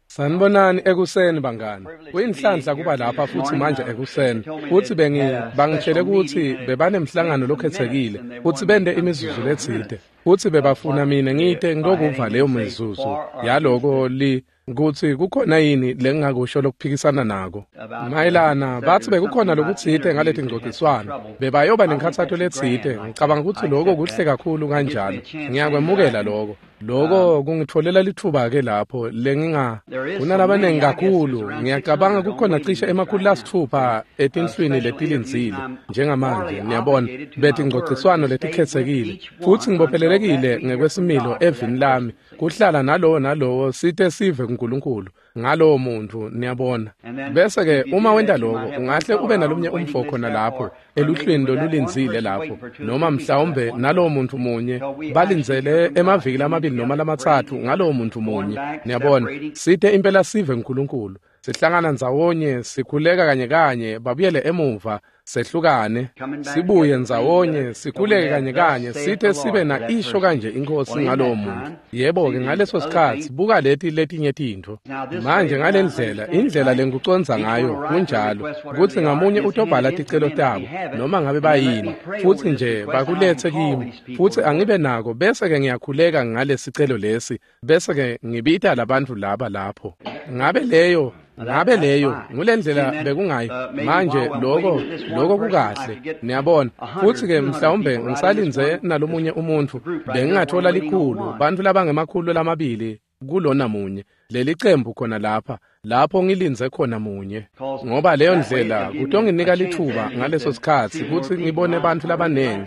Sanibonani ekuseni bangani. Kuyinhlanhla kuba lapha futhi manje ekuseni. Futhi bangitshele ukuthi bebanemhlangano lokhethekile futhi bende imizuzu letsite. Futhi bebafuna mina ngite ngitokuva leyo mizuzu yaloko li kutsi kukhona yini lengingakusho lokuphikisana nako. Mayelana bathi bekukhona lokutsite ngaleti ngcociswano. Bebayoba nenkhatsato letsite. Ngicabanga ukuthi lokho kuhle kakhulu kanjalo. Ngiyakwemukela lokho. Lokho kungitfolela litfuba ke lapho lenginga kunalabanengi kakhulu. Ngiyacabanga kukhona cishe 600 etinhlwini letilindzile njengamanje, niyabona, betingcociswano letikhetsekile. Futhi ngibophelelekile ngekwesimilo evini lami kuhlala nalowo nalowo site sive kuNkulunkulu ngalowo muntu, niyabona. Bese ke uma wenta lokho ungahle ube nalomnye umfo khona lapho eluhlwini lolulindzile lapho, noma mhlawumbe nalowo muntu munye balindzele emaviki lamabili noma lamatsatfu ngalowo muntu munye, niyabona. Site impela sive kuNkulunkulu, sihlangana ndzawonye, sikhuleka kanye kanye, babuyele emuva, sehlukane, sibuye ndzawonye, sikhuleke kanye kanye, site sibe na isho kanje inkosi ngalowo muntu. Yebo-ke ngaleso sikhatsi buka leti letinye tintfo. Manje ngalendlela, indlela lengikucondza ngayo kunjalo, kutsi ngamunye utobhala ticelo tabo, noma ngabe bayini, futhi nje bakulethe kimi, futhi angibe nako, bese-ke ngiyakhuleka ngalesicelo lesi, bese-ke ngibita labantfu laba lapho. Ngabe leyo ngulendlela bekungayo. Manje lokho kukahle, niyabona. Futhi ke mhlawumbe ngisalindze nalomunye umuntu, bengingathola likhulu, bantfu labangemakhulu lamabili kulona munye leli cembu khona lapha, lapho ngilindze khona munye, ngoba leyo ndlela kutonginika lithuba ngaleso sikhatsi kutsi ngibone bantfu labanengi.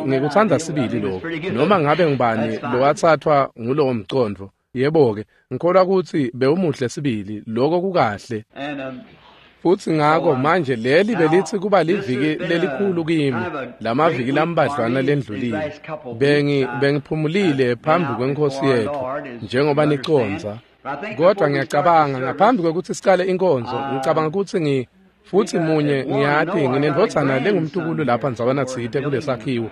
Ngikutsandza sibili lokho, noma ngabe ngubani lowatsathwa ngulowo mcondvo. Yebo-ke, ngikholwa kutsi bewumuhle sibili, lokho kukahle. Futhi ngako manje leli belitsi kuba liviki lelikhulu kimi, lamaviki lambadlwana lendlulile. Bengiphumulile phambi kwenkosi yethu, njengoba nicondza. Kodwa ngiyacabanga ngaphambi kwekutsi sicale inkonzo, ngicabanga kutsi futhi munye ngiyati nginendvodzana lengumtukulu lapha ndzawana tsite kulesakhiwo.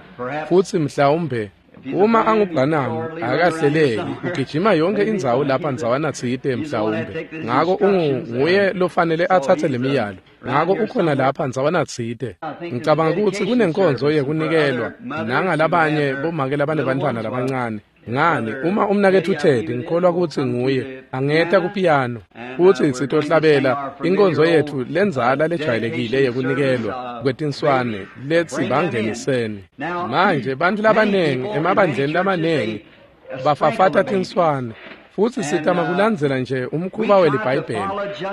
Futhi mhlawumbe uma angubhanamu akahleleki, ugijima yonke indzawo lapha ndzawana tsite mhlawumbe. Ngako nguye lofanele atsatse lemiyalo. Ngako ukhona lapha ndzawana tsite. Ngicabanga kutsi kunenkonzo yekunikelwa nangalabanye bomake labanebantfwana labancane. Ngani uma umnaketfu Ted, ngikholwa kutsi nguye, angeta kupiyano futhi sitohlabela inkonzo yetfu lendzala lejwayelekile yekunikelwa kwetinswane letsi bangeniseni. Manje bantfu labanengi emabandleni lamanengi bafafata tinswane, futhi sitama kulandzela nje umkhuba weliBhayibheli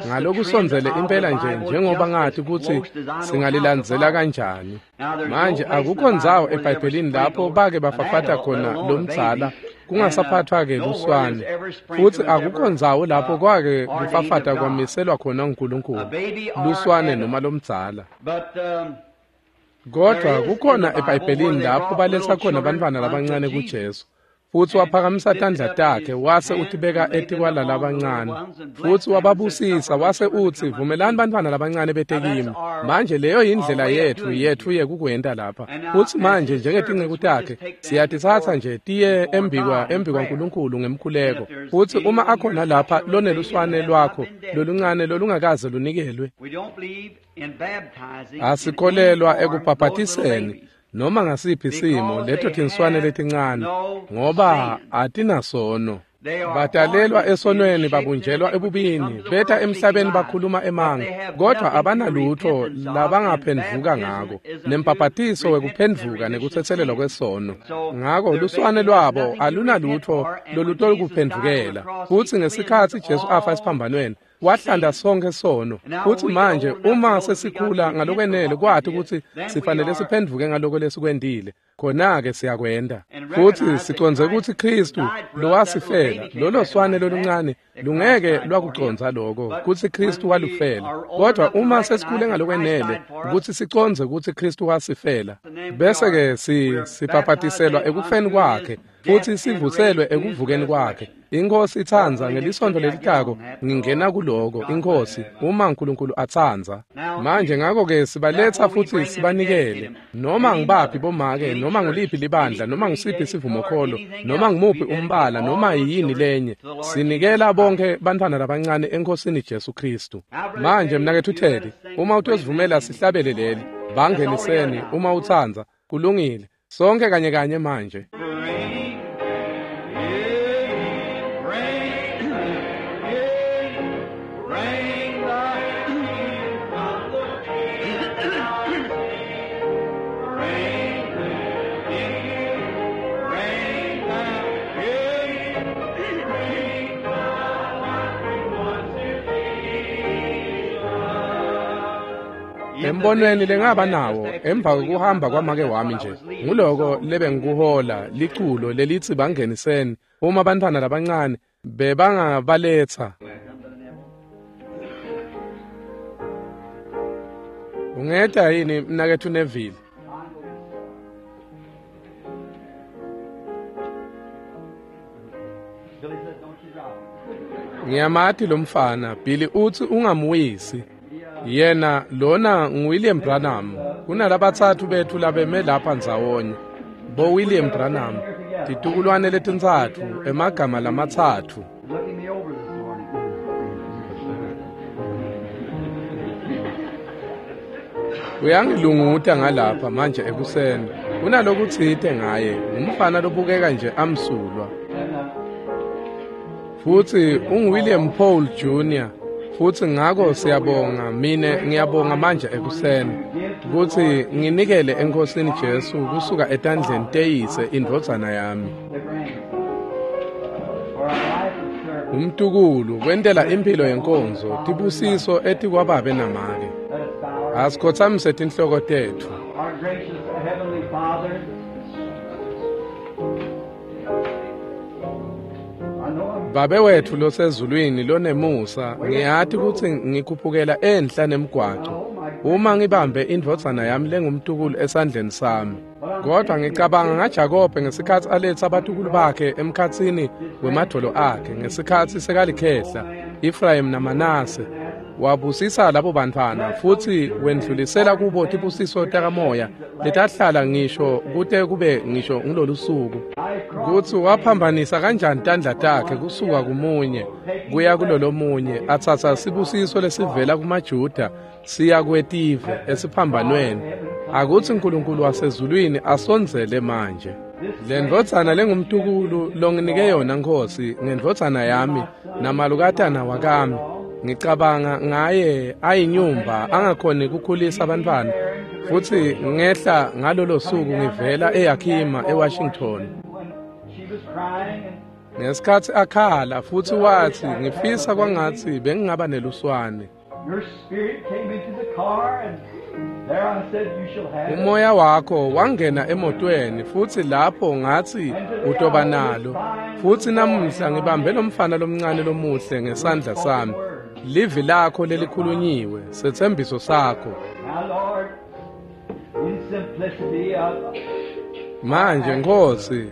ngalokusondzele impela nje njengoba ngathi kutsi singalilandzela kanjani. Manje akukho ndzawo eBhayibhelini lapho bake bafafata khona lomdzala kungasaphathwa-ke luswane, futhi akukho ndzawo lapho kwake kufafata kwamiselwa khona uNkulunkulu luswane noma lomdzala. Kodwa kukhona eBhayibhelini lapho baletsa khona bantfwana labancane kuJesu, futhi waphakamisa tandla takhe wase utibeka etikwala labancane, futhi wababusisa wase utsi vumelani bantfwana labancane bete kimi. Manje leyo yindlela yetfu yekukwenta lapha. Futhi manje njengetinceku takhe siyatitsatsa nje tiye embikwa nkulunkulu ngemkhuleko. Futhi uma akhona lapha loneluswane lwakho loluncane lolungakaze lunikelwe, asikholelwa ekubhabhatiseni noma ngasiphi simo leto tinswane letincane, ngoba atinasono. Batalelwa esonweni, babunjelwa ebubini, beta emhlabeni bakhuluma emanga, kodwa abanalutho labangaphendvuka ngako, nembhabhatiso wekuphendvuka nekutsetselelwa kwesono. Ngako luswane lwabo alunalutho lolutolukuphendvukela. Futhi ngesikhatsi Jesu afa esiphambanweni, wahlanda sonke sono. Futhi manje uma sesikhula ngalokwenele kwati ukuthi sifanele siphendvuke ngaloko lesikwentile, khona-ke siyakwenta. Futhi sicondze ukuthi Kristu lowasifela, lolo swane loluncane lungeke lwakucondza lokho kutsi Kristu walufela. Kodwa uma sesikhule ngalokwenele ukuthi sicondze ukuthi Kristu wasifela, bese-ke sibhabhatiselwa ekufeni kwakhe. futhi sivuselwe ekuvukeni kwakhe. Inkosi itsandza ngelisonto lelitako ngingena kuloko, inkosi, uma uNkulunkulu atsandza. Manje ngakho-ke sibaletha futhi sibanikele, noma ngibaphi bomake, noma nguliphi libandla, noma ngusiphi isivumokholo, noma ngumuphi umbala, noma yini lenye, sinikela bonke bantwana labancane enkosini Jesu Kristu. Manje mnaketfu Teddy, uma utosivumela sihlabele leli, bangeniseni uma utsandza, kulungile, sonke kanye kanye manje. Embonweni lengaba nawo emva kokuhamba kwamake wami nje, nguloko lebengikuhola liculo lelithi bangeniseni uma bantwana labancane bebangabaletha. Ungeta yini mnaketfu Neville? Ngiyamati lo mfana, Billy uthi ungamwisi. Yena lona nguWilliam Branham. Kunalabatsatfu bethu labeme lapha ndzawonye. Bo William Branham, titukulwane letintsatfu, emagama lamatsatfu. Uyangilunguta ngalapha manje ekuseni. Kunalokutsite ngaye, ngumfana lobukeka nje amsulwa. Futhi unguWilliam Paul Jr. Futhi ngako siyabonga, mine ngiyabonga manje ekuseni kutsi nginikele enkosini Jesu kusuka etandleni teyise indvodzana yami. Umtukulu kwentela impilo yenkonzo tibusiso etikwababe namake. Asikhotsamise tinhloko tetfu. Babe wetfu losezulwini lonemusa, ngiyati kutsi ngikhuphukela enhla nemgwaco uma ngibambe indvodzana yami lengumtukulu esandleni sami. Kodwa ngicabanga ngaJakobe ngesikhatsi aletsa abatukulu bakhe emkhatsini wemadvolo akhe ngesikhatsi sekalikhehla, Ephraim naManase. Wabusisa labo bantfwana futhi wendlulisela kubo tibusiso takamoya letahlala ngisho kute kube ngisho ngilolu suku. Kutsi waphambanisa kanjani tandla takhe kusuka kumunye kuya kulolomunye, atsatsa sibusiso lesivela kumaJuda siya kwetive esiphambanweni. Akutsi uNkulunkulu wasezulwini asondzele manje. Le ndvodzana lengumtukulu longinike yona Nkosi ngendvodzana yami namalukatana wakami. Ngicabanga ngaye ayinyumba angakhoni kukhulisa abantwana, futhi ngehla ngalolo suku ngivela eYakima eWashington. Ngesikhatsi akhala futhi wathi ngifisa kwangathi bengingaba neluswane. Umoya wakho wangena emotweni futhi lapho ngathi utoba nalo. Futhi namuhla ngibambe lo mfana lomncane lomuhle ngesandla sami. Livi lakho lelikhulunyiwe, setsembiso sakho. Manje Nkosi,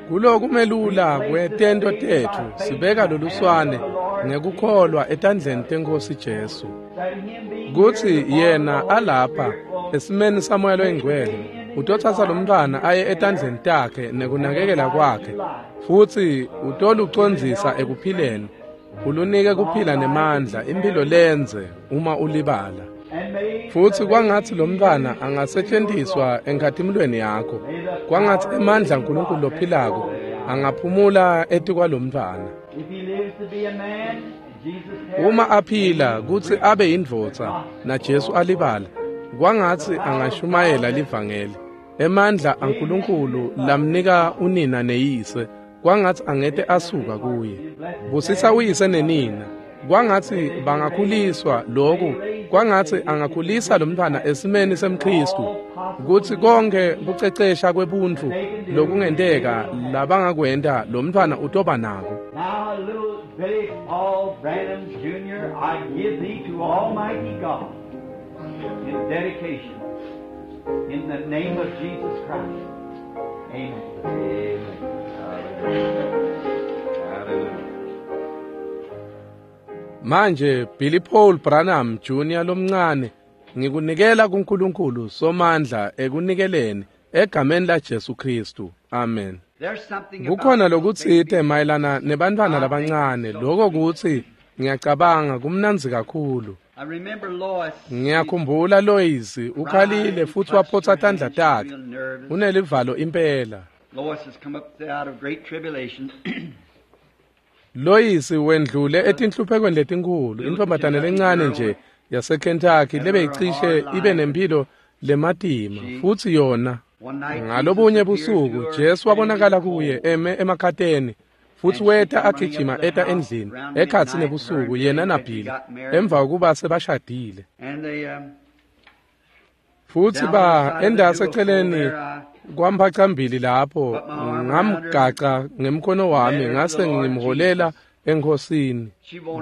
kulokumelula kwetento tetfu sibeka loluswane ngekukholwa etandleni tenkosi Jesu. Kutsi yena alapha esimeni saMoya loyiNgcwele, utotsatsa lo mntwana aye etandleni takhe nekunakekela kwakhe, futhi utolucondzisa ekuphileni, ulunike kuphila nemandla, impilo lenze uma ulibala. Futhi kwangathi lo mntwana angasetshenziswa enkhatimulweni yakho, kwangathi emandla aNkulunkulu lophilako angaphumula etikwalomntwana. Uma aphila kutsi abe yindvodza naJesu alibala, kwangathi angashumayela livangeli. Emandla aNkulunkulu lamnika unina neyise, kwangathi angete asuka kuye. Busisa uyise nenina, kwangathi bangakhuliswa lokhu, kwangathi angakhulisa lo mntwana esimeni semKristu, kutsi konke kucecesha kwebuntfu lokungenteka labangakwenta lo mntwana utoba nako. Now, little Billy Paul Branham Jr., I give thee to Almighty God in dedication, in the name of Jesus Christ. Amen. Amen. Hallelujah. Manje Billy Paul Branham Jr. lomncane ngikunikela kuNkulunkulu Somandla ekunikeleni egameni laJesu Kristu. Amen. There's something about Kukhona little lokutsite babies. mayelana nebantfwana labancane lokho kutsi ngiyacabanga kumnandzi kakhulu. I remember Lois. Ngiyakhumbula Lois ukhalile futhi waphotsa tandla takhe. Unelivalo impela. Lois has come up out of great tribulation. Lois wendlule etinhluphekweni letinkhulu intombazane lencane nje yaseKentucky lebeyicishe ibe nempilo lematima futhi yona One night, ngalobunye Jesus appeared busuku to her Jesu wabonakala standing kuye in the eme emakhateni futhi weta agijima eta endlini ekhatsi nebusuku yena naBilly emva kokuba sebashadile And they, futhi ba endase eceleni kwamphacambili lapho ngamgaca ngemkhono wami ngase ngimholela enkosini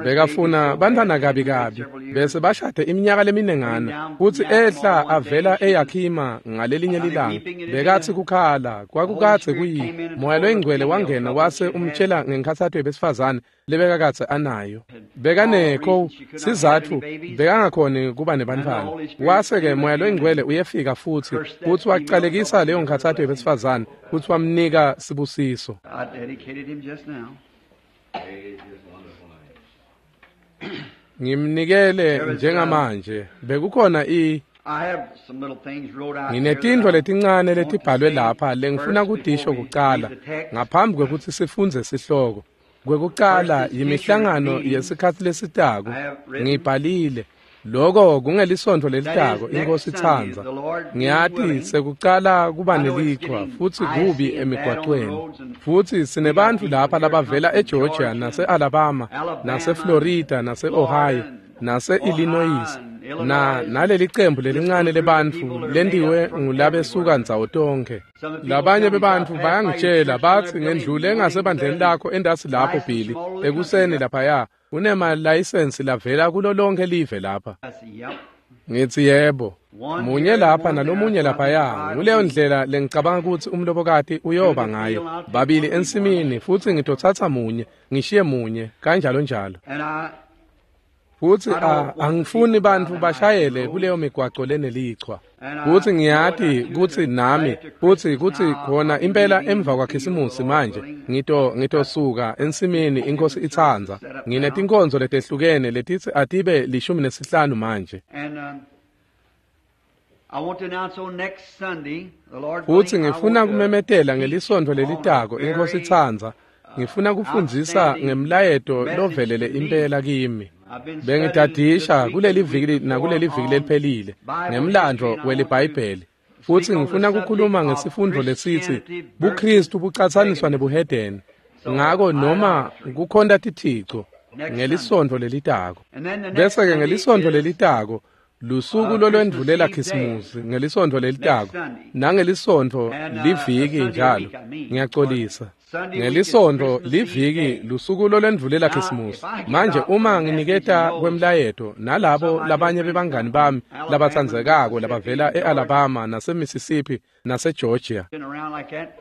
bekafuna bantwana kabi kabi bese bashade iminyaka leminengana futhi ehla avela eYakima ngalelinye lilanga bekathi kukhala kwakukadze kuyi moya loyingcwele wangena wase umtshela ngenkhathato yebesifazane lebekakadze anayo bekanekho sizatfu bekangakhoni kuba nebantfwana wase-ke moya loyingcwele uyefika futhi futhi wacalekisa leyo nkhathato yebesifazane futhi wamnika sibusiso. I dedicated him just now. Ngimnikele njengamanje bekukhona i I have some little things wrote out here nginetintfo that I letincane want to letibhalwe say lapha lengifuna first kutisho before we kucala read the text. ngaphambi kwekutsi sifundze sihloko. Kwekucala First is yimihlangano future meetings. yesikhatsi lesitako I have written. ngibhalile loko kungelisonto lelitako That is next inkosi Sunday, itsandza. the Lord being Ngiyati willing. sekucala kuba I know it's nelichwa getting futhi icy kubi and bad on the emigwacweni roads and futhi sinebantfu we got lapha people here labavela come from eGeorgia Georgia, nase-Alabama Alabama, nase-Florida nase-Ohio Florida, nase-Illinois Ohio, and na Illinois. naleli cembu lelincane This little group of lebantfu people that are lentiwe made up from ngulabesuka everywhere. ndzawo tonkhe. Some of the people Labanye tell me, bebantfu "I passed by your bayangitshela church batsi and their ngendlule building ngasebandleni there lakho endasi lapho license Billy from all over the ekuseni country." laphaya kunemalaysensi lavela kulo lonke live lapha. I said, "Yep." Ngithi yebo. One Munye here and lapha one there. nalomunye That's what I laphaya. think the bride Nguleyo will be. ndlela lengicabanga ukuthi umlobokati uyoba ngayo. Babili ensimini futhi ngitotsatsa munye, ngishiye munye, kanjalo njalo. And I Futhi I don't want angifuni people bantfu driving bashayele icy kuleyo migwaco lenelichwa. And I Futhi know ngiyati that too, kutsi that nami after futhi Christmas kutsi now, khona I'll be impela leaving emva the kwaKhisimusi field, the Lord manje willing. ngitosuka ensimini inkosi itsandza. Set up now. Nginetinkonzo letehlukene letitsi atibe 15 manje. And I want to announce on next Sunday, the Lord Futhi willing, I ngifuna want to kumemetela teach ngelisontfo on a lelitako inkosi very itsandza. Ngifuna kufundzisa outstanding ngemlayeto message lovelele to me. impela kimi. I've been studying this Bengitadisha week kuleli and the week viki before nakuleli viki on leliphelile Bible history, ngemlandvo and I want to welibhayibheli. Futhi speak on the ngifuna subject kukhuluma of ngesifundvo lesitsi Christianity versus buKristu bucatsaniswa paganism. nebuhedeni. So Ngako noma idolatry. kukhonta tithico Next Sunday. ngelisontfo lelitako. And then the next Bese ke Sunday ngelisontfo is lelitako lusuku Christmas lolwendvulela Eve day. Khisimusi ngelisontfo Next lelitako Sunday. nangelisonto And liviki Sunday njalo week, I mean. ngiyacolisa Sunday week is ngelisontfo Christmas Eve liviki day. lusuku lolwendvulela Now, Khisimusi if I give manje out uma the message and nginiketa those kwemlayeto nalabo some of my dear labanye friends bebangani come from bami Alabama, labatsandzekako Mississippi, labavela and Georgia, e-Alabama naseMississippi naseGeorgia and around like that,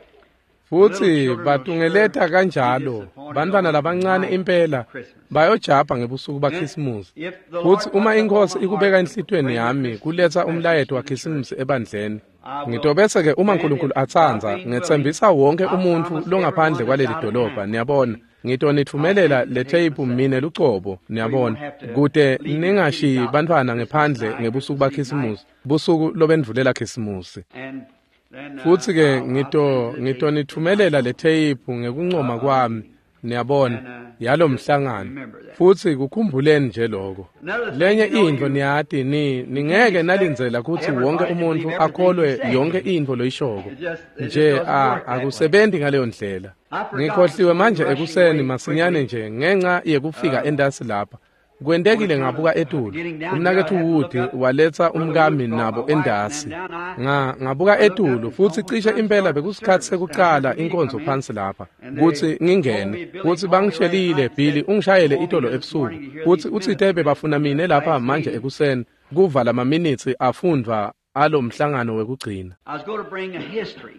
the little futhi children will sure batungeleta be kanjalo disappointed bantfwana on the labancane night impela of Christmas. bayojabha ngebusuku Then, baKhisimusi if the futhi Lord uma puts up on inkosi my ikubeka heart to enhlitiyweni bring the yami Christmas kuletsa message umlayeto to the church, waKhisimusi ebandleni I will ngitobese ke uma then, uNkulunkulu if God atsandza being willing, ngetsembisa wonke I umuntfu promise longaphandle everyone that's kwaleli out of dolobha town, niyabona I'll send ngitonitfumelela the le tape tape myself. mine lucobo So you won't niyabona have to kute leave your kids ningashiyi out bantfwana Christmas ngephandle night, ngebusuku Christmas Eve night. baKhisimusi busuku lobendvulela Khisimusi And then futhi ke I'll send you the tape ngitonitfumelela le tape ngekuncoma of the kwami meeting. niyabona And yalo just mhlangano remember that. futhi kukhumbuleni nje lokho Another thing, lenye you know, intfo you niyati you can't ningeke expect nalindzela kutsi wonke everybody to umuntfu believe everything you akholwe say. yonke intfo loyishoko It just it just nje doesn't work that way. akusebenti ngaleyo ndlela I forgot this ngikhohliwe morning manje rushing ekuseni away masinyane quickly nje ngenxa yekufika endasi lapha kwentekile on account ngabuka of etulu getting down here. I umnaketfu had to look Wood up. waletsa Brother Wood umkami brought my nabo wife and them endasi down. I ngabuka I looked up etulu and futhi almost cishe time to impela start the bekusikhatsi service. And I heard sekucala the meeting inkonzo come in, phansi lapha and they kutsi told me ngingene Billy kutsi called me last bangishelile night and Billy said, ungishayele "Call me itolo here this ebusuku morning to hear kutsi these utsite minutes read bebafuna from the mine lapha last manje meeting." ekuseni kuva lamaminithi afundvwa alo mhlangano wekugcina I was going to bring a history.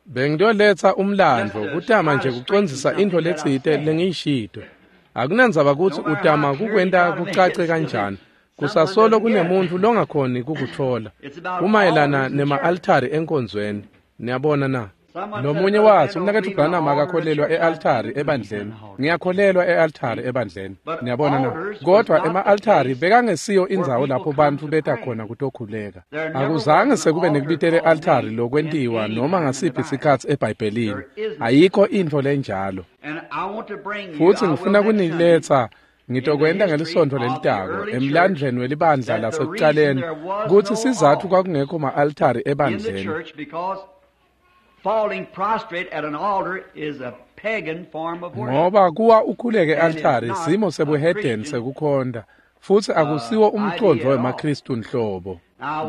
Bengitoletsa umlandvo kutama nje kucondzisa intfo letsite lengiyishito. Akunandzaba kutsi utama kukwenta kucace kanjani, kusasolo kunemuntfu longakhoni kukutfola. Kumayelana nema-altari enkonzweni. Niyabona na? Lomunye watsi, umnaketfu Branham akakholelwa e-altari ebandleni. Ngiyakholelwa e-altari ebandleni. Niyabona na? Kodwa ema-altari bekangesiyo indzawo lapho bantfu beta khona kutokhuleka. Akuzange sekube nekubitela e-altari lokwentiwa noma ngasiphi sikhatsi eBhayibhelini. Ayikho intfo lenjalo. Futsi ngifuna kuniletsa, ngitokwenta ngelisontfo lelitako, emlandvweni welibandla lasekucaleni, kutsi sizatfu kwakungekho ma-altari ebandleni. Falling prostrate at an altar is a pagan form of worship. Ngoba kuwa ukhuleke e-altari simo sebuhedeni sekukhonta, futsi akusiwo umcondvo wemaKhristu nhlobo.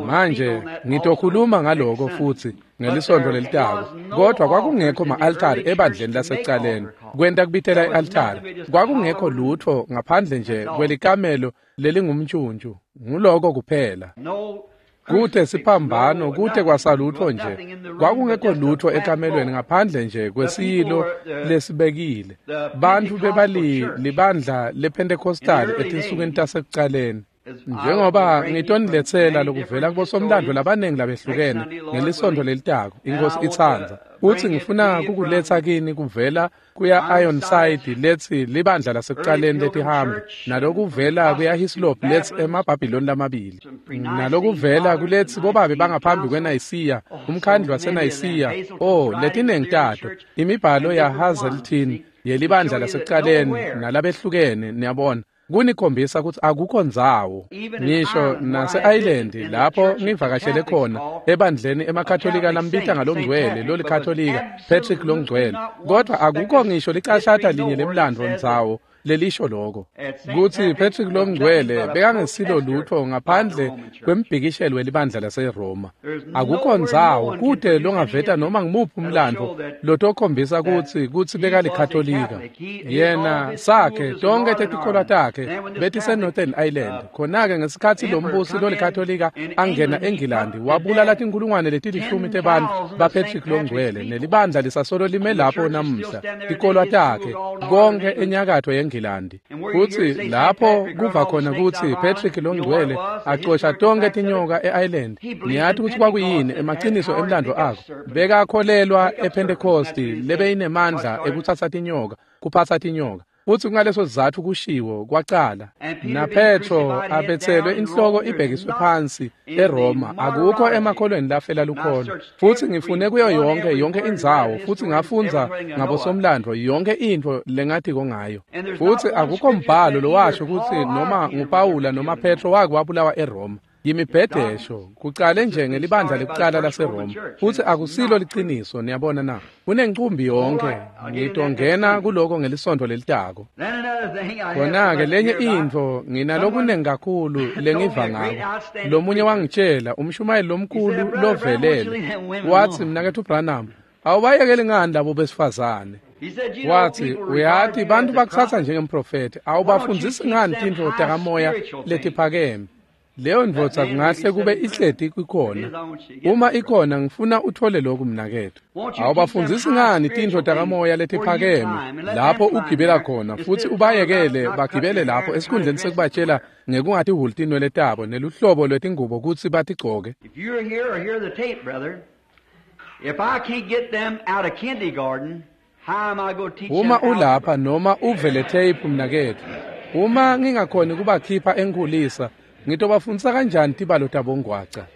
Manje ngitokhuluma ngaloko futsi ngelisontfo lelitako, kodwa kwakungekho ma-altari ebandleni lasekucaleni. Kwenta kubitela i-altari, kwakungekho lutfo ngaphandle nje kwelikamelo lelingumntjuntju, nguloko kuphela. Kute siphambano, kute kwasalutfo nje. Kwakungekho lutfo ekamelweni ngaphandle nje kwesiyilo lesibekile. Bantfu bebalibandla lePentecostal etinsukwini tasekucaleni. Njengoba ngitoniletsela lokuvela kubosomlandvo labanengi labehlukene ngelisontfo lelitako, iNkhosi itsandza. Futsi ngifuna kukuletsa kini kuvela kuya Ironside letsi libandla lasekucaleni letihambi, nalokuvela kuya Hislop letsi emaBhabhiloni lamabili, nalokuvela kuletsi bobabe bangaphambi kweNayisiya, umkhandlu waseNayisiya, letinengi tato, imibhalo ya Hazelton yelibandla lasekucaleni nalabehlukene, niyabona. Kunikhombisa kutsi akukho ndzawo, ngisho nase-Ireland lapho ngivakashele khona ebandleni emaKatolika lambita ngalongcwele lolikatolika Patrick longcwele, kodwa akukho ngisho licashata linye lemlandvo ndzawo lelisho loko kutsi Patrick longcwele bekangesilo lutfo ngaphandle kwembhikishelo welibandla laseRoma. Akukho ndzawo kute longaveta noma ngimuphi umlandvo lotokhombisa kutsi bekalikatolika. Yena sakhe tonke tetikholwa takhe betise-Northern Ireland. Khona-ke ngesikhatsi lombusi lolikatolika angena eNgilandi, wabulala tinkhulungwane letilishumi tebantfu baPatrick longcwele, nelibandla lisasolo lime lapho namuhla, tikolwa takhe konke enyakatfo yeNgilandi. Futsi lapho kuva khona kutsi Patrick longcwele acosha tonke tinyoka e-Ireland, niyati kutsi kwakuyini emaciniso emlandvo akho. Bekakholelwa ePentecosti lebeyinemandla ekutsatsa tinyoka, kuphatsa tinyoka. Futsi kungaleso sizatfu kushiwo kwacala. NaPetro abetselwe inhloko ibhekiswe phansi eRoma, akukho emakholweni lafela lukholo. Futsi ngifune kuyo yonke indzawo, futsi ngafundza ngabosomlandvo yonke intfo lengatiko ngayo. Futsi akukho mbhalo lowasho kutsi noma nguPawula noma Petro wake wabulawa eRoma. Yimibhedesho kucale nje ngelibandla lekucala laseRoma, futsi akusilo liciniso. Niyabona na? Kunencumbi yonke. Ngitongena kuloko ngelisontfo lelitako. Khona-ke lenye intfo nginalokunengi kakhulu lengiva ngako. Lomunye wangitshela, umshumayeli lomkhulu lovelele, watsi, mnaketfu Branham, awubayekeli ngani labo besifazane? Watsi, uyati bantfu bakutsatsa njengemprofethi, awubafundzisi ngani tintfo takamoya letiphakeme? Leyo ndvodza kungahle kube ihleti ikhona. Uma ikhona, ngifuna uthole lokhu mnaketfu. Awubafundzisi ngani tintfo takamoya letiphakeme lapho ugibela khona, futsi ubayekele bagibele lapho esikhundleni sekubatshela ngekungatihhuli tinwele tabo neluhlobo lwetingubo kutsi batigcoke. If you're here or hear the tape, brother, if I can't get them out of kindergarten, how am I going to teach them Uma ulapha algebra? noma uve le tape mnaketfu, uma ngingakhoni kubakhipha enkulisa, ngitobafundzisa kanjani tibalo tabongwaca?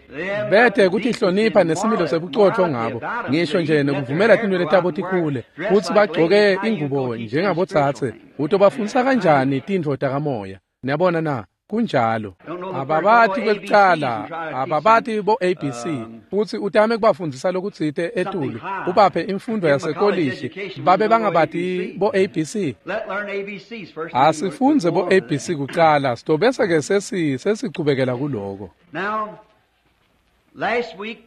Bete kutihlonipha nesimilo sebucotfo ngabo, ngisho nje nekuvumela tinwele tabo tikhule, futsi bagcoke ingubo njengabotsatse. Utobafundzisa kanjani tintfo takamoya? Niyabona na? Kunjalo. Ababati kwekucala, ababati bo ABC, futsi utame kubafundzisa lokutsite etulu, ubaphe imfundo yasekolishi, babe bangabati bo ABC. Let learn ABCs first. Asifundze bo ABC kucala, sitobese ke sesichubekela kuloko. Now, last week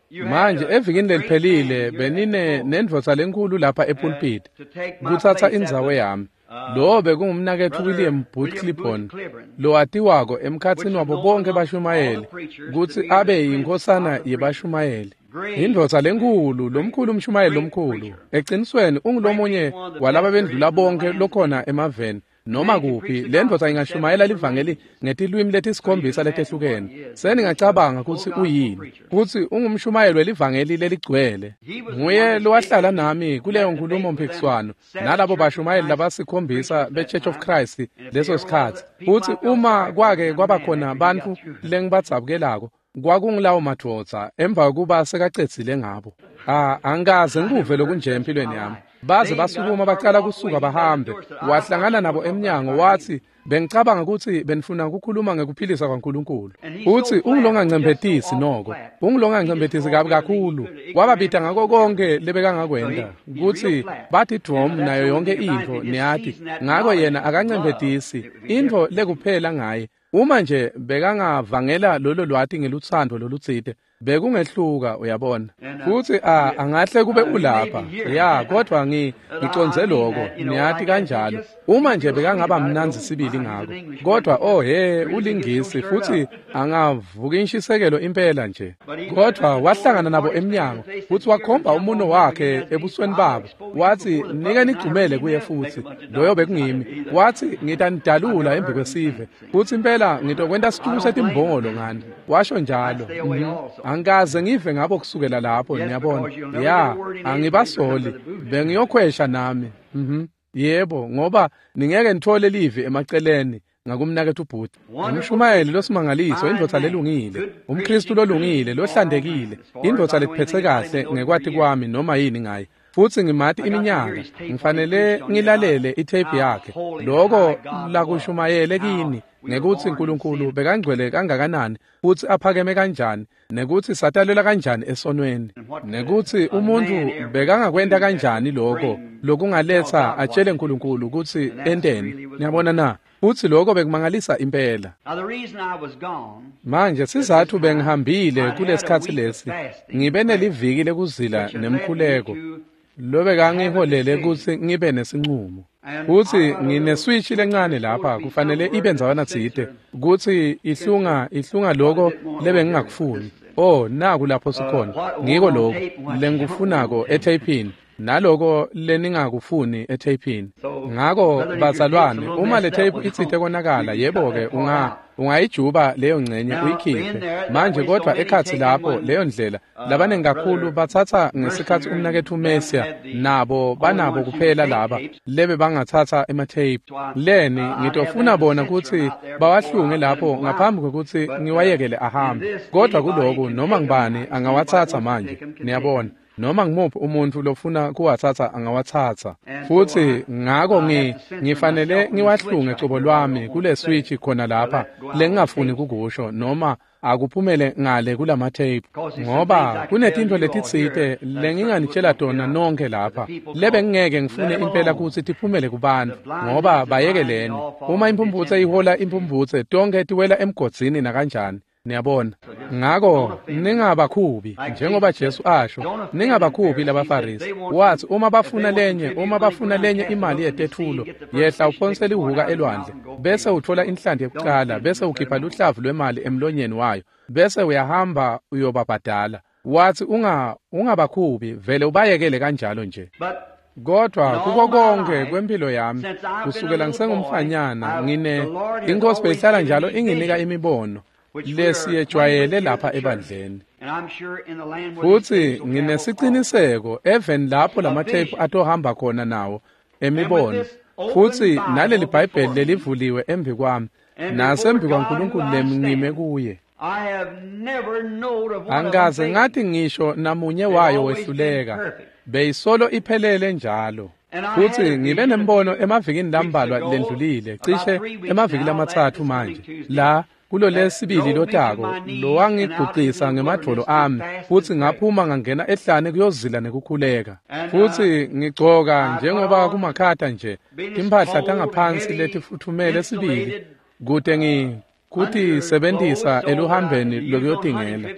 you had Manje a evikini great leliphelile man here at benine the pulpit nendvodza lenkulu lapha epulpit to take my kutsatsa place indzawo at the, yami. Lo bekungumnaketfu Brother William Booth William Booth Clibborn, Clibborn, lowatiwako emkhatsini which wabo is known bonke among all bashumayeli the preachers kutsi to be the abe prince yinkhosana of the yebashumayeli. Indvodza lenkulu, lomkhulu umshumayeli lomkhulu. Eqinisweni ungulomunye walaba bendlula bonke lokhona emaveni. Noma kuphi, le ndvodza ingashumayela livangeli ngetilwimi letisikhombisa letehlukene. Seningacabanga kutsi uyini, kutsi ungumshumayeli welivangeli leligcwele. Nguye lowahlala nami kuleyo nkulumo mphikiswano nalabo bashumayeli labasikhombisa be-Church of Christ leso sikhatsi. Futsi uma kwake kwabakhona bantfu lengibadzabukelako, kwakungilawo madvodza emva kokuba sekacedzile ngabo. Angikaze ngikuve lokunje empilweni yami. Baze basukuma bacala kusuka bahambe. Wahlangana nabo emnyango wathi, bengicabanga ukuthi benifuna ukukhuluma ngekuphilisa kwaNkulunkulu. Uthi ungilongancembetisi noko, ungilongancembetisi kabi kakhulu. Wababita ngako konke lebekangakwenta ukuthi bathi dvom nayo yonke intfo niyati. Ngako yena akancembetisi intfo lekuphela ngaye. Uma nje bekangavangela lolo lwati ngelutsandvo lolutsite, bekungehluka uyabona. Futhi angahle kube ulapha. Ya, kodwa ngicondze lokho, niyati kanjalo. Uma nje bekangaba mnandzi sibili ngako. Kodwa oh he, ulingisi futhi angavuka inshisekelo impela nje. Kodwa wahlangana nabo emnyango, futhi wakhomba umuno wakhe ebusweni babo. Wathi, "Nike nigcumele kuye futhi." Loyo bekungimi. Wathi, "Ngitanidalula embi kwesive." Futhi impela ngitokwenta situku setimbongolo ngani. Washo njalo. Angikaze ngive ngabo kusukela lapho, niyabona. Ya, angibasoli. Bengiyokhwesha nami. Yebo, ngoba ningeke nithole livi emaceleni ngakumnaketfu Booth. Umshumayeli losimangaliso, indvodza lelungile, umKristu lolungile, lohlantekile, indvodza lekuphetse kahle ngekwati kwami noma yini ngaye. Futhi ngimati iminyaka, ngifanele ngilalele itape yakhe. Lokho lakushumayele kini ngekuthi uNkulunkulu bekangcwele kangakanani futhi aphakeme kanjani, nekuthi satalelwa kanjani esonweni, nekuthi umuntu bekangakwenta kanjani lokho lokungaletha atshele uNkulunkulu ukuthi enteni. Niyabona na? Futhi lokho bekumangalisa impela. Manje sizathu bengihambile kulesikhatsi lesi, ngibe neliviki lekuzila nemkhuleko lobekangiholele kutsi ngibe nesinqumo. Futhi ngineswitch lencane lapha kufanele ibe ndzawana tsite kutsi ihlunga lokho lebengingakufuni. Oh, naku lapho sikhona. Ngiko lokho lengikufunako etheyphini naloko leningakufuni etheyphini. Ngako bazalwane, uma le tape itsite konakala, yebo ke ungayijuba leyo ngcenye uyikhiphe. Manje kodwa ekhatsi lapho leyo ndlela labanengi kakhulu batsatsa ngesikhatsi umnaketfu Messia nabo banabo kuphela laba lebe bangatsatsa ematape. Leni ngitofuna bona kutsi bawahlunge lapho ngaphambi kwekutsi ngiwayekele ahambe. Kodwa kuloku noma ngibani angawatsatsa manje, niyabona. Noma ngimuphi umuntu lofuna kuwatsatsa angawatsatsa. Futhi ngako ngifanele ngiwahlunge cobo lwami kule switch khona lapha lengingafuni kukusho noma akuphumele ngale kulama tape, ngoba kunetintfo letitsite lenginganitshela tona nonke lapha lebe ngingeke ngifune impela kutsi tiphumele kubantfu, ngoba bayekeleni. Uma imphumphutse ihola imphumphutse, tonke tiwela emgodzini nakanjani. Niyabona? Ngako ningabakhubi njengoba Jesu asho, ningabakhubi labaFarisi. Wathi uma bafuna lenye imali yetethulo, yehla uphonse lihuka elwandle, bese uthola inhlanti yekuqala, bese ukhipha luhlavu lwemali emlonyeni wayo, bese uyahamba uyobabhadala. Wathi ungabakhubi, vele ubayekele kanjalo nje. Kodwa kuko konke kwempilo yami kusukela ngisengumfanyana, ngine inkosi beyihlala njalo inginika imibono lesiyejwayele lapha ebandleni. Futhi nginesiciniseko even lapho lamathephu atohamba khona nawo emibono. Futhi naleli Bhayibheli lelivuliwe embi kwami nasembi kwaNkulunkulu lemngime kuye. Angikaze ngathi ngisho namunye wayo wehluleka, beyisolo iphelele njalo. Futhi ngibe nembono emavikini lambalwa lendlulile, cishe emaviki lamathathu manje, la kulo lesibili lotako lowangiguqisa ngemadvolo ami, futhi ngaphuma ngangena ehlane kuyozila nekukhuleka. Futhi ngigcoka njengoba kumakhata nje timphahla tangaphansi letifuthumele sibili kute kutisebentisa eluhambeni lokuyotingela,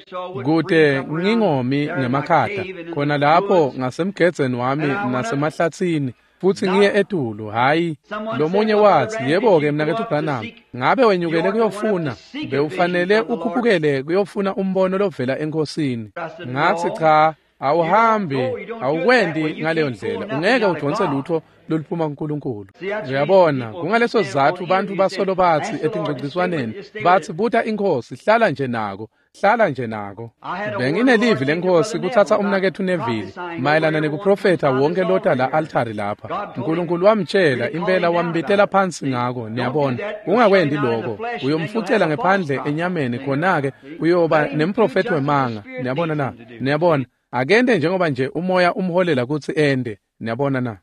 kute ngingomi ngemakhata khona lapho ngasemgedzeni wami nasemahlatsini. futsi ngiye etulu. Hhayi, lomunye watsi, yebo-ke mnaketfu Branham, ngabe wenyukele kuyofuna, bewufanele ukhuphukele kuyofuna umbono lovela eNkosini. Ngatsi, cha, awuhambi, awukwendi ngaleyo ndlela, ungeke udvonse lutho loluphuma kuNkulunkulu. Uyabona, kungaleso sizatfu bantfu basolo batsi etingcogciswaneni, batsi buta iNkhosi, hlala nje nako, hlala nje nako. Benginelivi leNkhosi kutsatsa umnaketfu Neville mayelana nekuprofetha wonke lota la altari lapha. Nkulunkulu wamtshela impela, wambitela phansi ngako, niyabona. Ungakwendi lokho, uyomfucela ngephandle enyameni, khona-ke uyoba nemprofethi wemanga. Niyabona na? Niyabona, akente njengoba nje umoya umholela kutsi ende. Niyabona na?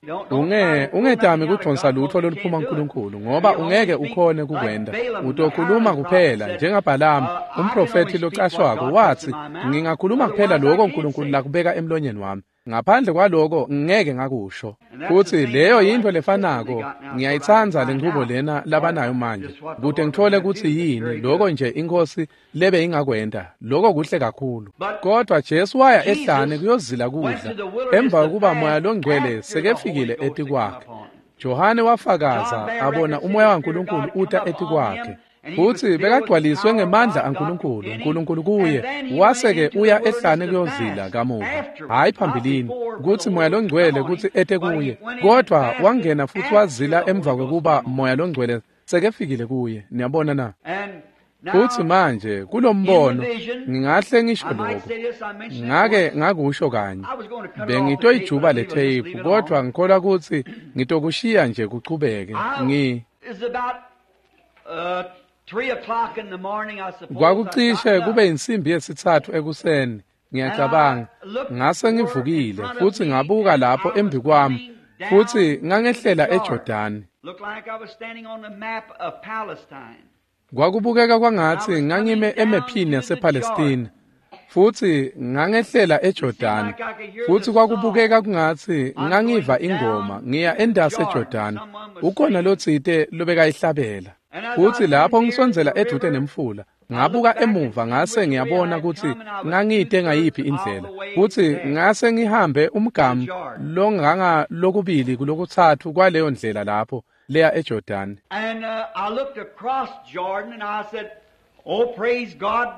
Ungetami kudvonsa lutho loluphuma kuNkulunkulu, ngoba ungeke ukhone kukwenta. Utokhuluma kuphela njengaBhalamu, umprofethi locashwako, watsi, ngingakhuluma kuphela lokho uNkulunkulu lakubeka emlonyeni wami. Ngaphandle kwaloko ngeke ngakusho. Futsi leyo yintfo lefanako, ngiyayitsandza lenchubo lena labanayo manje, kute ngitfole kutsi yini lokho nje iNkhosi lebe ingakwenta. Lokho kuhle kakhulu. Kodwa Jesu waya ehlane kuyozila kudla emva kokuba Moya loNgcwele sekefikile etikwakhe. Johane wafakaza abona umoya waNkulunkulu uta etikwakhe, futsi bekagcwaliswe ngemandla aNkulunkulu, uNkulunkulu kuye. Wase-ke uya ehlane kuyozila kamuva, hhayi phambilini, kutsi Moya loNgcwele kutsi ete kuye, kodvwa wangena futsi wazila emva kwekuba Moya loNgcwele sekefikile kuye. Niyabona na? Futsi manje kulombono ngingahle ngisho lokho, ngake ngakusho kanye, bengitoyijuba le tape, kodvwa ngikholwa kutsi ngitokushiya nje kuchubeke. Kwakucishe kube insimbi 3 ekuseni, ngiyacabanga. Ngase ngivukile futsi ngabuka lapho embi kwami, futsi ngangehlela eJordani. Kwakubukeka kwangatsi ngangime emephini yasePalestina, futsi ngangehlela eJordani, futsi kwakubukeka kungatsi ngangiva ingoma ngiya endasi eJordani. Ukhona lotsite lobekayihlabela. Futsi lapho ngisondzela edvute nemfula, ngabuka emuva ngase ngiyabona kutsi ngangite ngayiphi indlela, futsi ngase ngihambe umgamu longanga lokubili kulokutsatfu kwaleyo ndlela lapho leya eJordani. And I looked across Jordan and I said, oh, praise God,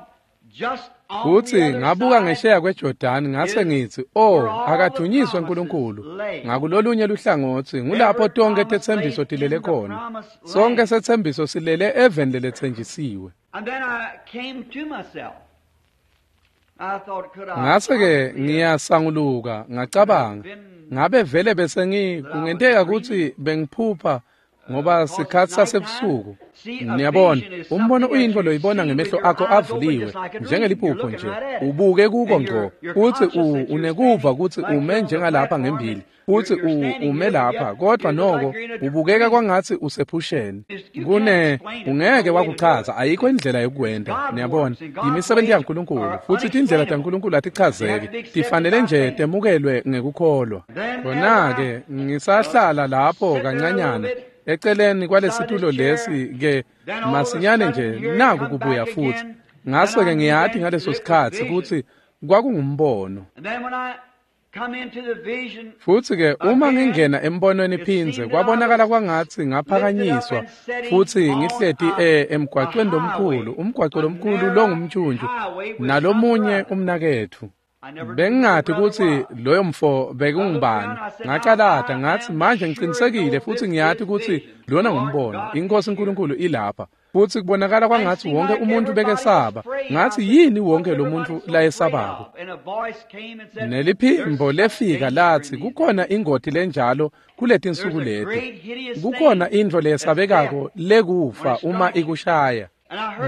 just on Futsi the other ngabuka side ngesheya kweJordani ngase ngitsi, oh, akadunyiswe uNkulunkulu. Ngakulolunye luhlangotsi ngulapho tonke tetsembiso tilele khona. Sonke setsembiso silele eveni leletsenjisiwe. And then I came to myself. I thought, could I Ngase-ke possibly ngiyasanguluka, ngacabanga, ngabe vele bese kungenteka kutsi bengiphupha ngoba sikhatsi sasebusuku. Niyabona, umbono uyintfo loyibona ngemehlo akho avuliwe, njengeliphupho nje, ubuke kuko ngco, futsi unekuva kutsi ume njengalapha ngembili, futsi ume lapha, kodvwa noko ubukeka kwangatsi usephusheni. Ungeke wakuchaza, ayikho indlela yokukwenta. Niyabona, yimisebenti yaNkulunkulu, futsi tindlela taNkulunkulu atichazeki, tifanele nje temukelwe ngekukholwa. Khona-ke ngisahlala lapho kancanyana eceleni kwalesitulo lesi ke masinyane nje naku kubuya futhi. Ngase-ke ngiyati ngaleso sikhatsi kutsi kwakungumbono. And then when I come into the vision, Futsi-ke uma ngingena embonweni phindze, kwabonakala kwangatsi ngaphakanyiswa futsi ngihleti emgwacweni lomkhulu, umgwaco lomkhulu longumntjuntju, nalomunye umnaketfu. Bengingati kutsi loyo mfo bekungubani. Ngacalata ngatsi, manje ngicinisekile futsi ngiyati kutsi lona ngumbono. INkhosi uNkulunkulu ilapha. Futsi kubonakala kwangatsi wonke umuntu bekesaba. Ngatsi, yini wonke lo muntu layesabako? And a voice came and said, Neliphimbo lefika latsi, kukhona ingoti lenjalo kuletinsuku leti. Kukhona intfo leyesabekako lekufa uma ikushaya.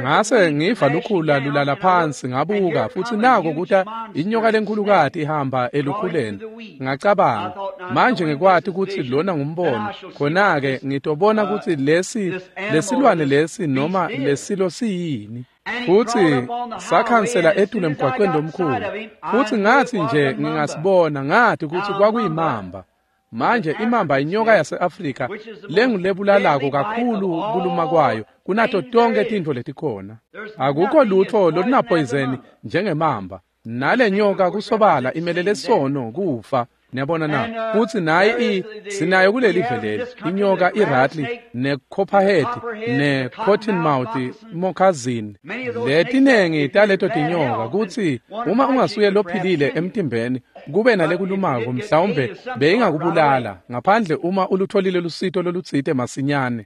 Ngase ngiva lukhula lulala phansi, ngabuka, futsi nako kuta inyoka lenkhulukati ihamba elukhuleni. Ngacabanga, manje ngikwati kutsi lona ngumbono, khona-ke ngitobona kutsi lesi lesilwane lesi noma lesilo siyini. Futsi sakhansela etulu emgwaqweni lomkhulu, futsi ngatsi nje ngingasibona, ngati kutsi kwakuyimamba. Manje imamba inyoka yase-Afrika lengulebulalako kakhulu kuluma kwayo kunato tonke tintfo letikhona. Akukho lutfo olunaphoyizeni njengemamba. Nale nyoka kusobala imelele sono kufa. Niyabona na? Futsi nayi sinayo kuleli leli inyoka iratli necopperhead necottonmouth moccasin. Letinengi taleto tinyoka kutsi uma ungasuye lophilile emtimbeni kube nalekulumako mhlawumbe beyingakubulala ngaphandle uma ulutholile lusito lolutsite masinyane.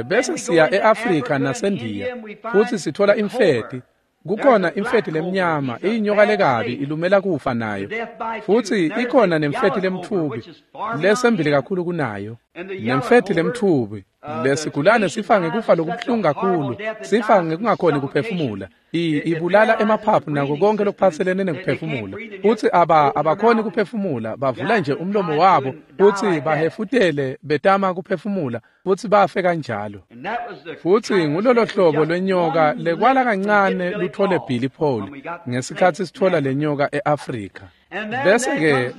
Bese siya eAfrika naseNdiya futsi sithola imfeti. Kukhona imfeti lemnyama iyinyoka lekabi ilumela kufa nayo, futsi ikhona nemfeti lemtfubi lesembili kakhulu kunayo. Nemfeti lemtfubi lesigulane sifa ngekufa lokubuhlungu kakhulu, sifa ngekungakhoni kuphefumula. Ibulala emaphaphu nako konke lokuphatselene nekuphefumula, futsi abakhoni kuphefumula, bavula nje umlomo wabo futsi bahefutele betama kuphefumula futsi bafe kanjalo. Futsi ngulolo hlobo lwenyoka lekwala kancane luthole Billy Paul ngesikhatsi sithola lenyoka eAfrika.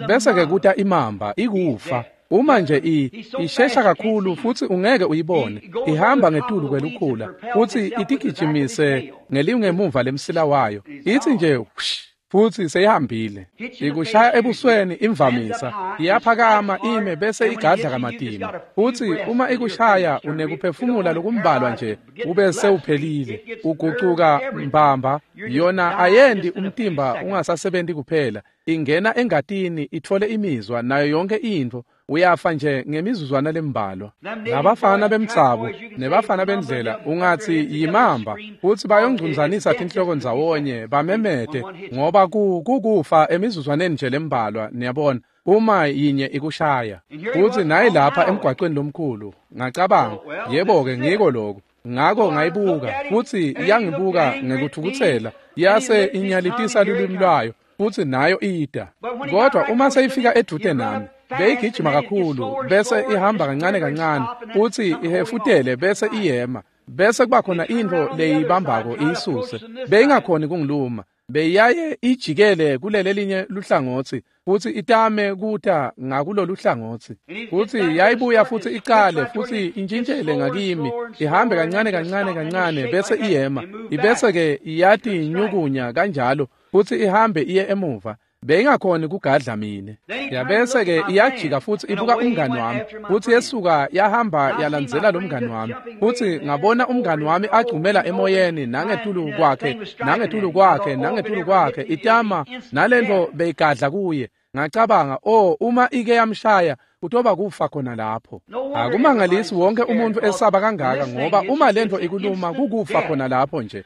Bese-ke kuta imamba ikufa. Uma nje ishesha kakhulu futsi ungeke uyibone, ihamba ngetulu kwelukhula futsi itigijimise ngelingemuva lemsila wayo, itsi nje whoosh, futsi seyihambile. Ikushaya ebusweni imvamisa, iyaphakama ime bese igadla kamatima, futsi uma ikushaya unekuphefumula lokumbalwa nje ube sewuphelile. Ugucuka mbamba, yona ayendi umtimba ungasasebenti kuphela, ingena engatini ithole imizwa nayo yonke intfo. Uyafa nje ngemizuzwana lembalwa. Nabafana bemtsabo nebafana bendlela ungatsi yimamba, futsi bayongcunzanisa tinhloko ndzawonye bamemete ngoba kukufa emizuzwaneni nje lembalwa, niyabona, uma yinye ikushaya. Futsi nayi lapha emgwaqweni lomkhulu, ngacabanga, yebo-ke ngiko lokho. Ngako ngayibuka futsi yangibuka ngekuthukutsela, yase inyalitisa lulwimi lwayo futsi nayo ida. Kodwa uma seyifika edvute nami, beyigijima kakhulu bese ihamba kancane kancane futsi ihefutele bese iyema, bese kuba khona intfo leyibambako iyisuse. Beyingakhoni kungiluma, beyaye ijikele kulelelinye luhlangotsi futsi itame kuta ngakulolu hlangotsi, futsi yayibuya futsi icale futsi intshintshele ngakimi, ihambe kancane kancane kancane bese iyema, ibese-ke iyatinyukunya kanjalo futsi ihambe iye emuva. Beyingakhoni kugadla mine. Yabese-ke iyajika futsi ibuka umngani wami, futsi yesuka yahamba yalandzela lo mngani wami, futsi ngabona umngani wami agcumela emoyeni nangetulu kwakhe nangetulu kwakhe nangetulu kwakhe itama nalento beyigadla kuye. Ngacabanga, oh, uma ike yamshaya kutoba kufa khona lapho. Akumangalisi wonke umuntu esaba kangaka, ngoba uma lento ikuluma kukufa khona lapho nje.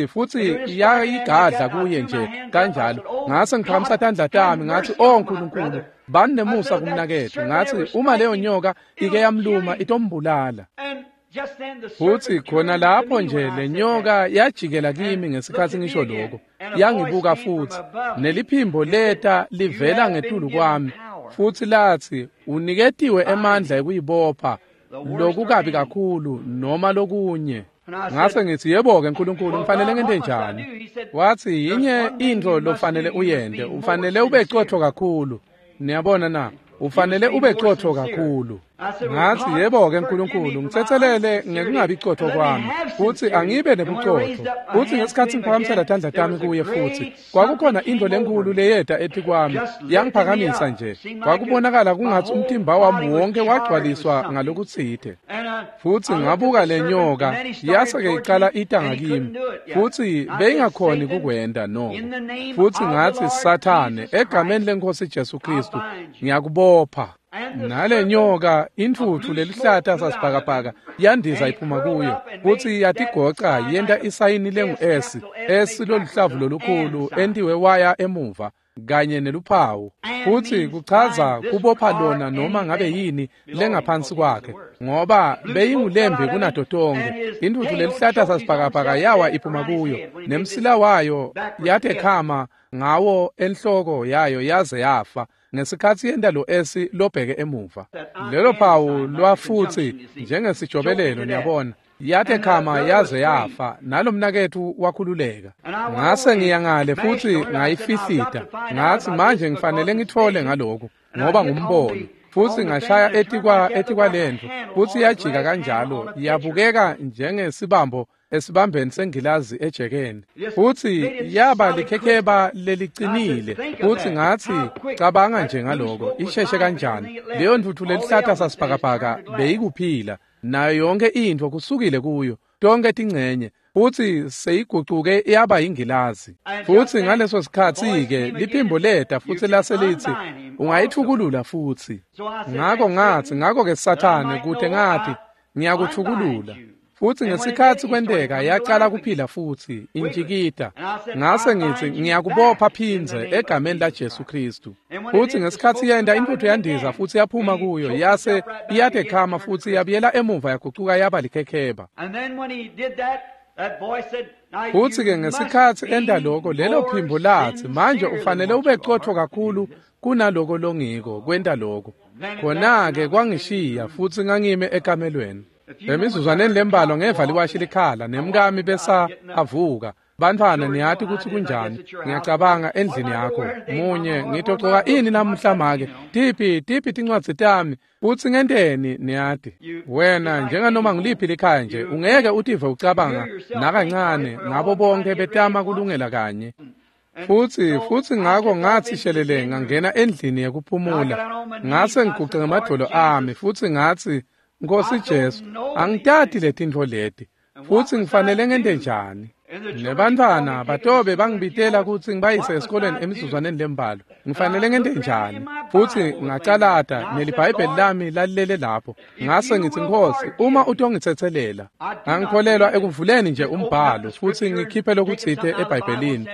Futsi yayigadla kuye nje kanjalo. Ngase ngiphakamisa tandla tami ngathi, oh Nkulunkulu, bani nemusa kumnaketfu. Ngathi uma leyo nyoka ike yamluma itombulala. Futsi khona lapho nje lenyoka yajikela kimi ngesikhatsi ngisho lokho, yangibuka futsi neliphimbo leta livela ngetulu kwami futsi latsi, uniketiwe emandla ekuyibopha lokukabi kakhulu noma lokunye. Ngase ngithi, yebo-ke Nkulunkulu, ngifanele ngente njani? Watsi, yinye intfo lofanele uyente, ufanele ube cotfo kakhulu. Niyabona na? Ufanele ube cotfo kakhulu. Ngathi, yebo-ke Nkulunkulu, ngitsetselele ngekungabi cotfo kwami, futsi angibe nebucotfo. Futsi ngesikhatsi ngiphakamisela tandla tami kuye futsi, kwakukhona intfo lenkulu leyeta etikwami, yangiphakamisa nje. Kwakubonakala kungatsi umtimba wami wonke wagcwaliswa ngalokutsite. Futsi ngabuka lenyoka, yase-ke icala ita ngakimi, futsi beyingakhoni kukwenta noko. Futsi ngatsi, Sathane, egameni leNkhosi Jesu Khristu, ngiyakubopha. Nale nyoka intfutfu lelihlata sasibhakabhaka yandiza iphuma kuyo, futsi yatigoca yenta isayini lengu-S, S loluhlavu lolukhulu entiwe waya emuva kanye neluphawu, futsi kuchaza kubopha lona noma ngabe yini lengaphansi kwakhe, ngoba beyingulembi kunato tonkhe. Intfutfu lelihlata sasibhakabhaka yawa iphuma kuyo, nemsila wayo yatekhama ngawo enhloko yayo yaze yafa ngesikhatsi yenta lo S lobheke emuva. Lelo phawu lwafutsi njengesijobelelo, niyabona, yatekhama yaze yafa, nalomnaketfu wakhululeka. Ngase ngiyangale futsi ngayifihlita, ngathi manje ngifanele ngitfole ngaloku ngoba ngumbono. Futsi ngashaya etikwalendlu, futsi yajika kanjalo yabukeka njengesibambo esibambeni sengilazi ejekeni, futsi yaba likhekheba lelicinile. Futsi ngatsi, cabanga nje ngaloko, isheshe kanjani leyo ntfutfu lelihlata sasibhakabhaka beyikuphila, nayo yonke intfo kusukile kuyo, tonke tincenye, futsi seyigucuke yaba yingilazi. Futsi ngaleso sikhatsi-ke liphimbo leta futsi lase litsi, ungayithukulula futsi. Ngako ngatsi, ngako-ke Sathane, kute ngathi ngiyakuthukulula. Futsi ngesikhatsi kwenteka yacala kuphila futsi intjikita. Ngase ngitsi, ngiyakubopha phindze egameni laJesu Kristu. Futsi ngesikhatsi yenta, intfutfu yandiza futsi yaphuma kuyo, yase iyatekhama futsi yabuyela emuva yagucuka yaba likhekheba. Futsi-ke ngesikhatsi enta loko, lelo phimbo latsi, manje ufanele ube cotfo kakhulu kunaloko longiko kwenta loko. Khona-ke kwangishiya futsi ngangime ekamelweni. Emizuzwaneni lembalwa ngeva liwashi likhala, nemkami besa avuka. Bantfwana, niyati kutsi kunjani, ngiyacabanga endlini yakho. Munye, ngitogcoka ini namuhla make? Tiphi tincwadzi tami? Futsi ngenteni, niyati. Wena, njenganoma ngiliphi likhaya nje, ungeke utive ucabanga nakancane ngabo bonke betama kulungela kanye. Futsi ngako ngatsi shelele ngangena endlini yekuphumula. Ngase ngiguce ngemadvolo ami futsi ngatsi, Nkosi Jesu, angitati letintfo leti, futsi ngifanele ngente njani? Nebantfwana batobe bangibitela kutsi ngibayise esikolweni emizuzwaneni lembalwa. Ngifanele ngente njani? Futsi ngacalata neliBhayibheli lami lalilele lapho. Ngase ngitsi, Nkosi, uma utongitsetselela. Angikholelwa ekuvuleni nje umbhalo futsi ngikhiphe lokutsite eBhayibhelini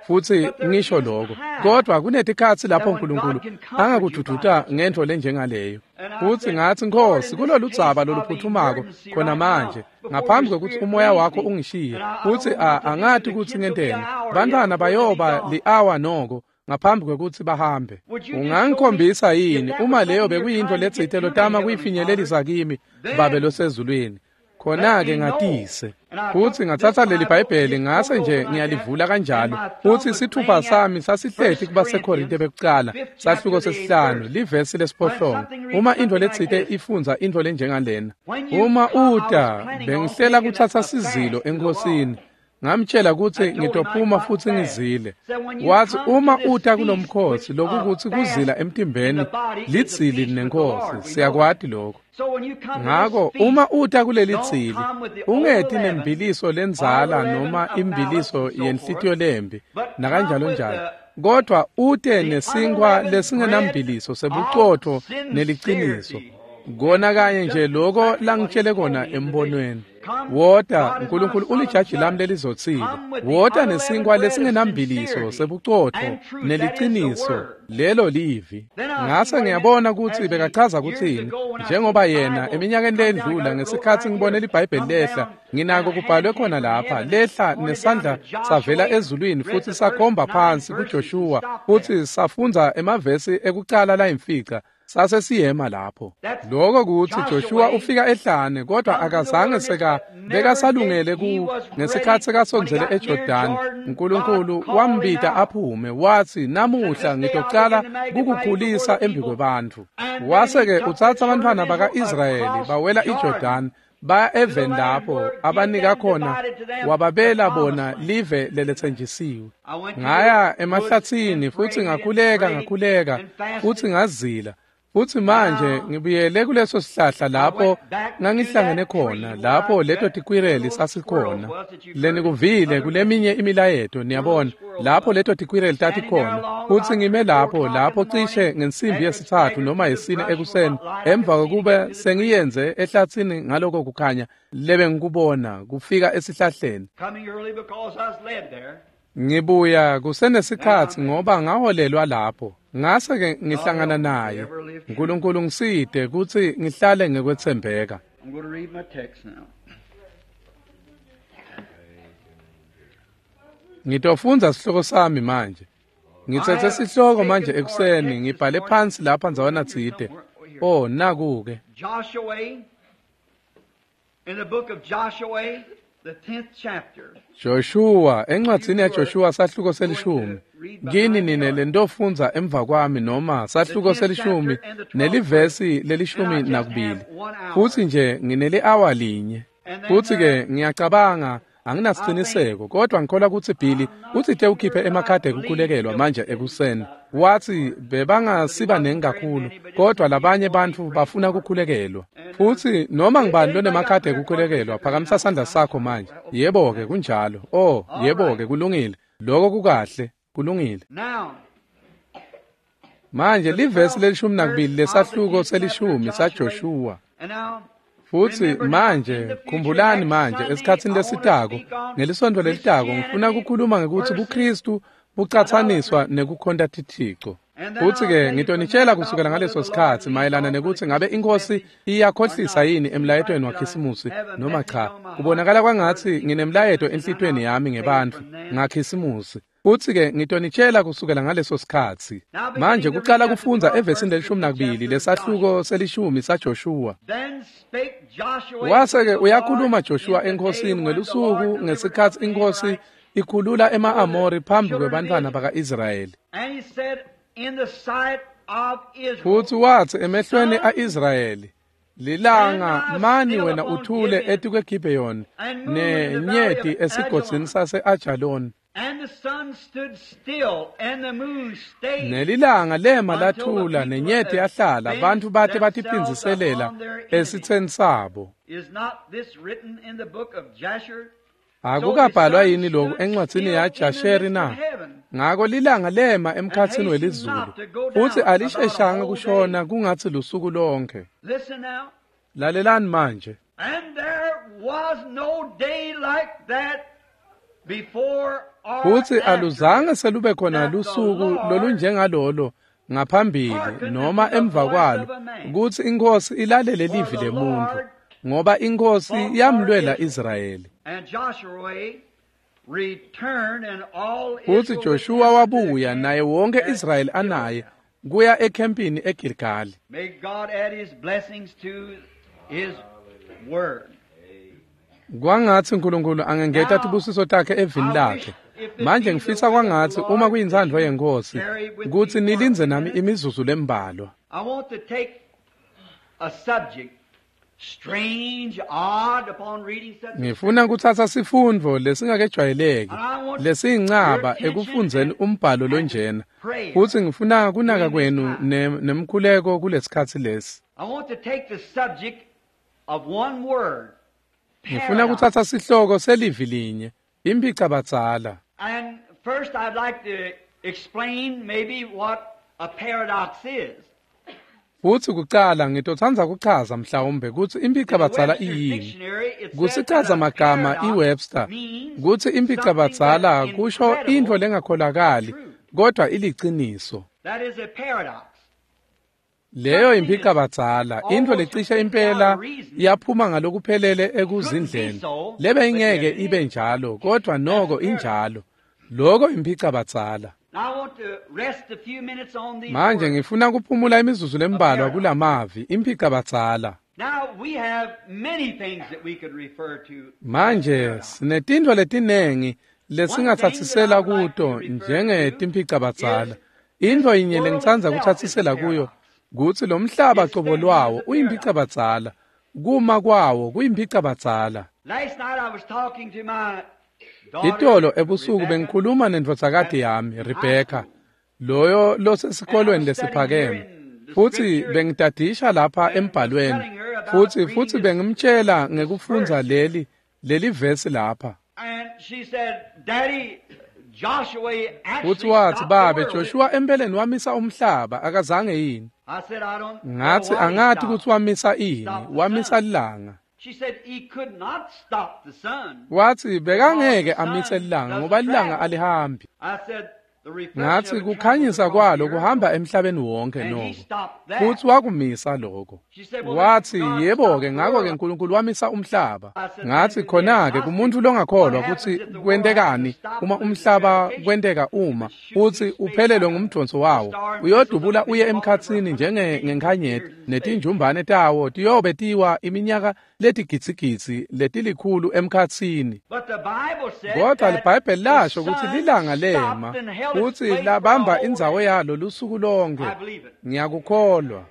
futsi ngisho lokho. Kodwa kunetikhatsi lapho uNkulunkulu angakududuta ngentfo lenjengaleyo. Futsi ngatsi, Nkosi, kulolu dzaba loluphuthumako khona manje, ngaphambi kwekutsi umoya wakho ungishiye, futsi angati kutsi ngenteni. Bantfwana bayoba li-awa noko ngaphambi kwekutsi bahambe. Ungangikhombisa yini uma leyo bekuyintfo letsite lotama kuyifinyelelisa kimi, Babe losezulwini? Khona-ke ngatise. Futsi ngatsatsa leli Bhayibheli ngase nje ngiyalivula kanjalo. Futsi sithupha sami sasihleti kubaseKorinte bekucala, sahluko 5, livesi 8. Uma intfo letsite ifundza intfo lenjengalena. Uma uta, bengihlela kutsatsa sizilo eNkhosini. Ngamtshela kutsi ngitophuma futsi ngizile. Watsi, uma uta kulomkhosi, lokukutsi kuzila emtimbeni lidzili nenkosi, siyakwati lokho. Ngako uma uta kuleli dzili, ungeti nembiliso lendzala noma imbiliso yenhlitiyo lembi nakanjalo njalo, kodwa ute nesinkwa lesingenambiliso sebucotfo neliciniso. Kona kanye nje loko langitshele kona embonweni. Wota, uNkulunkulu ulijaji lami lelizotsile. Wota nesinkwa lesingenambiliso sebucotfo neliciniso, lelo livi. Ngase ngiyabona kutsi bekachaza kutsini, njengoba yena eminyakeni lendlula ngesikhatsi ngibone liBhayibheli lehla, nginako kubhalwe khona lapha, lehla nesandla savela ezulwini futsi sakhomba phansi kuJoshua, futsi safundza emavesi ekucala layimfica. Sase siyema lapho. Lokho kutsi Joshua ufika ehlane, kodwa akazange bekasalungele ngesikhatsi sekasondzele eJordani. uNkulunkulu wambita aphume, watsi, namuhla ngitocala kukukhulisa embi kwebantfu. Wase-ke utsatsa abantfwana baka-Israyeli bawela iJordani, baya eveni lapho abanika khona, wababela bona live leletsenjisiwe. Ngaya emahlatsini futsi ngakhuleka futsi ngazila. Futsi manje ngibuyele kuleso sihlahla lapho ngangihlangene khona, lapho leto tikwireli sasikhona. Lenikuvile kuleminye imilayeto, niyabona, lapho leto tikwireli tatikhona. Futsi ngime lapho cishe ngensimbi 3 noma 4 ekuseni, emva kokuba sengiyenze ehlatsini ngaloko kukhanya lebengikubona kufika esihlahleni. Ngibuya kusenesikhatsi ngoba ngaholelwa lapho. Ngase-ke ngihlangana naye. uNkulunkulu ngisite kutsi ngihlale ngekwetsembeka. Ngitofundza sihloko sami manje. Ngitsetse sihloko manje ekuseni, ngibhale phansi lapha ndzawana tsite. Oh, naku-ke. In the book of Joshua, the 10th chapter. Joshua, encwadzini yaJoshua sahluko 10. Kini nine lentofundza emva kwami noma sahluko 10 nelivesi le-12. Futsi nje ngineli-awa linye. Futsi ke ngiyacabanga Anginasiciniseko, kodwa ngikholwa kutsi Billy utsite ukhiphe emakhadi ekukhulekelwa manje ekuseni. Watsi bebangasiba nengi kakhulu, kodwa labanye bantfu bafuna kukhulekelwa. Futsi noma ngibani lonemakhadi ekukhulekelwa, phakamisa sandla sakho manje. Yebo-ke, kunjalo. Oh, yebo-ke, kulungile. Loko kukahle, kulungile. Manje livesi le-12 lesahluko se-10 saJoshuwa. Futsi manje khumbulani manje esikhatsini lesitako ngelisonto lelitako ngifuna kukhuluma ngekutsi buKristu bucatsaniswa nekukhonta tithixo. Futsi-ke ngitonitshela kusukela ngaleso sikhatsi mayelana nekutsi ngabe inkosi iyakhohlisa yini emlayetweni waKhisimusi noma cha. Kubonakala kwangatsi nginemlayeto enhlitiyweni yami ngebantfu ngaKhisimusi. Futsi-ke ngitonitshela kusukela ngaleso sikhatsi. Manje kucala kufundza evesini le-12 lesahluko se-10 saJoshuwa. Wase-ke uyakhuluma Joshua enkosini ngelusuku ngesikhatsi inkosi ikhulula ema-Amori phambi kwebantfwana baka-Israyeli. Futsi watsi emehlweni a-Israyeli, lilanga mani wena uthule etikweGibheyoni nenyeti esigodzini sase-Ajaloni. Nelilanga lema lathula nenyeti yahlala, bantfu bate batiphindziselela esitseni sabo. Akukabhalwa yini lokhu encwadzini yaJasheri na? Ngako lilanga lema emkhatsini welizulu, futsi alisheshanga kushona kungatsi lusuku lonke. Lalelani manje. Futsi aluzange selube khona lusuku lolunjengalolo ngaphambili noma emva kwalo kutsi inkosi ilalele livi lemuntfu, ngoba inkosi yamlwela Israyeli. Futsi Joshua wabuya naye wonke Israyeli anaye kuya ekhempini eGilgali. Kwangatsi uNkulunkulu angengeta tibusiso takhe evini lakhe. Manje ngifisa kwangatsi uma kuyintsandvo yenkosi kutsi nilindze nami imizuzu lembalwa. Ngifuna kutsatsa sifundvo lesingakejwayeleki lesiyincaba ekufundzeni umbhalo lonjena, futsi ngifuna kunaka kwenu nemkhuleko kulesikhatsi lesi. Ngifuna kutsatsa sihloko selivi linye, imphicabadzala. Futsi kucala ngitotsandza kuchaza mhlawumbe kutsi imphicabadzala iyini. Kusichaza magama iWebster kutsi imphicabadzala kusho intfo lengakholakali kodwa iliciniso. Leyo imphicabadzala, intfo lecishe impela yaphuma ngalokuphelele ekuzindleni. Lebe ingeke ibe njalo, kodwa noko injalo. Loko imphicabadzala. Manje ngifuna kuphumula imizuzu lembalwa kulamavi imphicabadzala. Manje sinetintfo letinengi lesingatsatsisela kuto njengetimphicabadzala. Intfo yinye lengitsandza kutsatsisela kuyo kutsi lo mhlaba cobo lwawo uyimphicabadzala, kuma kwawo kuyimphicabadzala. Itolo ebusuku bengikhuluma nendvodzakati yami Rebecca, loyo losesikolweni lesiphakeme, futsi bengidadisha lapha embhalweni, futsi bengimtshela ngekufundza leli vesi lapha. Futsi watsi, babe, Joshua empeleni wamisa umhlaba, akazange yini? Ngatsi angati kutsi wamisa ini, wamisa lilanga. Watsi bekangeke amise lilanga ngoba lilanga alihambi. Ngatsi kukhanyisa kwalo kuhamba emhlabeni wonke noko. Futsi wakumisa lokho. Watsi yebo-ke, ngako-ke uNkulunkulu wamisa umhlaba. Ngatsi khona-ke kumuntu longakholwa kutsi kwentekani uma umhlaba kwenteka uma futsi uphelelwe ngumdonso wawo, uyodubula uye emkhatsini njengenkhanyeti netinjumbane tawo tiyobe tiwa iminyaka letigidzigidzi letilikhulu emkhatsini. Kodwa liBhayibheli lasho kutsi lilanga lema futsi labamba indzawo yalo lusuku lonke. Ngiyakukholwa.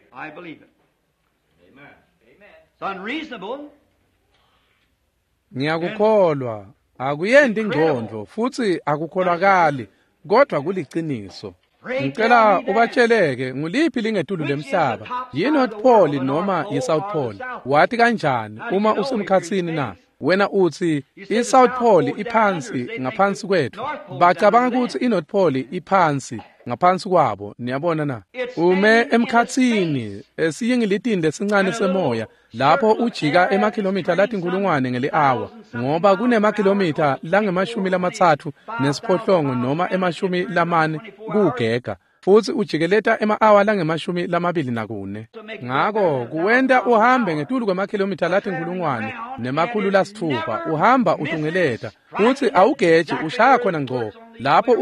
Ngiyakukholwa. Akuyendi ingqondo futhi akukholakali, kodwa kuliciniso. Ngicela ubatsheleke nguliphi lingetulu lemhlaba, yi-North Pole noma yi-South Pole? Wathi kanjani uma usemkhatsini na? Wena uthi i-South Pole iphansi ngaphansi kwethu. Bacabanga ukuthi i-North Pole iphansi ngaphansi kwabo, niyabona na? Ume emkhatsini esiyingilitini lesincane semoya lapho ujika emakhilomitha latinkulungwane ngeli-awa, ngoba kunemakhilomitha lange-38 noma 40 kugega, futhi ujikeleta ema-awa lange-24. Ngako kuwenta uhambe ngetulu kwemakhilomitha latinkulungwane,600 uhamba utungeleta, futhi awugeji, ushaya khona ngco lapho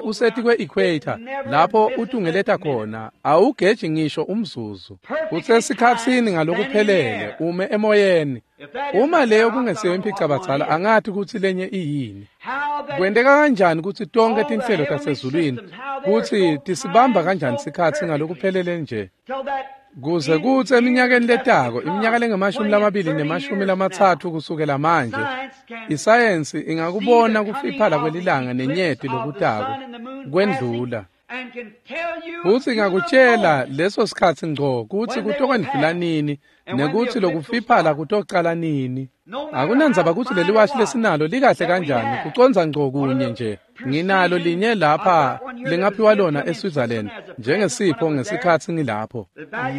useti kwe-equator, lapho utungeleta khona, awugeji ngisho umzuzu. Usesikhatsini ngalokuphelele, ume emoyeni. Uma leyo kungesiyo imphicabadzala, angathi kutsi lenye iyini. Kwenteka kanjani kutsi tonke tinhlelo tasezulwini kutsi tisibamba kanjani sikhatsi ngalokuphelele nje, kuze kutsi eminyakeni letako, iminyaka lengu-20 30 kusukela manje, isayensi ingakubona kufiphala kwelilanga nenyeti lokutako kwendlula, futsi ingakutshela leso sikhatsi ngco kutsi kutokwendlula nini nekutsi lokufiphala kutocala nini. Akunandzaba kutsi leliwashi lesinalo likahle kanjani, kucondza ngco kunye nje. Nginalo linye lapha lingaphiwa lona eSwitzerland njengesipho ngesikhatsi ngilapho.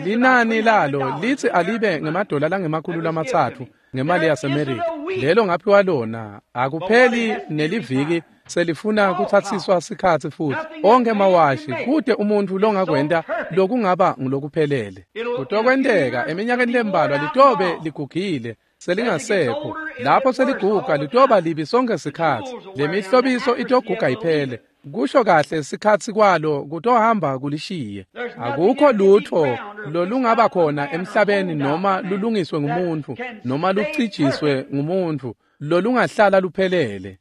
Linani lalo litsi alibe ngemadola lange-300 ngemali yaseMerika. Lelo ngaphiwa lona, akupheli neliviki selifuna kutsatsiswa sikhatsi futhi. Onke mawashi kute umuntu longakwenta lokungaba ngulokuphelele. Kutokwenteka eminyakeni lembalwa litobe ligugile, selingasekho. Lapho seliguga litoba libi sonke sikhatsi. Lemihlobiso itoguga iphele. Kusho kahle sikhatsi kwalo kutohamba kulishiye. Akukho lutho lolungaba khona emhlabeni noma lulungiswe ngumuntu noma lucijiswe ngumuntu lolungahlala luphelele.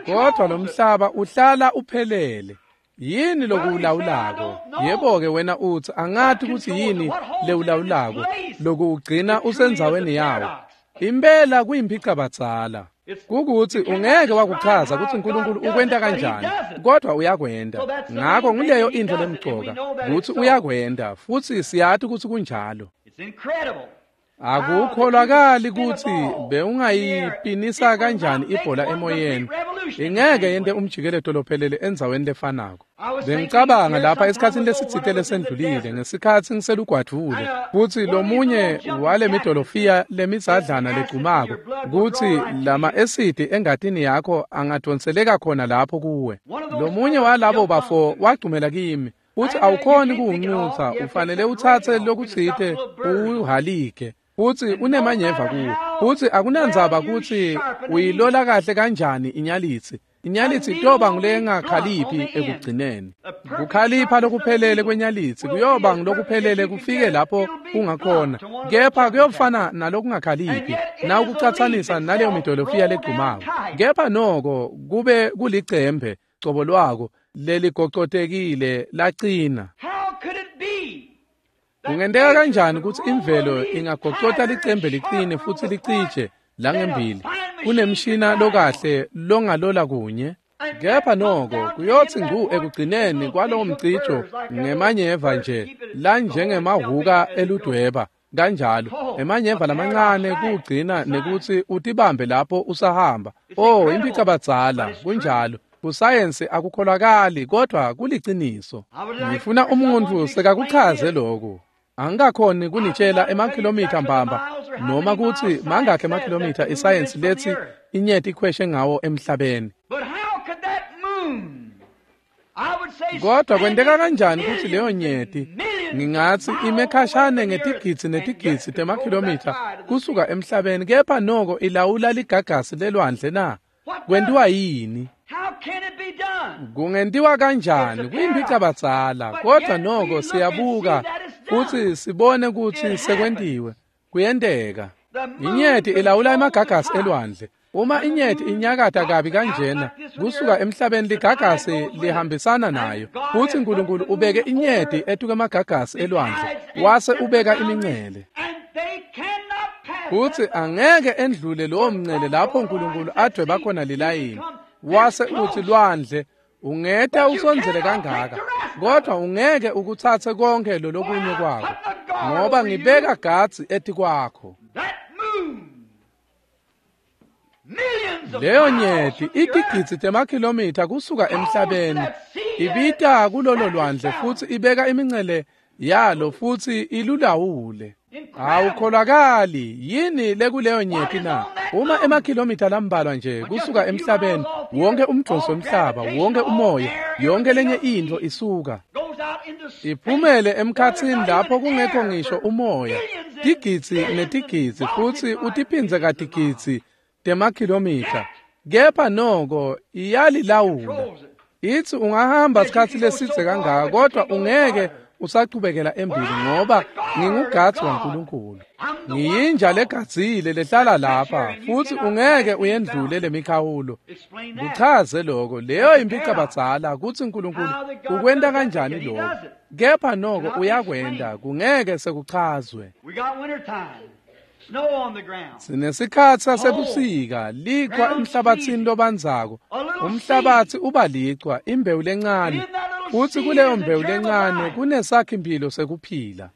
Kodwa lo mhlaba uhlala uphelele. Yini lokuwulawulako? Yebo-ke wena uthi angathi kutsi yini lewulawulako lokuwugcina usendzaweni yawo. Impela kuyimphicabadzala. Kukuthi ungeke wakuchaza kutsi uNkulunkulu ukwenta kanjani, kodwa uyakwenta. Ngako nguleyo intfo lemcoka, kutsi uyakwenta, futhi siyati kutsi kunjalo. Akukholakali kutsi bewungayipinisa kanjani ibhola emoyeni. Ingeke yente umjikeleto lophelele endzaweni lefanako. Bengicabanga lapha esikhatsini lesitsite lesendlulile ngesikhatsi ngiselugwadvule, futsi lomunye wale midolofiya lemidzadlana legcumako, kutsi lama esidi engatini yakho angadonseleka khona lapho kuwe. Lomunye walabo bafo wagcumela kimi, futsi awukhoni kuwuncutsa, ufanele utsatse lokutsite uwuhalike, futsi unemanyeva kuwo. Futsi akunandzaba kutsi uyilola kahle kanjani inyalitsi, inyalitsi itoba ngulengakhaliphi ekugcineni. Kukhalipha lokuphelele kwenyalitsi kuyoba ngulokuphelele kufike lapho kungakhona, kepha kuyofana nalokungakhaliphi nawukucatsanisa naleyo midolofiya legcumako. Kepha noko kube kulicembe cobo lwako leligocotekile lacina. Kungenteka kanjani kutsi imvelo ingagocota licembe licine futhi licije langembili kunemshina lokahle longalola kunye? Kepha noko kuyotsi ngu ekugcineni kwalowo mcijo ngemanyeva nje lanjengemahhuka eludweba kanjalo, emanyeva lamancane kugcina nekutsi utibambe lapho usahamba. Oh, imphicabadzala, kunjalo. Kusayensi akukholakali, kodwa kuliciniso. Ngifuna umuntu sekakuchaze lokhu. Angikakhoni kunitshela emakhilomitha mbamba noma kutsi mangakhi emakhilomitha isayensi letsi inyeti ikhweshe ngawo emhlabeni. Kodwa kwenteka kanjani kutsi leyo nyeti, ngingatsi ime khashane ngetigidzi netigidzi temakhilomitha kusuka emhlabeni, kepha noko ilawula ligagasi lelwandle na? Kwentiwa yini? Kungentiwa kanjani? Kuyimphicabadzala, kodwa noko siyabuka futsi sibone kutsi sekwentiwe. Kuyenteka. Inyeti ilawula emagagasi elwandle. Uma inyeti inyakata kabi kanjena kusuka emhlabeni, ligagasi lihambisana nayo. Futsi uNkulunkulu ubeke inyeti etuka emagagasi elwandle, wase ubeka imincele. Futsi angeke endlule lowo mncele lapho uNkulunkulu adweba khona lilayini. Wase uthi lwandle, ungeta usondzele kangaka, kodwa ungeke ukutsatse konke lolokunye kwako, ngoba ngibeka gadzi etikwakho. Leyo nyeti itigidzi temakhilomitha kusuka emhlabeni, ibita kulolo lwandle futsi ibeka imincele yalo futsi ilulawule. Awukholakali yini lekuleyo nyeti na? Uma emakhilomitha lambalwa nje kusuka emhlabeni, wonke umdonso wemhlaba, wonke umoya, yonke lenye intfo isuka iphumele emkhatsini lapho kungekho ngisho umoya, tigidzi netigidzi, futsi utiphindze katigidzi temakhilomitha, kepha noko iyalilawula. Ithi ungahamba sikhatsi lesidze kangaka, kodwa ungeke usachubekela embili, ngoba ngingugadzi waNkulunkulu. Ngiyinja legadzile lehlala lapha, futsi ungeke uyendlule lemikhawulo. Kuchaze lokho, leyo impicabadzala kutsi uNkulunkulu ukwenta kanjani lokho, kepha noko uyakwenta, kungeke sekuchazwe. Sinesikhatsi sasebusika, lichwa emhlabatsini lobandzako. Umhlabatsi uba lichwa, imbewu lencane, futsi kuleyo mbewu lencane kunesakhi-mphilo sekuphila.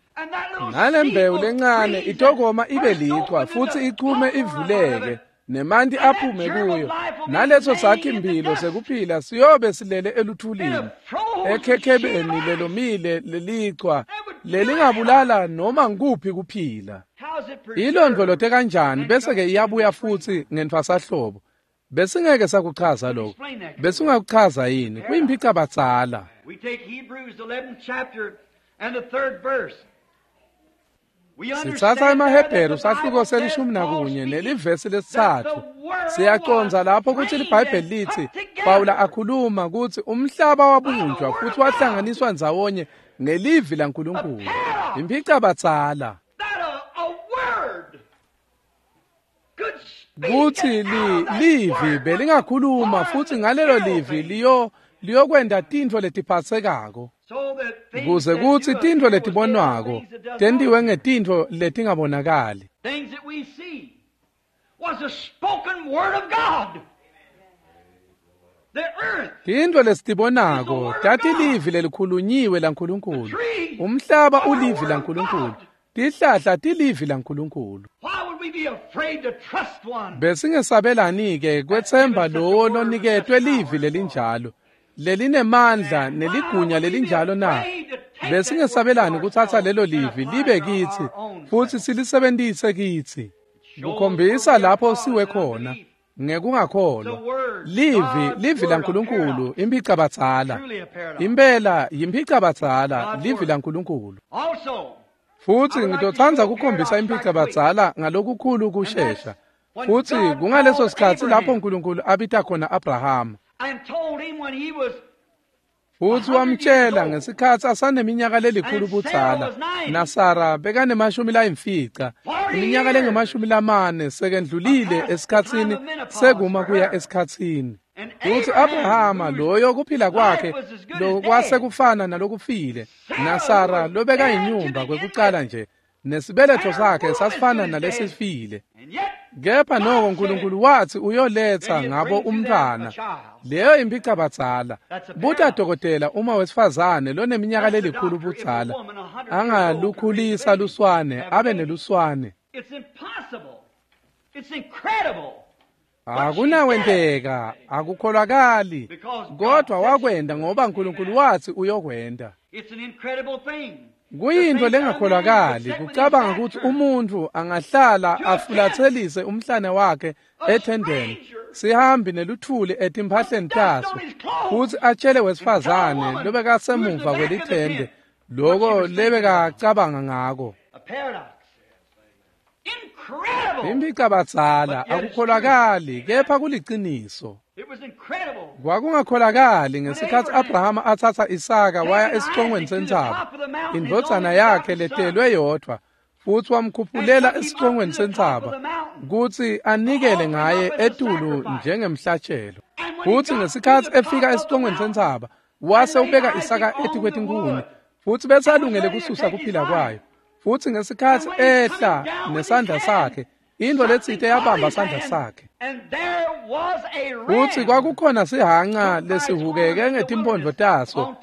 Nale mbewu lencane itokoma ibe lichwa futsi ichume ivuleke, nemanti aphume kuyo. Naleso sakhi-mphilo sekuphila siyobe silele eluthulini, ekhekhebeni lelomile lelichwa lelingabulala noma nguphi kuphila. Ilondvolote kanjani bese-ke iyabuya futsi ngentfwasahlobo? Besingeke sakuchaza lokho. Besingakuchaza yini? Kuyimphicabadzala. Sitsatsa emaHebheru sahluko se-11 nelivesi 3. Siyacondza lapho kutsi liBhayibheli litsi Pawula akhuluma kutsi umhlaba wabunjwa futsi wahlanganiswa ndzawonye ngelivi laNkulunkulu. Imphicabadzala. Kutsi livi belingakhuluma futsi ngalelo livi liyokwenta tintfo letiphatsekako, kuze kutsi tintfo letibonwako tentiwe ngetintfo letingabonakali. Tintfo lesitibonako tatilivi lelikhulunyiwe laNkulunkulu. Umhlaba ulivi laNkulunkulu. Tihlahla tilivi laNkulunkulu. Besingesabelani-ke kwetsemba lowo loniketwe livi lelinjalo, lelinemandla neligunya lelinjalo na? Besingesabelani kutsatsa lelo livi libe kitsi futsi silisebentise kitsi, kukhombisa lapho siwe khona ngekungakholwa. Livi laNkulunkulu, imphicabadzala. Impela yimphicabadzala, livi laNkulunkulu. Futsi ngitotsandza kukhombisa imphicabadzala ngalokukhulu kushesha. Futsi kungaleso sikhatsi lapho uNkulunkulu abita khona Abrahama. Futsi wamtjela ngesikhatsi asaneminyaka lelikhulu budzala, naSara bekanemashumi-5, iminyaka lengama-40 sekendlulile esikhatsini sekuma kuya esikhatsini. Futsi Abrahama loyo kuphila kwakhe lokwasekufana nalokufile, naSara lobekayinyumba kwekucala nje, nesibeletho sakhe sasifana nalesifile. Kepha noko uNkulunkulu wathi uyoletsa ngabo umntfwana. Leyo imphicabadzala. Buta dokotela uma wesifazane loneminyaka lelikhulu budzala angalukhulisa luswane abe neluswane. Akunawenteka, akukholakali, kodwa wakwenda ngoba uNkulunkulu wathi uyokwenda. Kuyintfo lengakholakali kucabanga kutsi umuntfu angahlala afulatselise umhlane wakhe ethendeni, sihambi neluthuli etimphahleni taso, futsi atjele wesifazane lobekasemuva kwelithende loko lebekacabanga ngako. Imphicabadzala, akukholakali, kepha kuliciniso. Kwakungakholakali ngesikhatsi Abrahama atsatsa Isaka waya esicongweni sentsaba, indvodzana yakhe letelwe yodvwa, futsi wamkhuphulela esicongweni sentsaba kutsi anikele ngaye etulu njengemhlatjelo. Futsi ngesikhatsi efika esicongweni sentsaba, wase ubeka Isaka etikwetinkhuni, futsi bese alungele kususa kuphila kwayo. Futsi ngesikhatsi ehla nesandla sakhe Intfo letsite yabamba sandla sakhe. Futsi kwakukhona sihanca lesihukeke ngetimphondvo taso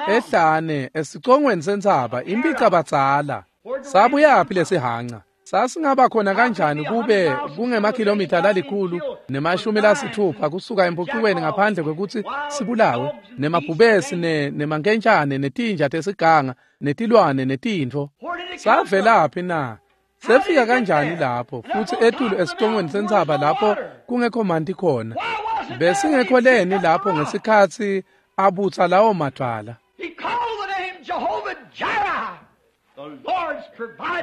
ehlane esicongweni sentsaba, impicabadzala. Sabuyaphi lesihanca? Sasingaba khona kanjani kube kungemakhilomitha 160 kusuka empucukweni ngaphandle kwekutsi sibulawe nemabhubesi nemankentshane netinja tesiganga netilwane netintfo? Savelaphi na? Sefika kanjani lapho futsi etulu esicongweni sentsaba lapho kungekho manti khona? Besingekho leni lapho ngesikhatsi abutsa lawo madvwala?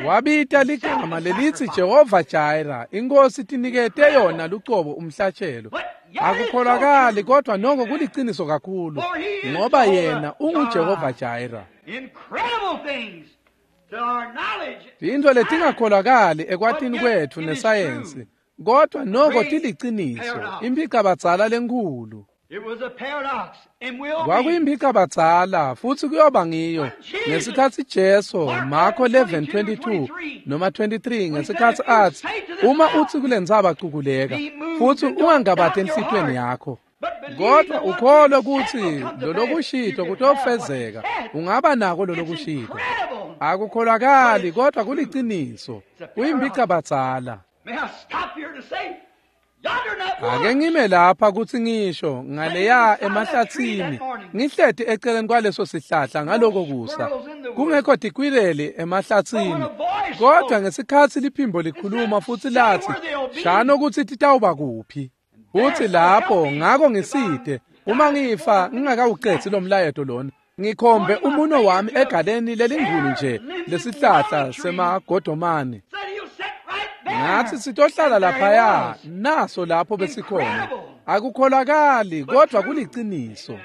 Wabita ligama lelitsi Jehova Jireh, inkosi tinikete yona lucobo umhlatshelo. Akukholakali kodwa noko kuliciniso kakhulu, ngoba yena unguJehova Jireh. Tintfo letingakholakali ekwatini kwetfu nesayensi, kodwa noko tiliciniso, impicabadzala lenkhulu. Kwakuyimpicabadzala futsi kuyoba ngiyo ngesikhatsi Jesu Marko 11:22 noma 23 ngesikhatsi atsi, uma utsi kulentsaba cukuleka futsi ungangabati enhlitiyweni yakho, kodwa ukholwe kutsi lolokushito kutofezeka, ungaba nako lolokushito. Akukholakali kodwa kuliciniso, kuyimpicabadzala. Ake ngime lapha kutsi ngisho ngaleya emahlatsini, ngihleti eceleni kwaleso sihlahla ngaloko kusa, kungekho tikwireli emahlatsini, kodwa ngesikhatsi liphimbo likhuluma futsi latsi, shano kutsi titawuba kuphi. Futsi lapho ngako ngisite, uma ngifa ngingakawucedzi lo mlayeto lona, ngikhombe umuno wami egaleni lelingulu nje lesihlahla semagodomane. Ngathi sitohlala laphaya, naso lapho besikhona. Akukholakali kodwa kuliciniso.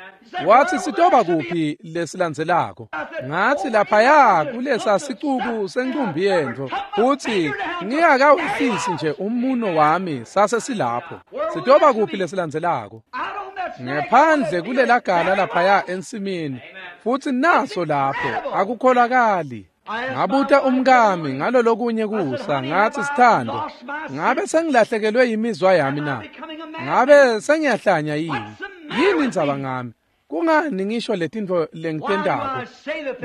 Wathi sitoba kuphi lesilandzelako? Ngathi laphaya kulesa sicuku sencumbi yentfo, futsi ngingakawufisi nje umuno wami sase silapho. Sitoba kuphi lesilandzelako? Ngephandle kulela gala laphaya ensimini, futsi naso lapho. Akukholakali. Ngabuta umkami ngalolokunye kusa, ngathi, sithando, ngabe sengilahlekelwe yimizwa yami na? Ngabe sengiyahlanya yini? Yini indzaba ngami? Kungani ngisho letintfo lengitentako?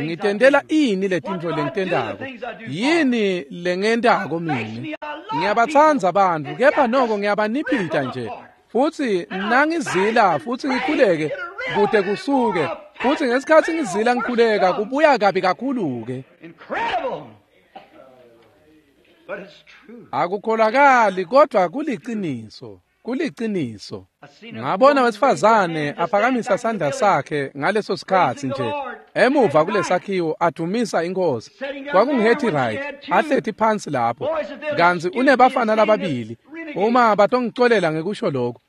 Ngitentela ini letintfo lengitentako? Yini lengentako mine? Ngiyabatsandza bantfu, kepha noko ngiyabaniphita nje. Futsi nangizila futsi ngikhuleke kute kusuke, futsi ngesikhatsi ngizila ngikhuleka kubuya kabi kakhulu-ke. Akukholakali kodwa kuliciniso, kuliciniso. Ngabona wesifazane aphakamisa sandla sakhe ngaleso sikhatsi nje emuva kulesakhiwo adumisa inkosi. KwakunguHetty Wright ahleti phansi lapho, kantsi unebafana lababili, uma batongicolela ngekusho lokho,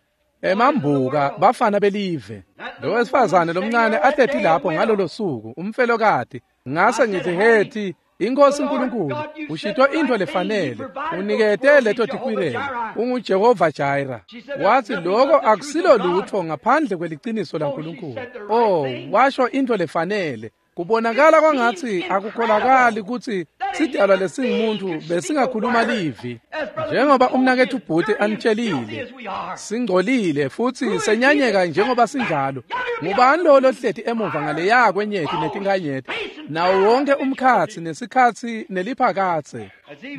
emambuka bafana belive. Lo wesifazane lomncane ahleti lapho ngalolo suku, umfelokati. Ngase ngithi, Hetty, inkosi uNkulunkulu ushito intfo lefanele, unikete leto tikwireli, unguJehova Jireh. Wathi lokho akusilo lutfo ngaphandle kweliciniso laNkulunkulu. Oh, washo intfo lefanele. Kubonakala kwangatsi akukholakali kutsi sidalwa lesingumuntu besingakhuluma livi. Njengoba umnaketfu Bhuti anitshelile, singcolile futsi senyanyeka njengoba sinjalo. Ngubani lo lohleti emuva ngaleya kwenyeti netinkanyeti, nawo wonke umkhatsi nesikhatsi neliphakatse?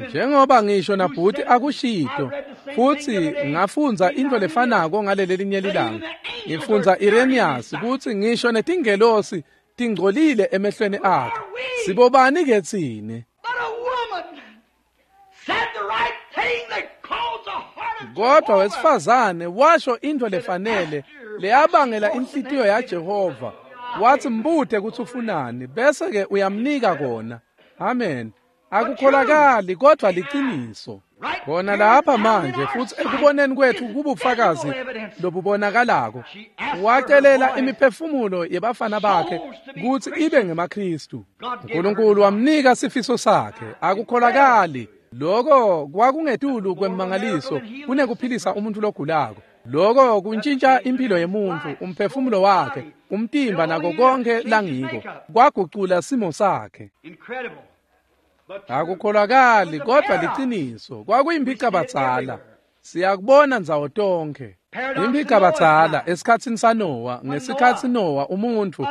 Njengoba ngisho naBhuti akushito, futsi ngafundza intfo lefanako ngalelelinye lilanga. Ngifundza Irenaeus kutsi ngisho netingelosi tingcolile emehlweni akhe. Sibobani ke tsine? Kodwa wesifazane washo intfo lefanele leyabangela inhlitiyo yaJehova. Wathi mbute kutsi ufunani, bese ke uyamnika kona. Amen. Akukholakali kodwa liciniso. Khona lapha manje futsi ekuboneni kwethu kubufakazi lobubonakalako. Wacelela imiphefumulo yebafana bakhe kutsi ibe ngemaKristu. uNkulunkulu wamnika sifiso sakhe. Akukholakali. Lokho kwakungetulu kwemmangaliso kunekuphilisa umuntu logulako. Lokho kuntshintsha impilo yemuntu, umphefumulo wakhe, umtimba nako konke langiko. Kwagucula simo sakhe. Akukholakali kodwa liciniso, kwakuyimpicabadzala. Siyakubona ndzawo tonkhe. Impicabadzala esikhatsini saNowa, ngesikhatsi Nowa umuntfu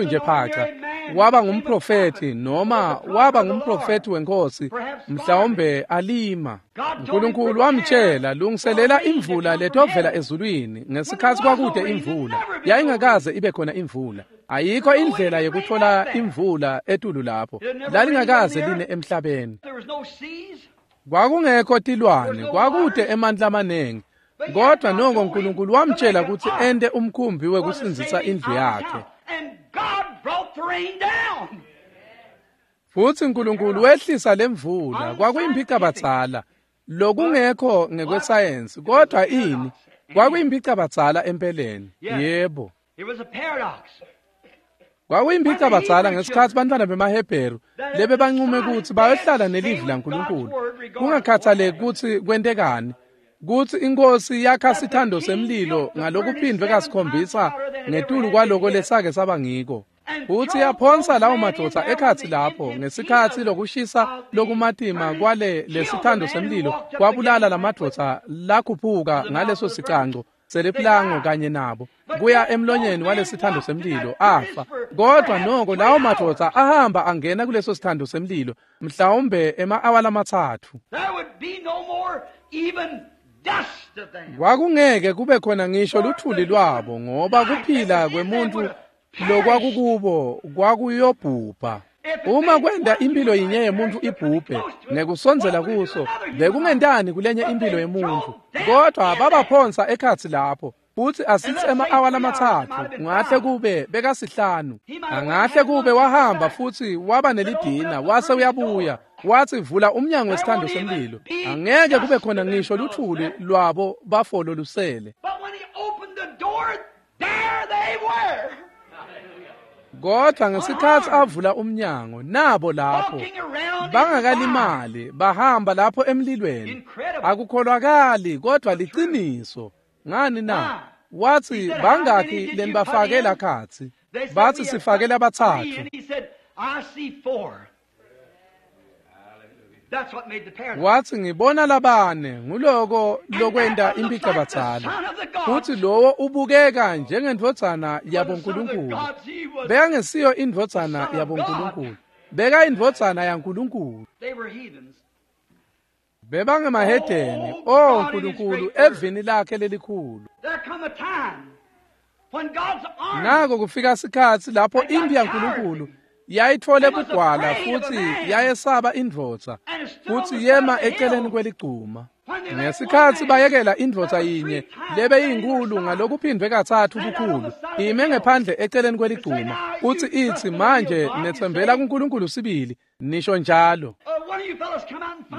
nje phaca, waba ngumprofethi noma waba ngumprofethi wenkosi, mhlawumbe alima. uNkulunkulu wamtshela, lungiselela imvula letovela ezulwini. Ngesikhatsi kwakude imvula, yayingakaze ibe khona imvula. Ayikho indlela yekuthola imvula etulu lapho, lalingakaze line emhlabeni. Kwakungekho tilwane, kwakude emandla amanengi. Kodwa noko uNkulunkulu wamtshela ukuthi ente umkhumbi wekusindzisa indlu yakhe. Futsi uNkulunkulu wehlisa lemvula, kwakuyimpicabadzala. Lokungekho ngekwesayensi, kodwa ini? Kwakuyimpicabadzala empeleni. Yebo. Kwakuyimpicabadzala ngesikhatsi bantfwana bemaHebheru lebe banqume kutsi bayohlala nelivi laNkulunkulu, kungakhathaleki kutsi kwentekani, kutsi inkosi yakha sithando semlilo ngalokuphindwe kasikhombisa ngetulu kwaloko lesake saba ngiko. Futsi yaphonsa lawo madvodza ekhatsi lapho ngesikhatsi lokushisa lokumatima kwale lesithando semlilo kwabulala lamadvodza lakhuphuka ngaleso sicanco seliplango kanye nabo kuya emlonyeni walesithando semlilo afa. Kodwa noko lawo madvodza ahamba angena kuleso sithando semlilo mhlawumbe ema-awa lamathathu. Kwakungeke kube khona ngisho luthuli lwabo, ngoba kuphila kwemuntu lokwakukubo kwakuyobhubha. Uma kwenda impilo yinye yemuntu ibhubhe ngekusondzela kuso, bekungentani kulenye impilo yemuntu? Kodwa babaphonsa ekhatsi lapho, futsi asitsi ema-awa lamathathu, kungahle kube bekasihlanu, angahle kube wahamba futsi waba nelidina wase uyabuya, wathi vula umnyango wesithando semlilo. Angeke kube khona ngisho luthuli lwabo bafolo lusele. Kodwa ngesikhatsi avula umnyango, nabo lapho bangakalimali bahamba lapho emlilweni. Akukholwakali kodwa liciniso. Ngani na? Wathi bangakhi lenibafake lakhatsi? Bathi sifake labathathu. Wathi ngibona labane, nguloko lokwenta impicabadzala. Futhi lowo ubukeka njengendvodzana yaboNkulunkulu. Bekangesiyo indvodzana yaboNkulunkulu, beka indvodzana yaNkulunkulu. Bebangemahedeni, oh Nkulunkulu, evini lakhe lelikhulu. Nako kufika sikhatsi lapho impi yaNkulunkulu yayitfole bugwala futsi yayesaba indvodza, futsi yema eceleni kweligcuma. Ngesikhatsi bayekela indvodza yinye lebeyinkulu ngalokuphindwe kathathu bukhulu ime ngephandle eceleni kweligcuma, futsi itsi manje netsembela kuNkulunkulu sibili, nisho njalo.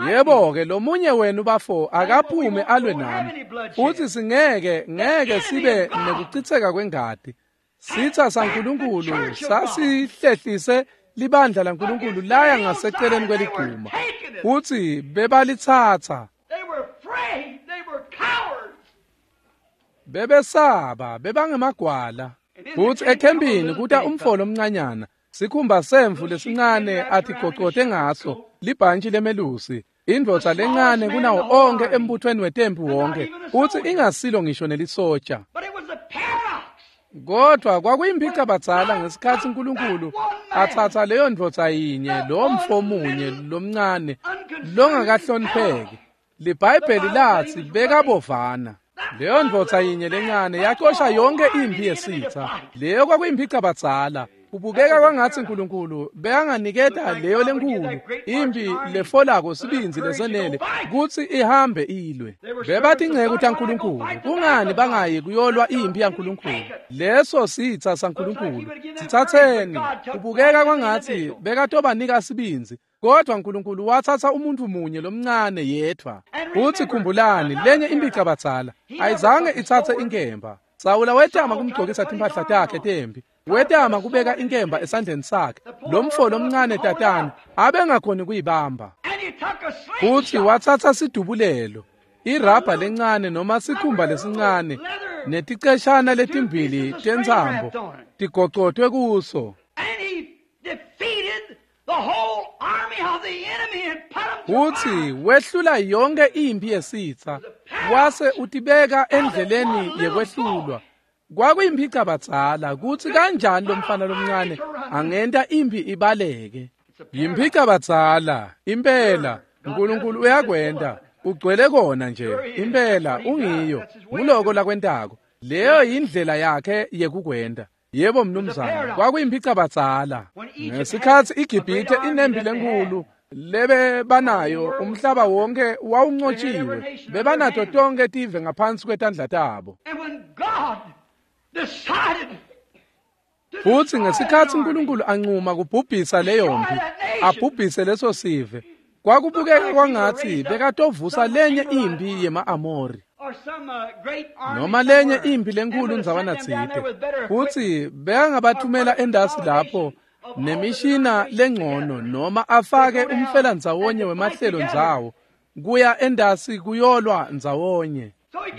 Yebo-ke, lomunye wenu bafo akaphume alwe nami, futsi singeke ngeke sibe nekucitseka kwengati. Sitha saNkulunkulu sasihlehlise libandla laNkulunkulu laya ngaseceleni kweligcuma, futsi bebalitsatsa. Bebesaba, bebangemagwala. Futsi ekhempini kuta umfolo omncanyana, sikhumba semvu lesincane atigocote ngaso, libhantshi lemelusi, indvodza lencane kunawo onke embuthweni wetempi wonke, futsi ingasilo ngisho nelisotsha. Kodwa kwakuyimpicabadzala ngesikhatsi uNkulunkulu atsatsa leyo ndvodza yinye, lo mfo munye lomncane longakahlonipheki. LiBhayibheli lathi bekabovana. Leyo ndvodza yinye lencane yacosha yonke impi yesitha. Leyo kwakuyimpicabadzala. Kubukeka kwangatsi uNkulunkulu bekanganiketa leyo lenkulu impi lefolako sibindzi lesenele kutsi ihambe ilwe. Bebatinceku taNkulunkulu, kungani bangayi kuyolwa impi yaNkulunkulu? Leso sitha saNkulunkulu sitsatseni. Kubukeka kwangatsi bekatobanika sibindzi, kodwa uNkulunkulu watsatsa umuntu munye lomncane yedvwa. Futsi khumbulani, lenye impicabadzala ayizange itsatse inkemba. Sawula wetama kumgcokisa timphahla takhe tempi, wetama kubeka inkemba esandleni sakhe. Lo mfo lomncane tatane abengakhoni kuyibamba. Futsi watsatsa sidubulelo, irabha lencane noma sikhumba lesincane neticeshana letimbili tentsambo tigocotwe kuso. Futsi wehlula yonke imphi yesitsa, wase utibeka endleleni yekwehlulwa. Kwakuyimpicabadzala kutsi kanjani lomfana lomncane angenta imphi ibaleke. Yimpicabadzala impela, uNkulunkulu uyakwenta, ugcwele kona nje impela, ungiyo nguloko lakwentako. Leyo yindlela yakhe yekukwenta. Yebo mnumzane, kwakuyimpicabadzala. Ngesikhatsi iGibhithe inempi lenkulu lebe banayo, umhlaba wonke wawunqotshiwe, bebanato tonke tive ngaphansi kwetandla tabo. Futsi ngesikhatsi uNkulunkulu anquma kubhubhisa leyo mpi, abhubhise leso sive, kwakubukeka kwangatsi bekatovusa lenye imphi yema-Amori noma lenye imphi lenkulu ndzawana tsite, futsi bekangabathumela endasi lapho nemishina lengcono noma afake umfelandzawonye wemahlelo ndzawo kuya endasi kuyolwa ndzawonye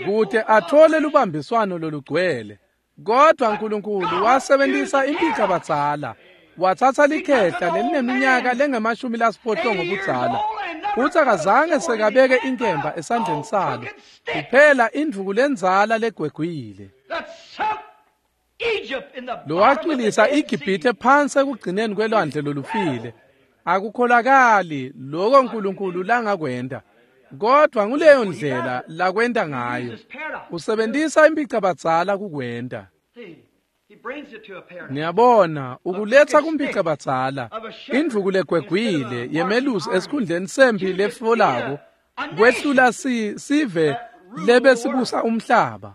kute athole lubambiswano lolugcwele. Kodwa uNkulunkulu wasebenzisa impicabadzala, watsatsa likhehla lelineminyaka lengama-80 budzala, futsi akazange sekabeke inkemba esandleni salo, kuphela indvuku lendzala legwegwile, lowacwilisa iGibhithe phansi ekugcineni kwelwandle lolufile. Akukholakali lokho uNkulunkulu langakwenta, kodwa nguleyo ndlela lakwenta ngayo. Usebenzisa impicabadzala kukwenta. Niyabona, ukuletsa kumpicabadzala indvuku legwegwile yemelusi esikhundleni sempi lefolako kwehlula sive lebesibusa umhlaba.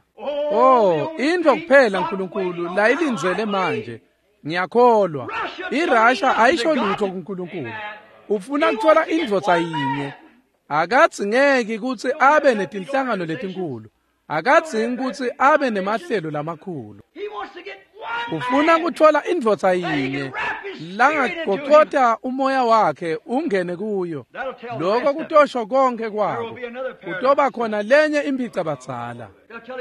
Oh, intfo kuphela uNkulunkulu layilindzele manje. Ngiyakholwa iRussia ayisho lutho kuNkulunkulu. Ufuna kuthola indvodza yinye. Akadzingeki kutsi abe netinhlangano letinkulu, akadzingi kutsi abe nemahlelo lamakhulu. Ufuna kuthola indvodza yinye langagocota umoya wakhe ungene kuyo. Lokho kutosho konke kwako. Kutoba khona lenye impicabadzala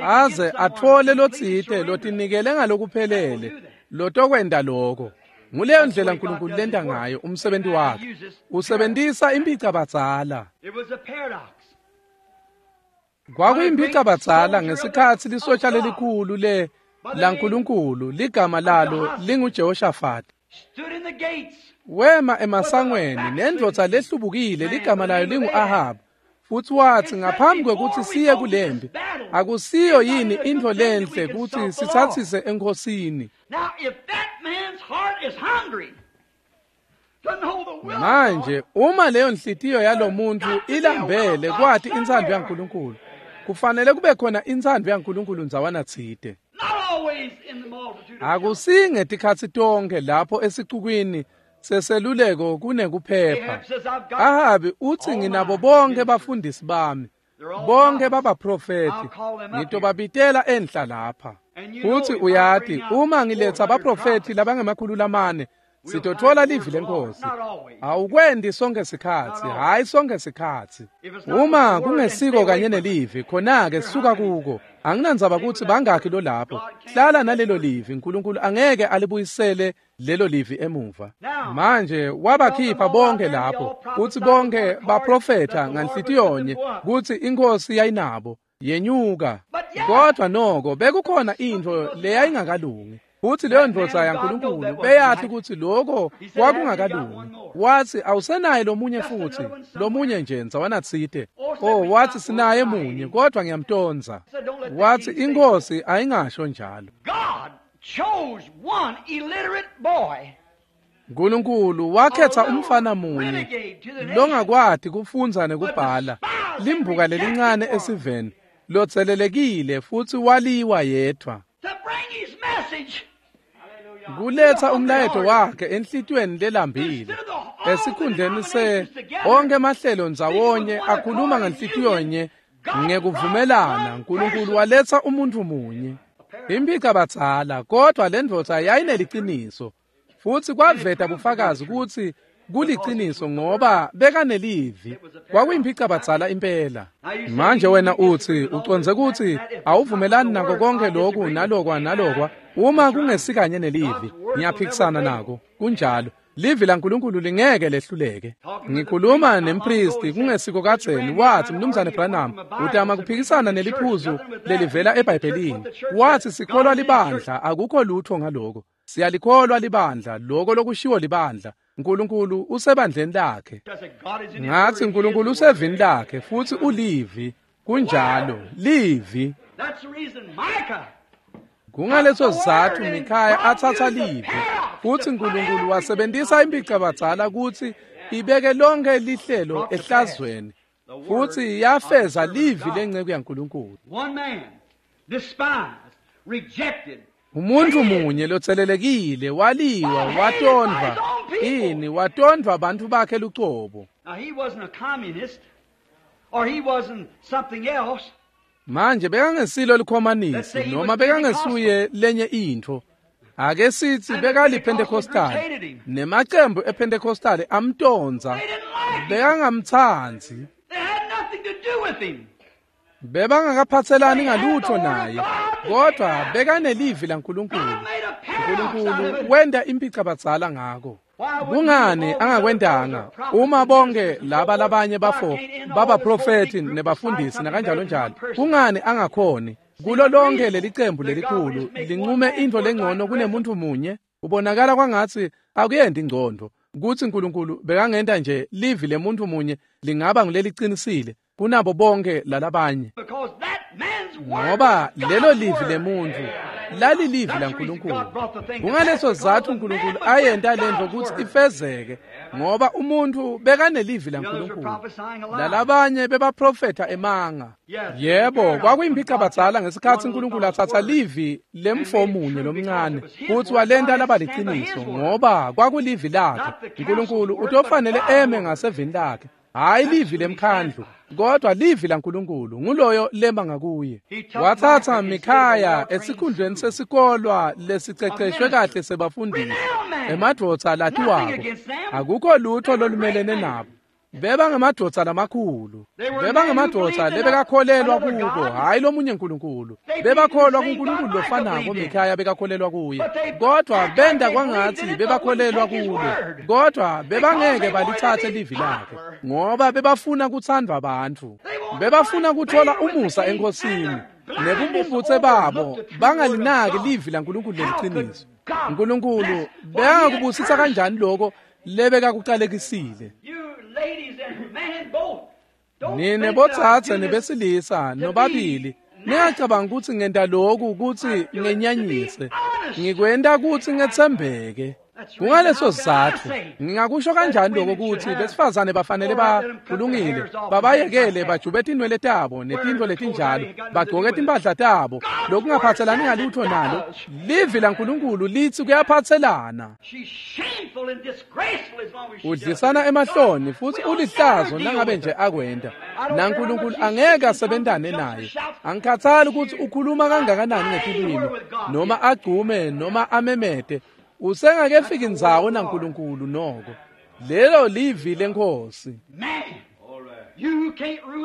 aze athole lotsite lotinikele ngalokuphelele lotokwenta lokho. Nguleyo ndlela uNkulunkulu lenta ngayo umsebenzi wakhe. Usebenzisa impicabadzala. Kwakuyimpicabadzala ngesikhatsi lisotsha lelikhulu le laNkulunkulu ligama lalo linguJehoshafati wema emasangweni nendvodza lehlubukile ligama layo lingu-Ahabu, futsi watsi ngaphambi kwekutsi siye kulempi, akusiyo yini intfo lenhle kutsi sitsatsise enkhosini? Manje uma leyo nhliziyo yalomuntu ilambele kwati intsandvo yaNkulunkulu, kufanele kube khona intsandvo yaNkulunkulu ndzawana tsite. Akusinge tikhatsi tonke lapho esicukwini seseluleko kunekuphepha. Ahabi utsi nginabo bonke bafundisi bami, bonke babaprofethi, ngitobabitela enhla lapha. Futsi uyati, uma ngiletsa abaprofethi labangama-400 sitothola livi lenkosi. Awukwendi sonke sikhatsi, hayi sonke sikhatsi. Uma kungesiko kanye nelivi, khona-ke suka kuko. Anginandzaba kutsi bangakhi lo lapho, hlala nalelo livi. uNkulunkulu angeke alibuyisele lelo livi emuva. Manje wabakhipha bonke lapho, kutsi bonke baprofetha nganhlitiyonye kutsi inkosi yayinabo, yenyuka. Kodwa noko bekukhona intfo leyayingakalungi. Futsi leyo ndvodza yaNkulunkulu beyathi kutsi lokho kwakungakalungi. Watsi awusenaye lomunye futhi, lomunye nje ndzawana tsite. Oh, wathi sinaye munye kodwa ngiyamtonza. Wathi inkosi ayingasho njalo. uNkulunkulu wakhetha umfana munye longakwati kufundza nekubhala, limbuka lelincane esiveni, lotselelekile futsi waliwa yedvwa, kuletsa umlayeto wakhe enhlitiyweni lelambile. Esikhundleni se onke mahlelo ndzawonye akhuluma ngenhlitiyonye ngekuvumelana, uNkulunkulu waletsa umuntu munye. Impicabadzala, kodwa lendvodza yayineliciniso, futsi kwaveta bufakazi kutsi kuliciniso ngoba bekanelivi. Kwakuyimpicabadzala impela. Manje wena utsi ucondze kutsi awuvumelani nako konke lokhu nalokwa nalokwa. Uma kungesikanye nelivi, ngiyaphikisana nako. Kunjalo. Livi laNkulunkulu lingeke lehluleke. Ngikhuluma nempristi kungesiko kadzeni, wathi, Mnumzane Branham, utama kuphikisana neliphuzu lelivela eBhayibhelini. Wathi sikholwa libandla, akukho lutho ngaloko. Siyalikholwa libandla, loko lokushiwo libandla. Nkulunkulu usebandleni lakhe. Ngathi Nkulunkulu usevini lakhe futhi ulivi. Kunjalo, livi. Kungaleso sizatfu Mikhaya atsatsa livi futsi Nkulunkulu wasebentisa impicabadzala kutsi ibeke lonke lihlelo ehlazweni futsi yafeza livi lenceku yaNkulunkulu. Umuntu munye lotselelekile waliwa watondvwa ini watondvwa bantfu bakhe lucobo. Manje bekangesilo likhomanisi noma bekangesuye lenye intfo. Ake sithi bekaliPentecostal nemacembu ePentecostal amtondza, bekangamtsandzi. Bebangakaphatselani ngalutho naye, kodwa bekanelivi laNkulunkulu. Nkulunkulu wenta impicabadzala ngako. Kungani angakwentanga uma bonke laba labanye bafo babaprofeti nebafundisi nakanjalo njalo? Kungani angakhoni kulo lonke lelicembu lelikhulu linqume intfo lengcono kunemuntu munye? Ubonakala kwangatsi akuyendi ingcondo kutsi Nkulunkulu bekangenta nje livi lemuntu munye lingaba ngulelicinisile kunabo bonke lalabanye, ngoba lelo livi lemuntu lalilivi laNkulunkulu. Kungaleso sizatfu Nkulunkulu ayenta lentfo kutsi ifezeke, ngoba umuntu bekanelivi laNkulunkulu. Lalabanye bebaprofetha emanga. Yebo, kwakuyimpicabadzala ngesikhatsi Nkulunkulu atsatsa livi lemfo munye lomncane futsi walenta laba liciniso, ngoba kwakulivi lakhe. Nkulunkulu utofanele eme ngasevini lakhe, hayi livi lemkhandlu, kodwa livi laNkulunkulu nguloyo lema ngakuye. Watsatsa Mikhaya esikhundleni sesikolwa lesiceceshwe kahle sebafundisi, emadvodza latiwako. Akukho lutho lolumelene nabo. Bebangemadvodza lamakhulu, bebangemadvodza lebekakholelwa kubo, hhayi lomunye Nkulunkulu. Bebakholwa kuNkulunkulu lofanako Mikhaya bekakholelwa kuye, kodwa benta kwangatsi bebakholelwa kulo, kodwa bebangeke balitsatse livi lakhe, ngoba bebafuna kutsandvwa bantfu, bebafuna kuthola umusa enkosini, nebumbumbutse babo bangalinaki livi laNkulunkulu leliciniso. Nkulunkulu bekangakubusisa kanjani loko lebekakucalekisile? Nine botsatse nebesilisa nobabili ningacabanga kutsi ngenta loku kutsi ngenyanyise, ngikwenta kutsi ngetsembeke. Kungaleso sizatfu ngingakusho kanjani lokho kutsi besifazane bafanele bakulungile babayekele bajube tinwele tabo netintfo letinjalo, bagcoke timphahla tabo lokungaphatselani ngalutho nalo. Livi laNkulunkulu litsi kuyaphatselana. Udlisana emahloni futsi ulihlazo nangabe nje akwenta, naNkulunkulu angeke asebentane naye. Angikhathali kutsi ukhuluma kangakanani ngetilwimi noma agcume noma amemete, usengakefiki ndzawo naNkulunkulu noko. Lelo livi leNkhosi.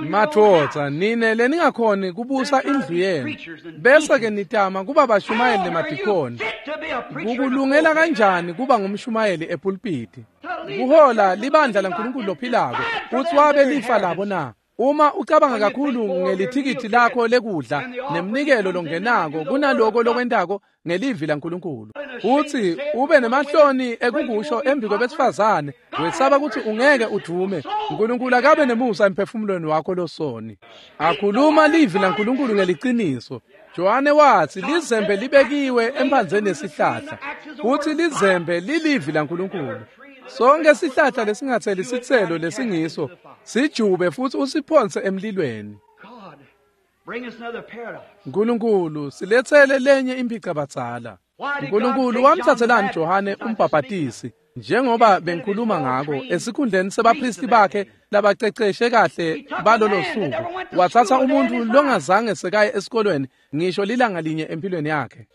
Madvodza, nine leningakhoni kubusa indlu yenu, bese ke nitama kuba bashumayeli nemadikoni. Kukulungela kanjani kuba ngumshumayeli epulpiti? Kuhola libandla laNkulunkulu lophilako kutsi wabe lifa labo na? Uma ucabanga kakhulu ngelithikithi lakho lekudla nemnikelo longenako kunaloko lokwentako ngelivi laNkulunkulu, utsi ube nemahloni ekukusho embi kwebesifazane, wesaba kutsi ungeke udume. Nkulunkulu akabe nemusa emphefumulweni wakho losoni. Akhuluma livi laNkulunkulu ngeliciniso. Johane watsi lizembe libekiwe emphandzeni yesihlahla, futsi lizembe lilivi laNkulunkulu. Sonke sihlahla lesingatseli sitselo lesingiso sijube futsi usiphonse emlilweni. Nkulunkulu siletsele lenye impicabadzala. Nkulunkulu wamtsatselani Johane umbhabhatisi, njengoba bengikhuluma ngako, esikhundleni sebaphristi bakhe labaceceshe kahle balolo suku? Watsatsa umuntfu longazange sekaye esikolweni ngisho lilanga linye empilweni yakhe.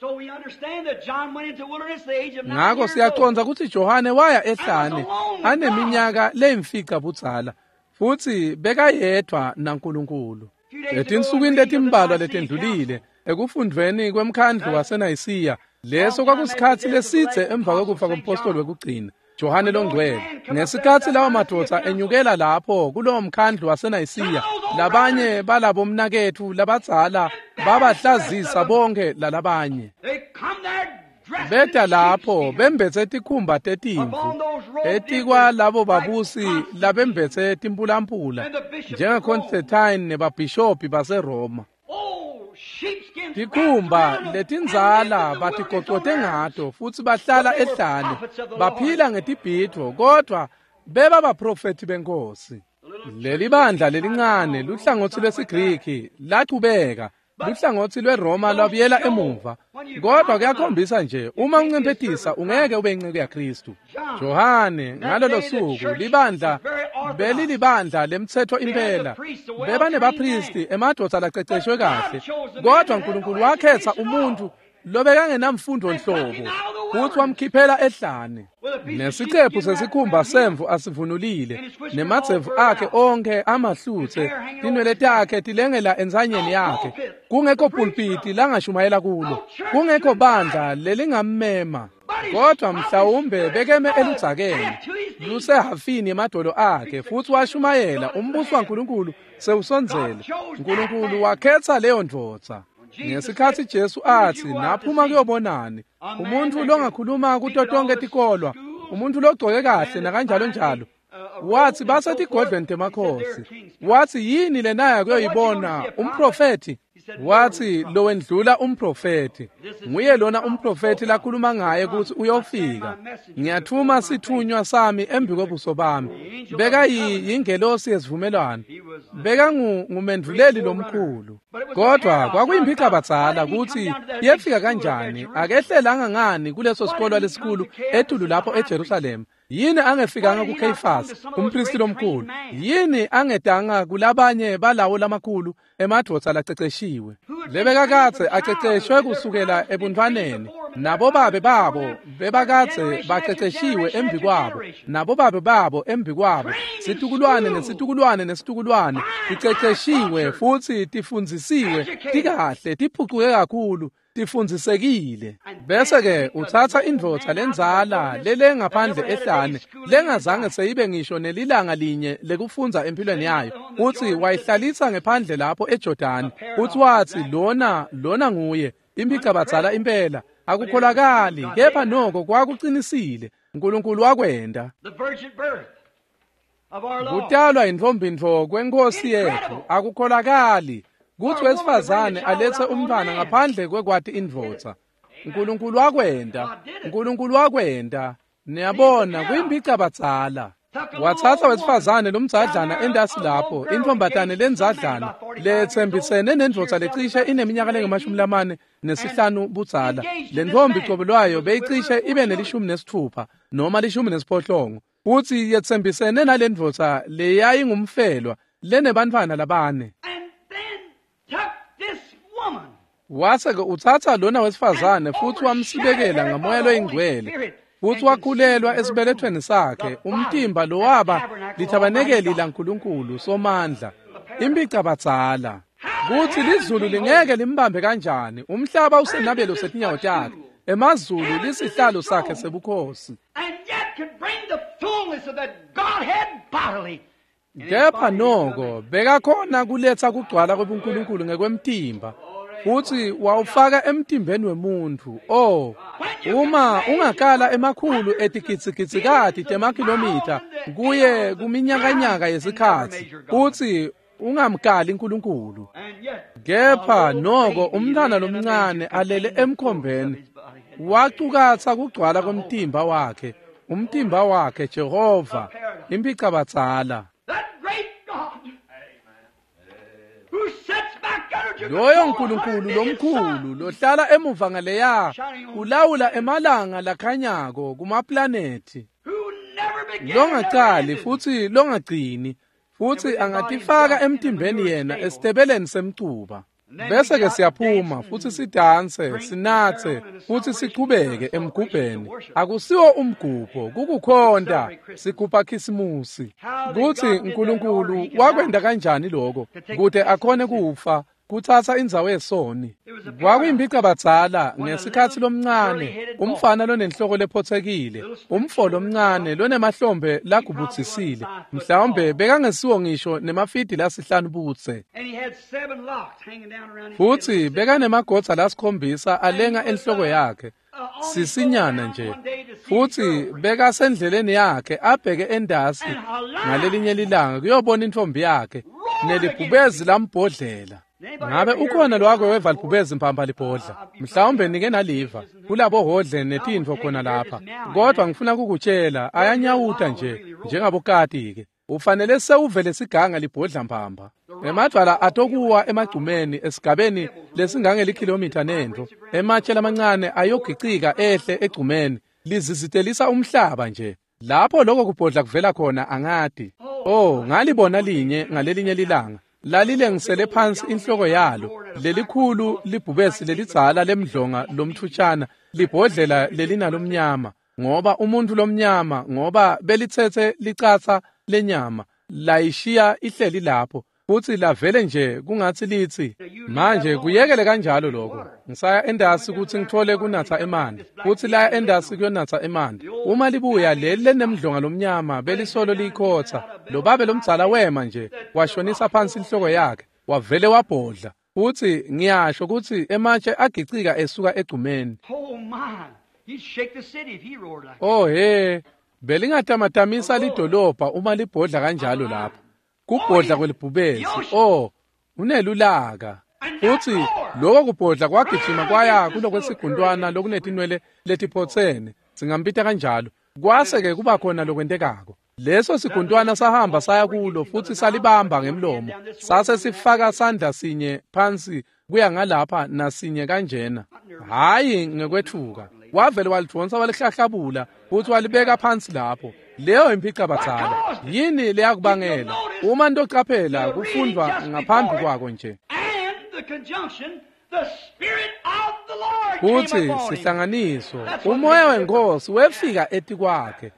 Ngako siyacondza kutsi Johane waya ehlane aneminyaka leyimfica budzala, futsi bekayedvwa naNkulunkulu. Etinsukwini letimbalwa letendlulile ekufundvweni kwemkhandlu waseNayisiya, leso kwakusikhatsi lesidze emva kwekufa kompostoli wekugcina. Johane longcwele. Ngesikhatsi lawo madvodza enyukela lapho kulowo mkhandlu waseNayisiya, labanye balabomnaketfu labadzala babahlazisa bonke lalabanye. Beta lapho bembetse tikhumba tetimvu etikwalabo babusi labembetse timpulampula njengaConstantine nebabhishobhi baseRoma. Tikhumba letindzala batigocote ngato futsi bahlala ehlane, baphila ngetibhidvo, kodvwa beba baprofethi benkosi. Leli bandla lelincane luhlangotsi lwesiGriki lachubeka, luhlangotsi lweRoma lwabuyela emuva. Kodwa kuyakhombisa nje, uma uncemphetisa ungeke ube inceku yaKristu. Johane ngalolo suku libandla belilibandla lemtsetfo impela, bebanebaphristi, emadvodza laceceshwe kahle, kodwa uNkulunkulu wakhetha umuntfu lobekangenamfundo nhlobo futsi wamkhiphela ehlane. Nesicephu sesikhumba semvu asivunulile, nemadzevu akhe onkhe amahlutse, tinwele takhe tilengela entsanyeni yakhe, kungekho pulpiti langashumayela kulo, kungekho bandla lelingammema. Kodwa mhlawumbe bekeme eludzakeni lusehafini yemadolo akhe futsi washumayela umbuso waNkulunkulu sewusondzele. Nkulunkulu wakhetha leyo ndvodza. Ngesikhatsi Jesu atsi, naphuma kuyobonani, umuntfu longakhuluma kuto tonke tikolwa, umuntfu logcoke kahle nakanjalo njalo, wathi basetigodlweni temakhosi. Wathi yini lenaya kuyoyibona umprofethi? Wathi lowendlula umprofethi, nguye lona umprofethi lakhuluma ngaye kutsi uyofika. Ngiyathuma sithunywa sami embi kwebuso bami. Beka yingelosi yesivumelwano, beka ngumendvuleli lomkhulu. Kodwa kwakuyimphicabadzala kutsi yefika kanjani, akehlelanga ngani kuleso sikolwa lesikhulu etulu lapho eJerusalema. Yini angefikanga kuKheyifasi umpristi lomkhulu? Yini angetanga kulabanye balawo lamakhulu emadvodza laceceshiwe lebekakadze aceceshwe kusukela ebuntwaneni? Nabo babe babo bebakadze baceceshiwe embi kwabo, nabo babe babo embi kwabo, situkulwane nesitukulwane nesitukulwane ticeceshiwe futsi tifundzisiwe, tikahle, tiphucuke kakhulu, tifundzisekile. Bese-ke utsatsa indvodza lendzala lele ngaphandle ehlane lengazange seyibe ngisho nelilanga linye lekufundza empilweni yayo, utsi wayihlalisa ngephandle lapho eJordani, utsi watsi lona nguye imphicabadzala impela. Akukholakali, kepha noko kwakucinisile. Nkulunkulu wakwenta. Kutalwa intfombi-ntfo kwenkosi yetfu akukholakali kutsi wesifazane alethe umntfwana ngaphandle kwekwati indvodza. Nkulunkulu wakwenta, Nkulunkulu wakwenta. Niyabona, kuyimphicabadzala. Watsatsa wesifazane lomdzadlana entasi lapho, intfombatane lendzadlana letsembisene nendvodza lecishe ineminyaka lengu-45 budzala. Le ntfombi cobo lwayo beyicishe ibe ne-16 noma 18, futsi yetsembisene nale ndvodza leyayingumfelwa lenebantfwana labane. Wase-ke utsatsa lona wesifazane futsi wamsibekela ngamoya loyingcwele, futsi wakhulelwa esibelethweni sakhe umtimba lowaba lithabanekeli laNkulunkulu Somandla. Imphicabadzala kutsi lizulu lingeke limbambe kanjani, umhlaba usenabelo setinyawo takhe, emazulu lisihlalo sakhe sebukhosi. Kepha noko bekakhona kuletsa kugcwala kwebuNkulunkulu ngekwemtimba, futsi wawufaka emtimbeni wemuntfu. Oh, uma ungakala emakhulu etigitsigitsikati temakhilomitha kuye kuminyakanyaka yesikhatsi, futsi ungamkali uNkulunkulu. Kepha noko umntfwana lomncane alele emkhombeni wacukatsa kugcwala kwemtimba wakhe, umtimba wakhe Jehova, imphicabadzala. Loyo Nkulunkulu lomkhulu lohlala emuva ngaleya ulawula emalanga lakhanyako kumaplanethi, longacali futsi longagcini, futsi angatifaka emtimbeni yena esitebeleni semcuba. Bese-ke siyaphuma futsi sidanse, sinatse futsi sichubeke emgubheni. Akusiwo umgubho, kukukhonta, sigubha Khisimusi. Kutsi Nkulunkulu wakwenta kanjani lokho kute akhone kufa, Kutsatsa indzawo yesoni. Kwakuyimpicabadzala ngesikhatsi lomncane, umfana lonenhloko lephotsekile, umfo lomncane lonemahlombe lagubudzisile, mhlawumbe bekangesiwo ngisho nemafidi lasihlanu budze. Futsi bekanemagodza lasikhombisa alenga enhloko yakhe, sisinyana nje. Futsi bekasendleleni yakhe abheke endasi ngalelinye lilanga kuyobona intfombi yakhe, nelibhubezi lambhodlela. Ngabe ukhona lowake weva libhubezi mphampa libhodla? Mhlawumbe nike naliva kulabo hodle netintfo khona lapha, kodwa ngifuna kukutshela ayanyawuta nje njengabokati-ke. Ufanele sewuvele siganga libhodla mphampa. Emadvwala atokuwa emagcumeni esigabeni lesingangelikhilomitha nentfo. Ematshe lamancane ayogicika ehle egcumeni, lizizitelisa umhlaba nje. Lapho lokho kubhodla kuvela khona angati. Oh, ngalibona linye ngalelinye lilanga. Lalilengisele phansi inhloko yalo, lelikhulu libhubesi lelidzala lemdlonga lomthutshana, libhodlela lelinalomnyama, ngoba umuntu lomnyama, ngoba belitsetse licatsa lenyama, layishiya ihleli lapho, futsi lavele nje kungatsi litsi, manje kuyekele kanjalo lokho. Ngisaya endasi kutsi ngitfole kunatsa emanti, futsi laya endasi kuyonatsa emanti. Uma libuya leli lenemdlonga lomnyama belisolo liyikhotsa, lo babe lomdzala wema nje, washonisa phansi inhloko yakhe, wavele wabhodla. Futsi ngiyasho kutsi ematshe agicika esuka egcumeni. Oh he, belingatamatamisa lidolobha uma libhodla kanjalo lapho. Kubhodla kwelibhubesi, oh, unelulaka. Futsi lokho kubhodla kwagijima kwaya kulokwesigundwana lokunetinwele letiphotsene, singambita kanjalo. Kwase-ke kuba khona lokwentekako. Leso sigundwana sahamba saya kulo futsi salibamba ngemlomo, sase sifaka sandla sinye phansi kuya ngalapha nasinye kanjena. Hhayi ngekwethuka, wavele walidvonsa walihlahlabula futsi walibeka phansi lapho. Leyo imphicabadzala. Yini leyakubangela? Uma ntocaphela kufundvwa ngaphambi kwako nje. Futsi sihlanganiso, umoya wenkosi wefika etikwakhe.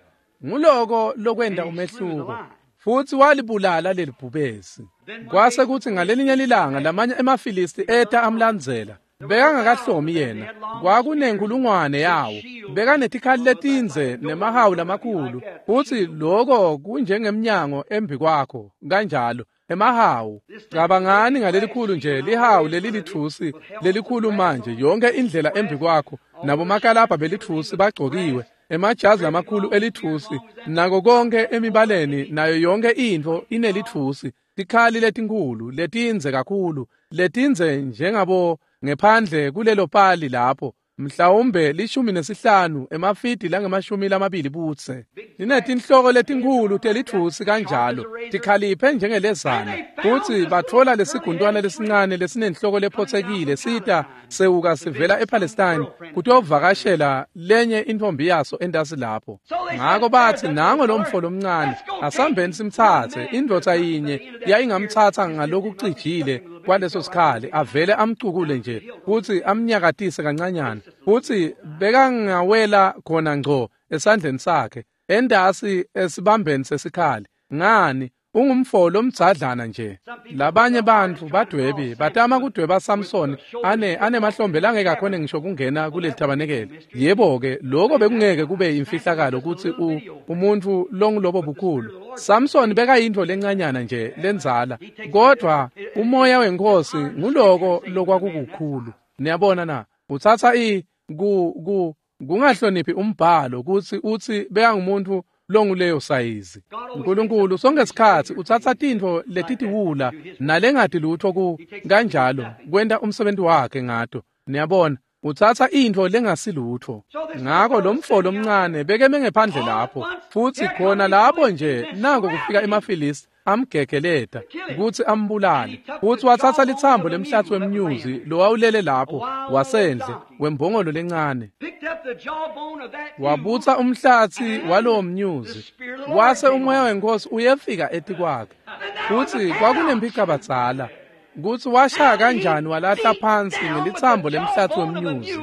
Nguloko lokwenta umehluko. Futsi walibulala lelibhubesi. Kwase kutsi ngalelinye lilanga lamanye emaFilisti eta amlandzela. Bekangakahlomi yena, kwakunenkulungwane yawo. Bekanetikhali letindze nemahawu lamakhulu, futsi loko kunjengemnyango embi kwakho kanjalo. Emahawu, cabangani ngalelikhulu nje lihawu lelilitfusi lelikhulu manje yonke indlela embi kwakho, nabomakalabha belitfusi bagcokiwe, emajazi lamakhulu elitfusi, nako konke emibaleni nayo yonke intfo inelitfusi, tikhali letinkhulu letindze kakhulu, letindze njengabo ngephandle kulelo pali lapho, mhlawumbe 15 emafidi langama-20 budze. Linetinhloko letinkhulu telitfusi kanjalo, tikhaliphe njengelezana. Futsi batfola lesigundwana lesincane lesinenhloko lephotsekile sita sewuka sivela ePalestine kutovakashela lenye intfombi yaso endasi lapho. Ngako batsi nango lomfo lomncane, asambeni simtsatse. Indvodza yinye yayingamtsatsa ngalokucijile kwaleso sikhali, avele amcukule nje futsi amnyakatise kancanyana, futsi bekangawela khona ngco esandleni sakhe, endasi esibambeni sesikhali. Ngani, ungumfo lomdzadlana nje. Labanye bantfu badwebi batama kudweba Samson anemahlombe langeke akhone ngisho kungena kuleli tabanekele. Yebo-ke, lokho bekungeke kube imfihlakalo kutsi umuntu longulobo bukhulu. Samson bekayintfo lencanyana nje lendzala, kodvwa umoya wenkosi nguloko lokwakukukhulu. Niyabona na? Utsatsa kungahloniphi umbhalo kutsi utsi bekangumuntu longuleyo sayizi. uNkulunkulu sonke sikhatsi utsatsa tintfo letitiwula nalengati lutho ku kanjalo kwenta umsebenzi wakhe ngato. Niyabona, utsatsa intfo lengasilutho. Ngako lomfo lomncane bekeme ngephandle lapho, futsi khona lapho nje nako kufika emaFilisti amgegeleta kutsi ambulale. Futsi watsatsa litsambo lemhlatsi wemnyuzi lowawulele lapho wasendle wembongolo lencane, wabutsa umhlatsi walowo mnyuzi, wase umoya wenkosi uyefika etikwakhe. Futsi kwakunemphicabadzala kutsi washaya kanjani walahla phansi ngelitsambo lemhlatsi wemnyuzi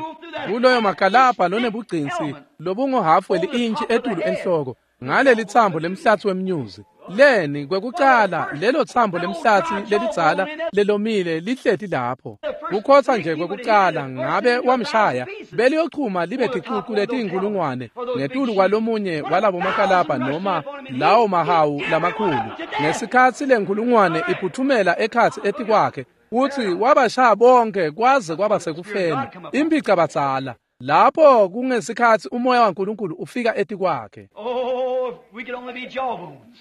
kuloyo makalabha lonebugcinsi lobunguhafu weli-intshi etulu enhloko ngaleli tsambo lemhlatsi wemnyuzi. Leni kwekucala lelo tsambo lemhlatsi lelidzala lelomile lihleti lapho. Kukhotsa nje kwekucala ngabe wamshaya beliyochuma libe ticucu letinkulungwane ngetulu kwalomunye walabo makalabha noma lawo mahawu lamakhulu. Ngesikhatsi lenkulungwane iphuthumela ekhatsi etikwakhe futsi wabashaya bonke kwaze kwaba sekufeni. Imphicabadzala lapho kungesikhatsi umoya waNkulunkulu ufika etikwakhe. Oh, if we could only be jawbones.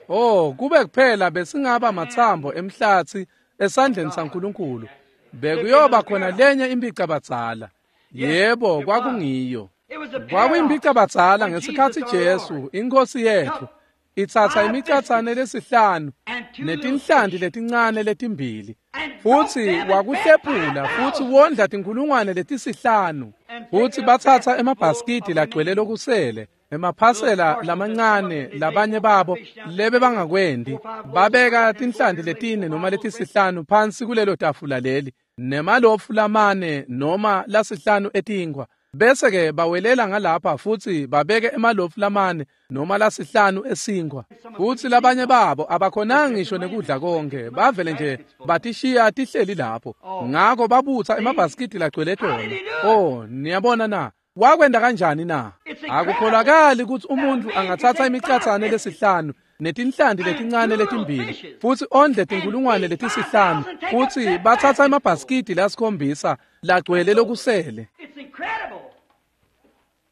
Oh, kube kuphela besingaba matsambo emhlatsi esandleni saNkulunkulu. Bekuyoba khona lenye imphicabadzala. Yebo, kwakungiyo. It was a Kwakuyimphicabadzala when ngesikhatsi Jesus our Jesu, Lord, inkosi yethu, itsatsa imicatsane lesihlanu and two little netinhlanti fish letincane letimbili. and broke Futsi them and fed wakuhlephula futsi 5,000. wondla tinkulungwane letisihlanu. And Futsi taken a batsatsa basket full emabhasikidi of lagcwele remaining. lokusele, Little emaphasela parcels that some of lamancane them they labanye made 4 or 5 babo fish down lebe there, bangakwendi, 4 or 5 loaves of babeka bread, and 4 tinhlanti here laid 4 letine or noma 5 loaves of bread. letisihlanu phansi kulelo tafula leli, nemalofu lamane noma lasihlanu etinkwa. Bese ke bawelela ngalapha futsi babeke emalofu lamane noma lasihlanu esinkwa. Some of them Futsi couldn't eat labanye all. babo abakhonanga They kept ngisho them laying nekudla there. They konke, come up with bavele nje baskets full of it. batishiya tihleli lapho. Oh, Ngako babutsa see? emabhasikidi lagcwele How did tona. he do it? Oh, niyabona na? Wakwenta kanjani na? It's incredible Akukholakali kutsi that a umuntfu man could angatsatsa take 5 imicatsane biscuits lesihlanu netinhlanti and letincane 2 little letimbili fishes futsi ondle and tinkulungwane feed letisihlanu 5,000, take up futsi 7 batsatsa baskets full. emabhasikidi lasikhombisa lagcwele That's over. lokusele. It's incredible.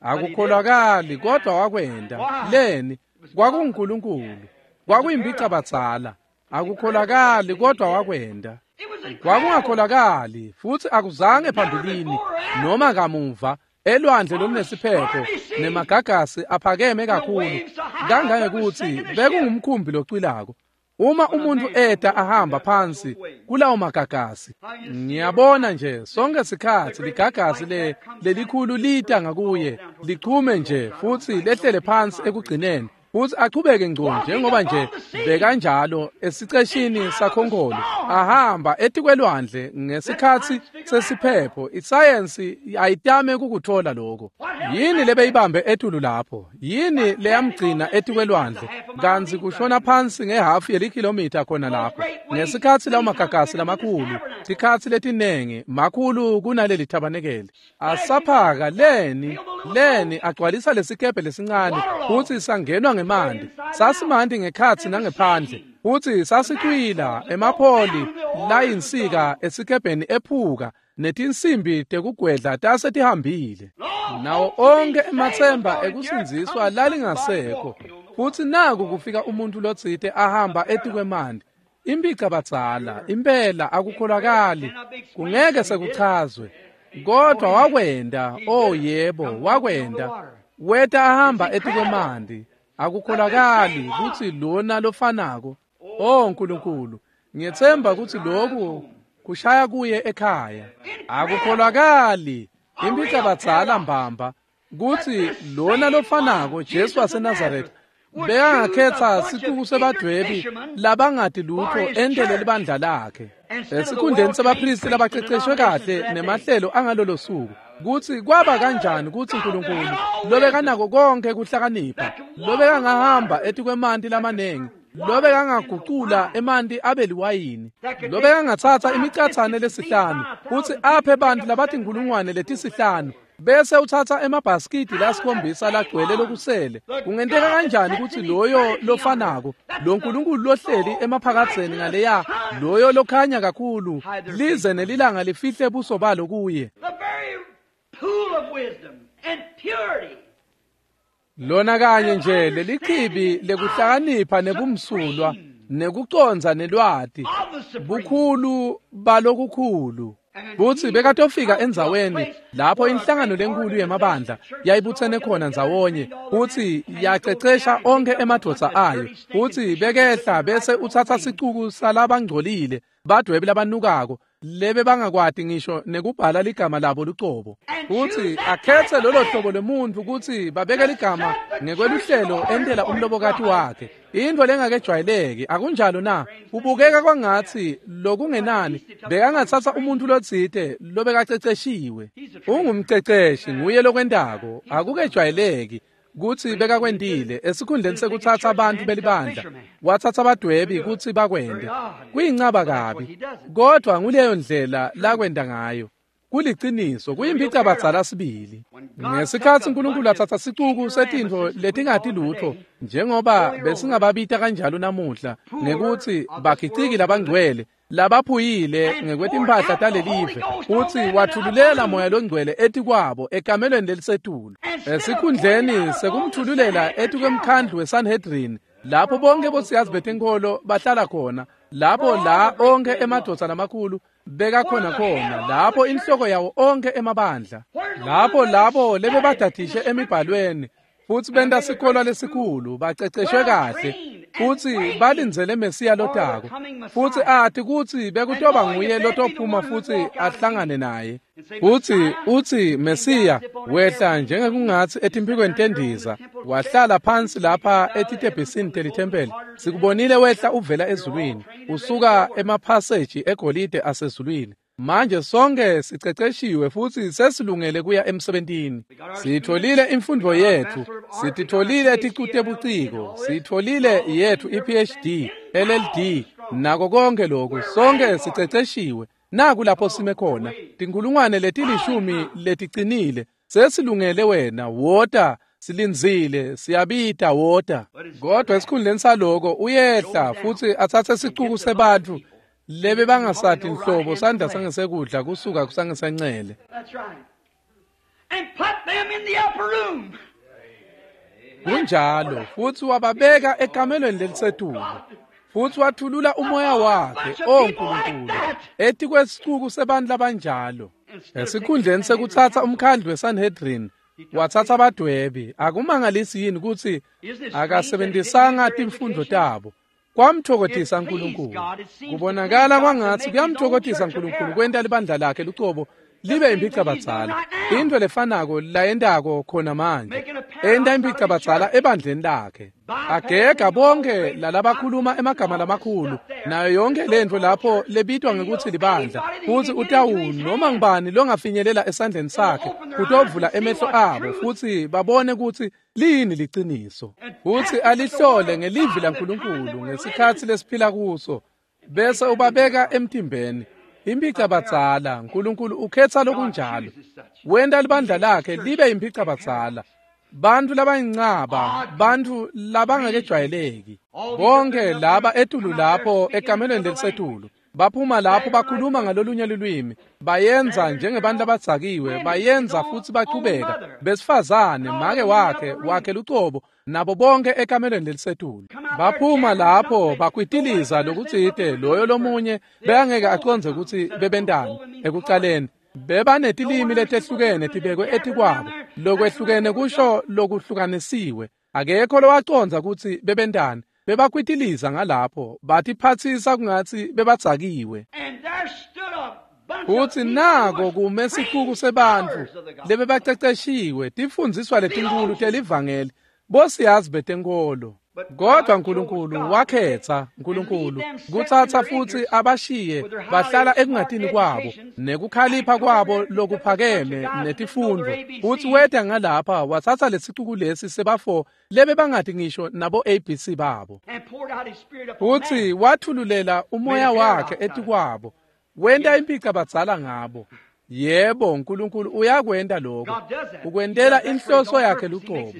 But he did it. Akukholakali kodwa wakwenta. Why? Leni It was God. kwakunguNkulunkulu. It was a paradox. Kwakuyimphicabadzala. It's incredible Akukholakali that he kodwa did it. wakwenta. It was incredible. Kwakungakholakali futsi akuzange Never phambilini before or after noma kamuva elwandle on the lolunesiphepho stormy sea, nemagagasi aphakeme the kakhulu waves so high that was kangangekutsi sinking the ship. bekungumkhumbi locwilako. Uma When a umuntu man come eta walking ahamba down those phansi waves, kulawo magagasi, how you see every ngiyabona time nje sonke the sikhatsi great big ligagasi white cap comes down lelikhulu and lita first falls ngakuye down towards the lichume bottom of the nje boat. I don't futsi like no lehlele deep phansi concrete. ekugcineni futsi achubeke ngco Walking njengoba nje upon the sea bekanjalo in esiceshini time of a sakhonkholo storm. ahamba etikwelwandle Let ngesikhatsi science figure that out. sesiphepho. Isayensi ayitame kukuthola lokho. What held him Yini back there? lebeyibambe etulu lapho? Yini What kept him on leyamgcina the sea? That's a etikwelwandle? half a mile Kantsi deep right kushona there. phansi ngehafu yelikhilomitha khona Those lapho. great waves, Ngesikhatsi lawo many times magagasi bigger than this lamakhulu, tabernacle, tikhatsi letinengi makhulu kunaleli thabanekeli. splashing up, Asaphaka leni fill the little leni boat, agcwalisa lesikebhe lesincane futsi waterlogged, sangenwa both ngemanti. inside and out. Sasimanti ngekhatsi And it was nangephandle sinking. futsi The mast sasicwila poles had broke down emapholi and the oars was layinsika gone. esikebheni ephuka netinsimbi tekugwedla tase tihambile. And all Nawo hopes of being onke saved was ematsemba gone, and here ekusindziswa comes somebody lalingasekho. walking on the Futsi water. naku kufika umuntfu lotsite ahamba A paradox. etikwemanti. Imphicabadzala Sure. impela Incredible. akukholakali Cannot be explained, kungeke but he did it. sekuchazwe Oh, kodwa he did. wakwenta. He Oh did it. yebo, Come walking on the wakwenta. water. Weta It's ahamba incredible etikwemanti. that this Akukholakali same kutsi one. lona lofanako. Oh, Oh God. Nkulunkulu, I ngiyetsemba hope this kutsi drives lokhu home. kushaya kuye ekhaya. Incredible. Akukholakali A real imphicabadzala paradox. mbamba That kutsi this lona same one, lofanako Jesu Jesus of waseNazaretha Nazareth, would choose a bekangakhetsa bunch of sicuku ignorant sebadwebi fishermen labangati for lutho his entele church libandla lakhe instead of the esikhundleni well-trained sebaphristi priests and labaceceshwe denominations of kahle that day. nemahlelo angalolo suku kutsi kwaba kanjani kutsi God that Nkulunkulu had all wisdom, lobekanako konke kuhlakanipha that could walk on the lobekangahamba waters, etikwemanti that could lamanengi turn water into lobekangagucula wine, emanti abe liwayini that could take lobekangatsatsa 5 imicatsane biscuits and feed lesihlanu futsi 5,000 aphe people, take bantfu up 7 labatinkhulungwane baskets full of letisihlanu leftovers. bese utsatsa emabhasikidi How did that lasikhombisa same lagcwele one, lokusele. the Kungenteka God that kanjani sets kutsi in loyo eternity yonder, lofanako, that's lo the Nkulunkulu lohleli soul, right emaphakadzeni to the ngaleya, Son, loyo lokhanya kakhulu, hide their lize face from him? nelilanga lifihle buso balo kuye. The very pool of wisdom and purity Lona kanye and of nje lelichibi understanding and knowledge, lekuhlakanipha nebumsulwa supreme nekucondza nelwati of the supreme. bukhulu balokukhulu. And Futsi he would bekatofika come to a endzaweni place lapho where a inhlangano great lenkulu organization yemabandla of churches was all yayibutsene together khona and ndzawonye trained all the men, futsi and he'd go down yacecesha and pick onke up a bunch emadvodza of ayo. dirty, stinking Futsi fishermen bekehla sitting right bese their own utsatsa name. sicuku salabangcolile badwebi labanukako lebe bangakwati ngisho nekubhala ligama labo lucobo. And choose Futsi that akhetse type of lolo man hlobo lwemuntfu kutsi babeke to ligama serve the church in ngekweluhlelo order entela for his umlobokati bride. wakhe. Intfo lengakejwayeleki akunjalo na? Strange thing. Kubukeka kwangatsi But at lokungenani least he took somebody bekangatsatsa trained. umuntfu lotsite lobekaceceshiwe. He's a trainer. Ungumceceshi nguye lokwentako He's the one. akukejwayeleki. kutsi bekakwentile esikhundleni sekutsatsa abantu belibandla watsatsa abadwebi kutsi bakwente. Kuyincaba kabi, kodvwa nguleyo ndlela lakwenta ngayo. Kuliciniso, kuyimphicabadzala sibili. Ngesikhatsi uNkulunkulu atsatsa sicuku setintfo letingati lutfo, njengoba besingababita kanjalo namuhla ngekutsi bagiciki labangcwele labaphuyile ngekwetimpahla talelive, futsi wathululela moya longcwele etikwabo ekamelweni lelisetulu. Esikhundleni sekumthululela etikwemkhandlu weSanhedrin, lapho bonke bosiyazi betinkholo bahlala khona, lapho la onke emadvodza lamakhulu bekakhona khona, lapho inhloko yawo onke emabandla, lapho labo lebebadadishe emibhalweni futsi benta sikolo lesikhulu, baceceshwe kahle futsi balindzele Mesiya lotako, futsi ati kutsi bekutoba nguye lotophuma futsi ahlangane naye. Futsi utsi Mesiya wehla njengekungatsi etimphikweni tendiza, wahlala phansi lapha etitebhisini telithempeli. Sikubonile wehla uvela ezulwini, usuka emaphaseji egolide asezulwini. Manje sonke siceceshiwe futsi sesilungele kuya emsebentini. Sitfolile imfundvo yethu, sititfolile ticu tebuciko, sitfolile yethu i-PhD, LLD, nako konke lokhu. Sonke siceceshiwe. Naku lapho sime khona, tinkhulungwane letilishumi leticinile, sesilungele wena, wota, silindzile, siyabita, wota. Kodwa esikhundleni saloko uyehla futsi atsatse sicuku sebantfu lebe bangasati nhlobo sandla sangesekudla kusuka kusangesancele. Kunjalo, futsi wababeka ekamelweni lelisetulu. Futsi wathulula umoya wakhe, o Nkulunkulu, etikwesicuku sebantfu labanjalo. Esikhundleni sekutsatsa umkhandlu weSanhedrin, watsatsa abadwebi. Akumangalisi yini kutsi akasebentisanga timfundvo tabo? Kwamthokothisa uNkulunkulu. Kubonakala kwangatsi kuyamthokothisa uNkulunkulu kwenta libandla lakhe lucobo libe imphicabadzala. Into lefanako layentako khona manje, enta imphicabadzala ebandleni lakhe. Agega bonke lalabakhuluma emagama lamakhulu nayo yonke lentfo lapho lebitwa ngekutsi libandla, futsi utawu noma ngubani longafinyelela esandleni sakhe kutovula emehlo abo futsi babone kutsi liyini liciniso, futsi alihlole ngelivi laNkulunkulu ngesikhatsi lesiphila kuso, bese ubabeka emtimbeni. Imphicabadzala, uNkulunkulu ukhetsa lokunjalo. Wenta libandla lakhe libe imphicabadzala. Bantfu labayincaba, bantfu labangakejwayeleki. Bonke laba etulu lapho ekamelweni lelisetulu, baphuma lapho bakhuluma ngalolunye lulwimi, bayenza njengebantu labadzakiwe, bayenza futsi bachubeka. Besifazane, make wakhe lucobo, nabo bonke ekamelweni lelisetulu. Baphuma lapho bakwitiliza lokutsite loyo lomunye bekangeke acondze kutsi bebentani ekucaleni. Bebanetilimi letehlukene tibekwe etikwabo, lokwehlukene kusho lokuhlukanisiwe. Akekho lowacondza kutsi bebentani. Bebakwitiliza ngalapho, batiphatsisa kungatsi bebadzakiwe. Futsi nako kume sicuku sebantfu lebebaceceshiwe, tifundziswa letinkhulu telivangeli, bosiyazi betenkolo. Kodwa uNkulunkulu wakhetsa uNkulunkulu kutsatsa futsi abashiye bahlala ekungatini kwabo nekukhalipha kwabo lokuphakeme netifundvo, futsi weta ngalapha watsatsa lesicuku lesi sebafo lebe bangati ngisho nabo ABC babo, futsi wathululela umoya wakhe etikwabo, wenta imphicabadzala ngabo. Yebo, uNkulunkulu uyakwenta lokho. Ukwentela inhloso yakhe lucobo.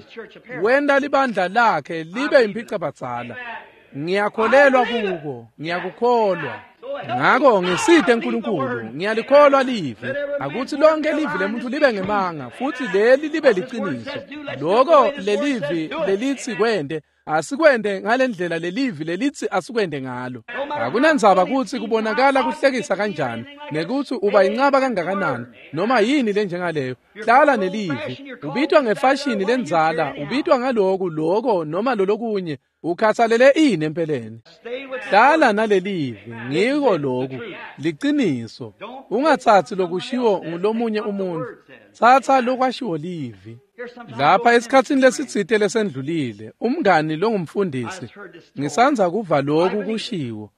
Wenta libandla lakhe libe imphicabadzala. Ngiyakholelwa kuko, ngiyakukholwa. Ngako ngisite uNkulunkulu, ngiyalikholwa livi. Akuthi lonke livi lemuntu libe ngemanga, futhi leli libe liciniso. Lokho lelivi lelithi kwente, asikwente ngalendlela lelivi lelithi asikwente ngalo. Akunandzaba kutsi kubonakala kuhlekisa kanjani, nekuthi uba incaba kangakanani, noma yini lenjengaleyo. Hlala nelivi. Ubitwa ngefashini lendzala, ubitwa ngaloku, loko noma lolokunye. Ukhathalele ini empeleni? Hlala nalelivi, ngiko loku, liciniso. Ungatsatsi lokushiwo ngulomunye umuntu, tsatsa lokwashiwo livi. Lapha esikhatsini lesitsite lesendlulile, umngani longumfundisi, ngisandza kuva loku kushiwo.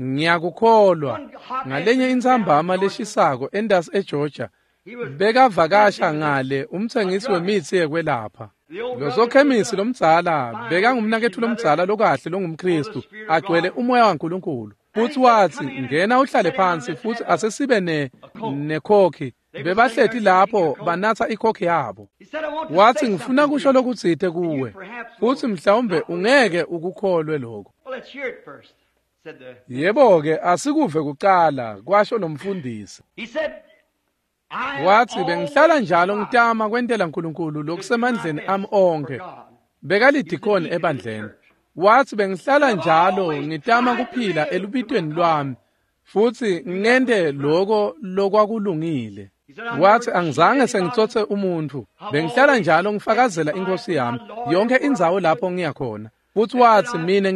Ngiyakukholwa. Ngalenye intsambama leshisako entasi eGeorgia, bekavakasha ngale umtsengisi wemitsi yekwelapha. Losokhemisi lomdzala bekangumnaketfu lomdzala lokahle longumKhristu, agcwele umoya waNkulunkulu. Futsi watsi, ngena uhlale phansi futsi asesibe nekhokhi. Bebahleti lapho banatsa ikhokhi yabo. Watsi, ngifuna kusho lokutsite kuwe, futsi mhlawumbe ungeke ukukholwe lokho. Yebo-ke, asikuve kucala, kwasho lo mfundisi. Watsi, bengihlala njalo ngitama kwentela Nkulunkulu lokusemandleni ami onkhe. Bekalidikoni ebandleni. Watsi, bengihlala njalo ngitama kuphila elubitweni lwami futsi ngente loko lokwakulungile. Watsi, angizange sengitsotse umuntfu. Bengihlala njalo ngifakazela inkosi yami yonke indzawo lapho ngiyakhona. Futsi watsi, mina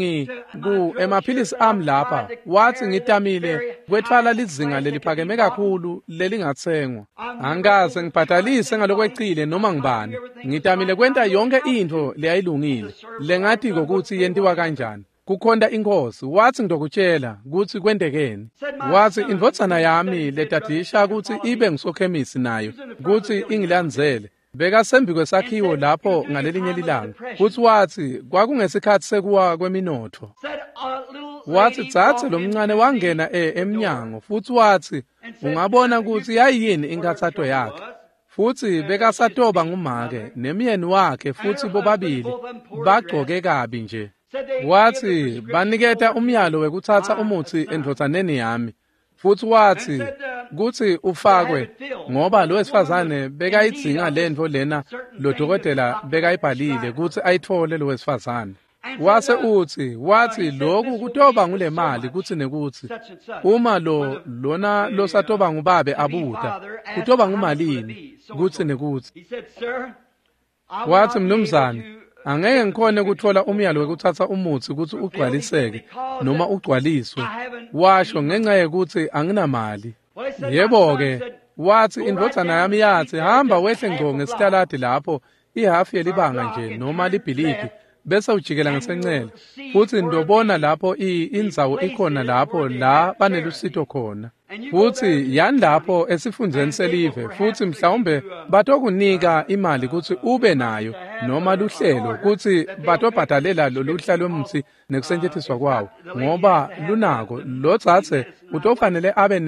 emaphilisi ami lapha. Watsi, ngitamile kwetfwala lizinga leliphakeme kakhulu lelingatsengwa. Angikaze ngibhadalise ngalokwecile noma ngibani. Ngitamile kwenta yonke intfo leyayilungile lengatiko kutsi yentiwa kanjani. Kukhonta inkosi. Watsi, ngitokutshela kutsi kwentekeni. Watsi, indvodzana yami letadisha kutsi ibe ngusokhemisi nayo kutsi ingilandzele. Bekasembi kwesakhiwo lapho ngalelinye lilanga. Futsi watsi kwakungesikhatsi sekuwa kweminotfo. Watsi dzadze lomncane wangena emnyango futsi watsi ungabona kutsi yayiyini inkhatsato yakhe. Futsi bekasatoba ngumake nemyeni wakhe futsi bobabili bagcoke kabi nje. Watsi baniketa umyalo wekutsatsa umutsi endvodzaneni yami. Futsi watsi kutsi ufakwe ngoba lo wesifazane bekayidzinga lentfo lena lo dokotela bekayibhalile kutsi ayitfole lo wesifazane. Wase utsi, watsi lokhu kutoba ngule mali kutsi nekutsi uma lo lona losatoba ngubabe abuta kutoba ngumalini kutsi nekutsi. Watsi, mnumzane, angeke ngikhone kutfola umyalo wekutsatsa umutsi kutsi ugcwaliseke noma ugcwaliswe. Washo ngenxa yekutsi anginamali. Yebo-ke, watsi indvodzana yami yatsi hamba wehle ngco ngesitaladi lapho ihafu yelibanga nje noma libhilidi bese ujikela ngasencele futsi ndobona lapho indzawo ikhona lapho la banelusito khona. Futsi yani lapho esifundzeni selive futsi mhlawumbe batokunika imali kutsi ube nayo noma luhlelo kutsi batobhadalela loluhla lwemutsi nekusetjentiswa kwawo ngoba lunako lo dzadze utofanele abe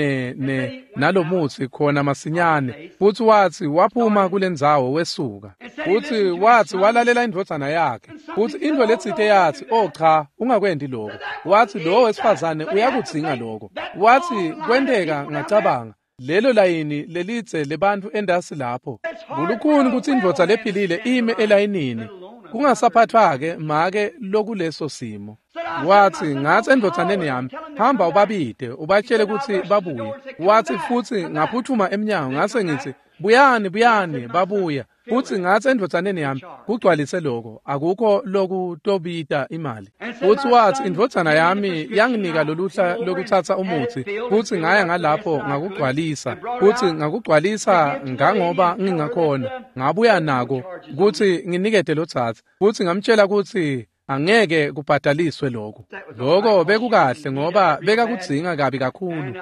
nalomutsi khona masinyane. Futsi watsi waphuma kulendzawo wesuka. Futsi watsi walalela indvodzana yakhe. Futsi intfo letsite yatsi, oh cha, ungakwenti lokho. Watsi lo wesifazane uyakudzinga lokho. Watsi kwenteka ngacabanga lelo layini lelidze lebantfu endasi lapho. Kulukhuni kutsi indvodza lephilile ime elayinini. Kungasaphathwa-ke make lokuleso simo. Watsi ngatsi endvodzaneni yami, hamba ubabide ubatshele kutsi babuye. Watsi futsi ngaphuthuma emnyango ngase ngitsi buyani buyani babuya. Futsi ngatsi endvodzaneni yami kugcwalise lokho akukho lokutobita imali. Futsi watsi indvodzana yami yanginika loluhla lokutsatsa umutsi futsi ngaya ngalapho ngakugcwalisa. Futsi ngakugcwalisa ngangoba ngingakhona. Ngabuya nako kutsi nginikete lotsatsa. Futsi ngamtshela kutsi angeke kubhadaliswe lokho. Lokho bekukahle ngoba bekakudzinga kabi kakhulu.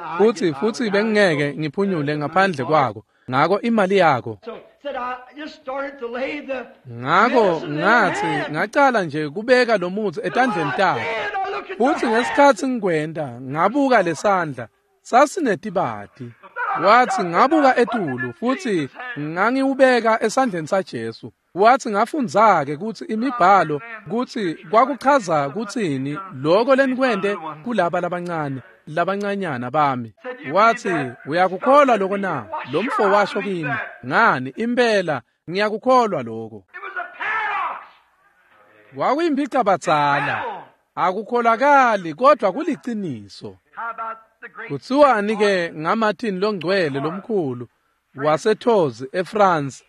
Futsi bengingeke ngiphunyule ngaphandle kwako. Ngako imali yakho. Ngako ngatsi ngacala nje kubeka lo mutsi etandleni takhe. Futsi ngesikhatsi ngikwenta ngabuka lesandla sasinetibati. Watsi ngabuka etulu futsi ngangiwubeka esandleni saJesu. Watsi ngafundza-ke kutsi imibhalo kutsi kwakuchaza kutsini lokho lenikwente kulaba labancane labancanyana bami. Watsi uyakukholwa lokho na? Lo mfo washo kimi, ngani impela ngiyakukholwa lokho. Kwakuyimpicabadzala, akukholakali kodwa kuliciniso. Kutsiwani-ke ngaMartin longcwele lomkhulu waseTours eFrance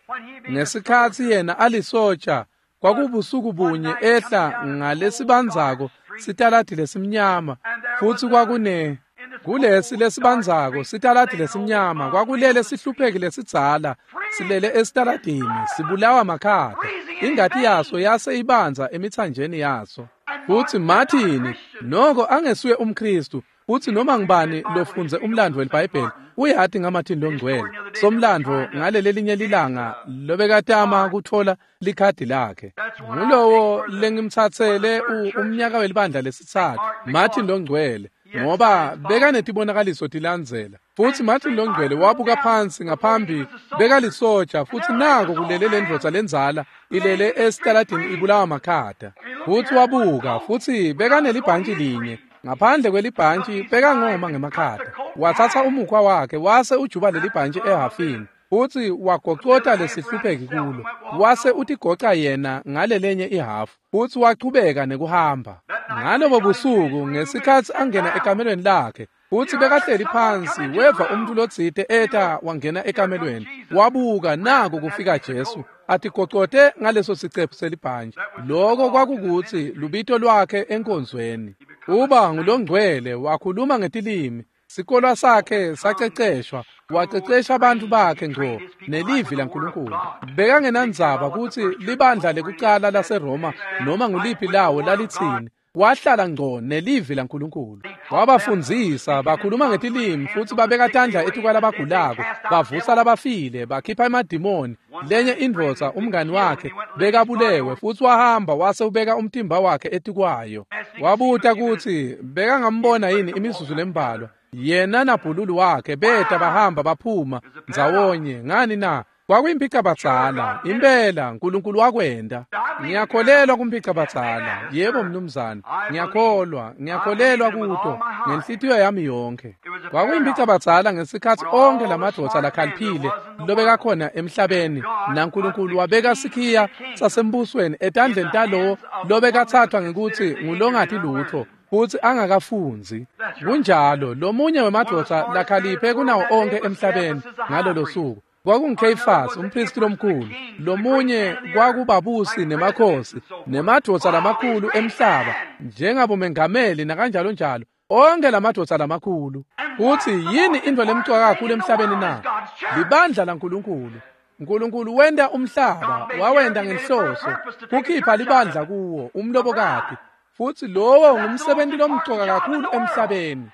ngesikhatsi yena alisotsha kwakubusuku bunye ehla ngalesibandzako sitaladi lesimnyama futsi kwakune kulesi lesibandzako sitaladi lesimnyama kwakulele sihlupheki lesidzala silele esitaladini sibulawa makhata ingati yaso yase ibanza emithanjeni yaso. Futsi Martin noko angesuye umKhristu Futsi noma ngubani lofundze umlandvo weliBhayibheli uyati ngaMartin Longcwele. Somlandvo ngalelelinye lilanga lobekatama kutfola likhadi lakhe. Ngulowo lengimtsatsele umnyaka welibandla lesitsatfu, Martin Longcwele, ngoba bekanetibonakaliso tilandzela. Futsi Martin Longcwele wabuka phansi ngaphambi bekalisoja, futsi nako kulele lendvodza lendzala ilele esitaladini ibulawa makhata. Futsi wabuka, futsi bekanelibhantshi linye. Ngaphandle kwelibhantshi bekangoma ngemakhata. Watsatsa umukhwa wakhe wase ujuba lelibhantshi ehhafini, futsi wagocota lesihlupheki kulo. Wase utigoca yena ngalelenye ihhafu, futsi wachubeka nekuhamba. Ngalobo busuku ngesikhatsi angena ekamelweni lakhe, futsi bekahleli phansi, weva umuntu lotsite eta wangena ekamelweni. Wabuka, nako kufika Jesu atigocote ngaleso sicephu selibhantshi. Loko kwakukutsi lubito lwakhe enkonzweni. Uba ngulongcwele, wakhuluma ngetilimi. Sikolwa sakhe saceceshwa, wacecesha abantu bakhe ngco nelivi laNkulunkulu. Bekangenandzaba kutsi libandla lekucala laseRoma noma nguliphi lawo lalitsini. Wahlala ngco nelivi laNkulunkulu. Wabafundzisa, bakhuluma ngetilimi, futsi babeka tandla etikwalabagulako, bavusa labafile, bakhipha emadimoni. Lenye indvodza, umngani wakhe, bekabulewe, futsi wahamba wase ubeka umtimba wakhe etikwayo. Wabuta kutsi bekangambona yini imizuzu lembalwa. Yena nabhululu wakhe beta bahamba baphuma ndzawonye. Ngani na? Kwakuyimpicabadzala. Impela Nkulunkulu wakwenta. Ngiyakholelwa kumpicabadzala. Yebo mnumzane, ngiyakholwa, ngiyakholelwa kuto ngenhlitiyo yami yonke. Kwakuyimpicabadzala ngesikhatsi onkhe lamadvodza lakhaliphile lobekakhona emhlabeni, naNkulunkulu wabeka sikhiya sasembusweni etandleni talowo lobekatsathwa ngekutsi ngulongati lutfo futsi angakafundzi. Kunjalo, lomunye wemadvodza lakhaliphe kunawo onkhe emhlabeni ngalolo suku kwakunguKheyifasi, umphristi lomkhulu. Lomunye kwakubabusi nemakhosi nemadvodza lamakhulu emhlaba, njengabomengameli nakanjalo njalo, onke lamadvodza lamakhulu. Futsi yini intfo lemcoka kakhulu emhlabeni na? Libandla laNkulunkulu. Nkulunkulu wenta umhlaba, wawenta ngenhloso kukhipha libandla kuwo, umlobokati. Futsi lowo ngumsebenti lomcoka kakhulu emhlabeni.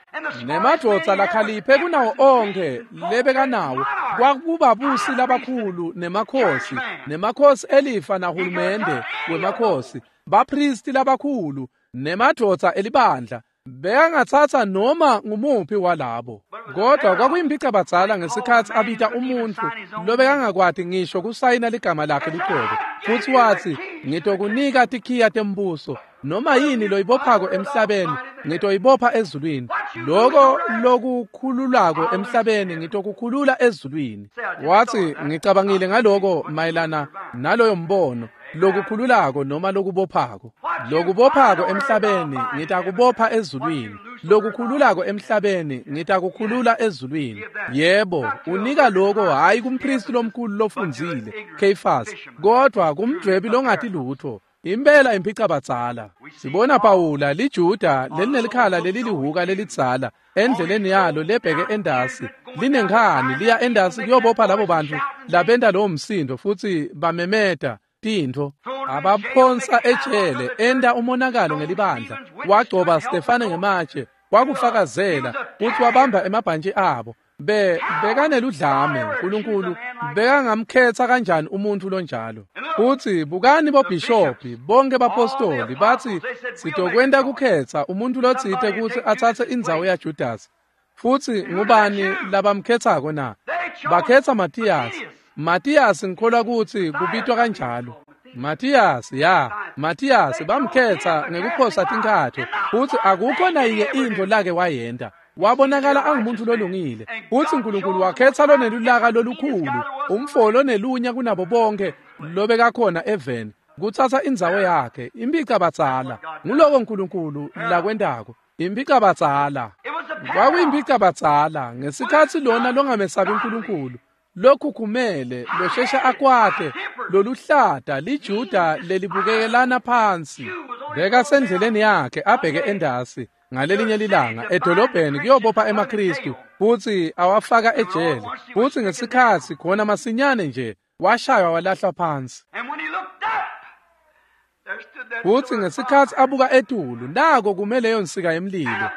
Nemadvodza lakhaliphe kunawo onkhe lebekanawo kwakubabusi labakhulu nemakhosi, nemakhosi elifa nahulumende wemakhosi, baphristi labakhulu nemadvodza elibandla. Bekangatsatsa noma ngumuphi walabo. Kodwa kwakuyimpicabadzala ngesikhatsi abita umuntfu lobekangakwati ngisho kusayina ligama lakhe lucobo. Futsi watsi, ngitokunika tikhiya tembuso. Noma yini loyibophako emhlabeni, ngitoyibopha ezulwini. Loko lokukhululako emhlabeni, ngitokukhulula ezulwini. Watsi, ngicabangile ngaloko mayelana naloyo mbono, lokukhululako noma lokubophako. Lokubophako emhlabeni, ngitakubopha ezulwini. Lokukhululako emhlabeni, ngitakukhulula ezulwini. Yebo, unika loko hhayi kumphristi lomkhulu lofundzile, Kheyifasi, kodwa kumdvwebi longati lutfo. Impela impicabadzala. Sibona Pawula liJuda lelinelikhala lelilihuka lelidzala endleleni yalo lebheke endasi, linenkhani liya endasi kuyobopha labo bantu labenta lowo msindo futsi bamemeta tintfo. Abaphonsa ejele, enta umonakalo ngelibandla. Wagcoba Stefane ngematshe, wakufakazela kutsi wabamba emabhantshi abo. Bekaneludlame. Nkulunkulu bekangamkhetsa kanjani umuntfu lonjalo? Futsi bukani bobhishobhi bonke bapostoli batsi sitokwenta kukhetsa umuntfu lotsite kutsi atsatse indzawo yaJudasi. Futsi ngubani labamkhetsako na? Bakhetsa Matiyasi. Matiyasi ngikholwa kutsi kubitwa kanjalo. Matiyasi, ya, Matiyasi bamkhetsa ngekuphosa tinkatho, futsi akukho nayinye intfo lake wayenta. Wabonakala angumuntu lolungile. Futsi Nkulunkulu wakhetsa lonelulaka lolukhulu, umfo lonelunya kunabo bonke lobekakhona eveni, kutsatsa indzawo yakhe. Impicabadzala. Nguloko Nkulunkulu lakwentako. Impicabadzala. Kwakuyimpicabadzala ngesikhatsi lona longamesabi Nkulunkulu, lokhukhumele, loshesha akwate, loluhlata liJuda lelibukekelana phansi. Bekasendleleni yakhe abheke endasi ngalelinye lilanga edolobheni kuyobopha emaKristu futsi awafaka ejele. Futsi ngesikhatsi khona masinyane nje washaywa walahlwa phansi. Futsi ngesikhatsi abuka etulu, nako kume leyo nsika yemlilo.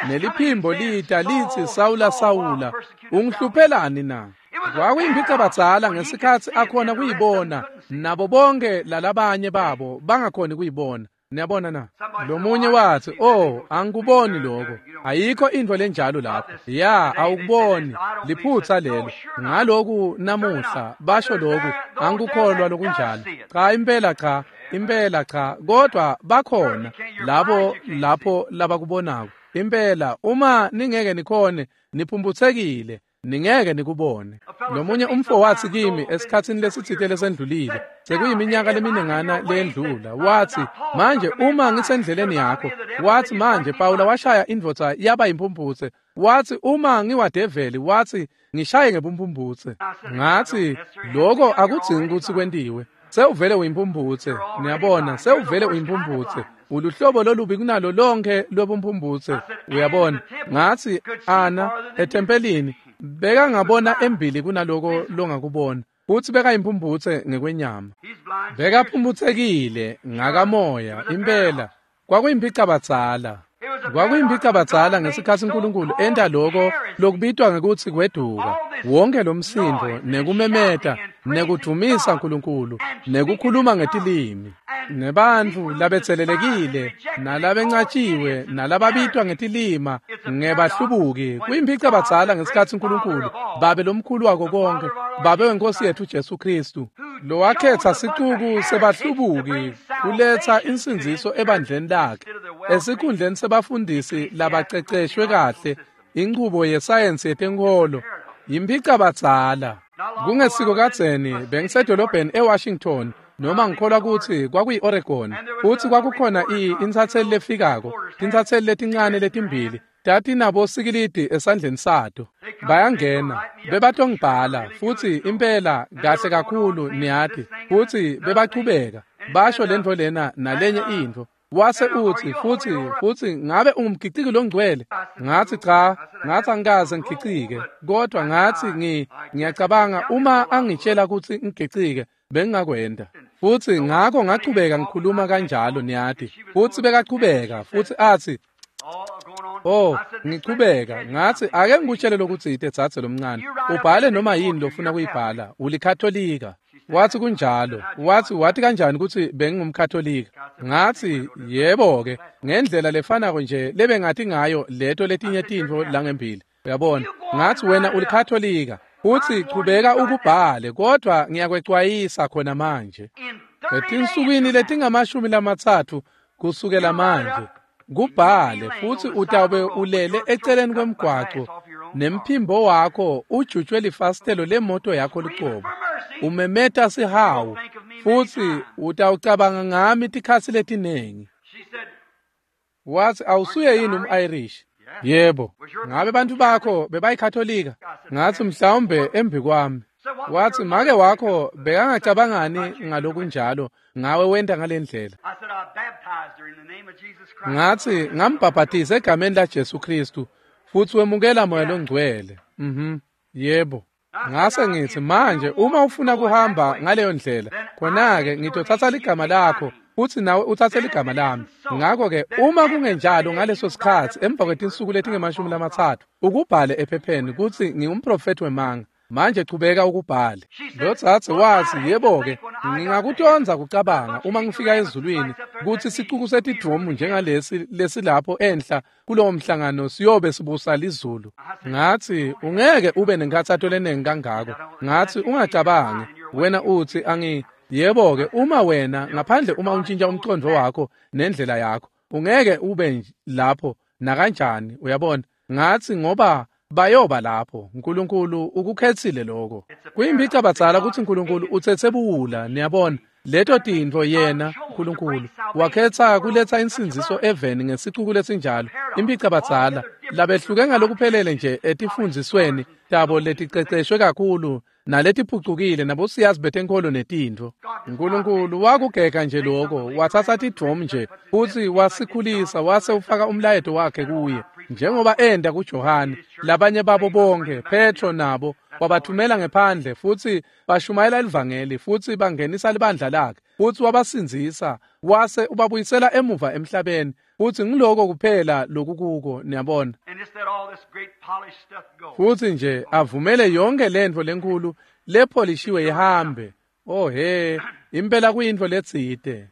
Neliphimbo lita litsi, Sawula, Sawula, ungihluphelani na? Kwakuyimphicabadzala ngesikhatsi akhona kuyibona, nabo bonke lalabanye babo bangakhoni kuyibona. Niyabona na? Lomunye wathi, "Oh, angikuboni lokho. Ayikho intfo lenjalo lapho." Ya, awukuboni. Liphutsa lelo. Ngaloku namuhla basho lokhu, angikukholwa lokunjalo. Cha, impela cha, impela cha, kodwa bakhona labo lapho labakubonako. Impela uma ningeke nikhone, niphumphutsekile. Ningeke nikubone. Lomunye umfo wathi kimi esikhatsini lesitsite lesendlulile, sekuyiminyaka leminingana leyendlula, wathi, manje uma ngisendleleni yakho, wathi manje Pawula washaya indvodza yaba yimpumphutse, wathi uma ngiwadeveli, wathi ngishaye ngebumpumphutse. Ngathi lokho akudzingi ukuthi kwentiwe. Sewuvele uyimphumphutse, niyabona, sewuvele uyimphumphutse. Uluhlobo lolubi kunalo lonke lwebumphumphutse, uyabona. Ngathi ana ethempelini bekangabona embili kunaloko longakubona, futhi bekayimphumphutse ngekwenyama. Bekaphumphutsekile ngakamoya impela. Kwakuyimphicabadzala. Kwakuyimphicabadzala ngesikhatsi uNkulunkulu enta loko lokubitwa ngekutsi kweduka. Wonke lomsindo nekumemeta nekudvumisa uNkulunkulu nekukhuluma ngetilimi nebantfu labetselelekile nalabencatshiwe nalababitwa ngetilima ngebahlubuki. Kuyimphicabadzala ngesikhatsi uNkulunkulu, Babe lomkhulu wako konke, Babe wenkosi yethu Jesu Kristu, lowakhetsa sicuku sebahlubuki kuletsa insindziso ebandleni lakhe esikhundleni sebafundisi labaceceshwe kahle inchubo yesayensi yetenkholo. Yimphicabadzala. Kungesiko kadzeni bengisedolobheni eWashington, noma ngikholwa kutsi kwakuyi-Oregon, futsi kwakukhona intsatseli lefikako, tintsatseli letincane letimbili tatinabo sikilidi esandleni sato. Bayangena, bebatongibhala, futsi impela kahle kakhulu niyati, futsi bebachubeka basho lentfo lena nalenye intfo. Wase utsi, futhi ngabe ungumgiciki longcwele? Ngathi cha, ngathi angikaze ngigicike, kodwa ngathi ngiyacabanga uma angitshela ukuthi ngigicike bengingakwenda. Futhi ngakho ngachubeka ngikhuluma kanjalo niyati, futhi bekachubeka futhi athi, oh, ngichubeka ngathi ake ngikutshele lokuthi dzadze lomncane, ubhale noma yini lofuna kuyibhala, ulikatholika. Wathi kunjalo. Wathi wathi kanjani ukuthi bengingumkatholika? Ngathi yebo ke, ngendlela lefanako nje lebengathi ngayo leto letinye tintfo langembili. Uyabona? Ngathi wena ulikatholika. Uthi chubeka ukubhale, kodwa ngiyakwecwayisa khona manje. Etinsukwini letingamashumi lamatsatfu kusukela manje, kubhale futhi utawube ulele eceleni kwemgwaco nemphimbo wakho ujutshwe lifasitelo lemoto yakho lucobo. Umemeta sihawu futhi utawucabanga ngami tikhatsi letinengi. Wathi awusuye yini um-Irish? Yebo. Ngabe bantu bakho bebayikatholika? Ngathi mhlawumbe embi kwami. Wathi make wakho bekangacabangani ngalokunjalo ngawe wenta ngalendlela. Ngathi ngambhabhatisa egameni laJesu Kristu futhi wemukela moya longcwele. Yebo. Ngase ngithi manje uma ufuna kuhamba ngaleyo ndlela, khona-ke ngitothatha ligama lakho futhi nawe uthathe ligama lami. Ngakho-ke uma kungenjalo ngaleso sikhatsi emva kwetinsuku letingemashumi lamatsatfu ukubhale ephepheni kutsi ngingumprofethi wemanga. Manje chubeka ukubhale. Lo dzadze wathi yebo-ke, ngingakutonza kucabanga uma ngifika ezulwini kutsi sicuku setidvumu njengalesi lesilapho enhla kulowo mhlangano siyobe sibusa lizulu. Ngathi ungeke ube nenkhatsato lenengi kangako. Ngathi ungacabangi. Wena uthi yebo-ke, uma wena ngaphandle uma untshintsha umcondvo wakho nendlela yakho, ungeke ube lapho nakanjani, uyabona. Ngathi ngoba bayoba lapho, uNkulunkulu ukukhetsile lokho. Kuyimphicabadzala kutsi uNkulunkulu utsetse buwula, niyabona. Leto tintfo yena uNkulunkulu wakhetsa kuletsa insindziso eveni ngesicuku lesinjalo. Imphicabadzala labehluke ngalokuphelele nje etifundzisweni tabo leticeceshwe kakhulu naletiphucukile nabosiyazi betenkholo netintfo. uNkulunkulu wakugega nje lokho, watsatsa tidvomu nje futsi wasikhulisa wase ufaka umlayeto wakhe kuye, njengoba enda kuJohane, labanye babo bonke, Petro nabo, wabathumela ngephandle futhi bashumayela livangeli futhi bangenisa libandla lakhe futhi wabasindzisa wase ubabuyisela emuva emhlabeni. Futsi ngiloko kuphela lokukuko, niyabona. Futsi nje avumele yonke lentfo lenkulu lepholishiwe ihambe. Oh he, impela kuyintfo letsite.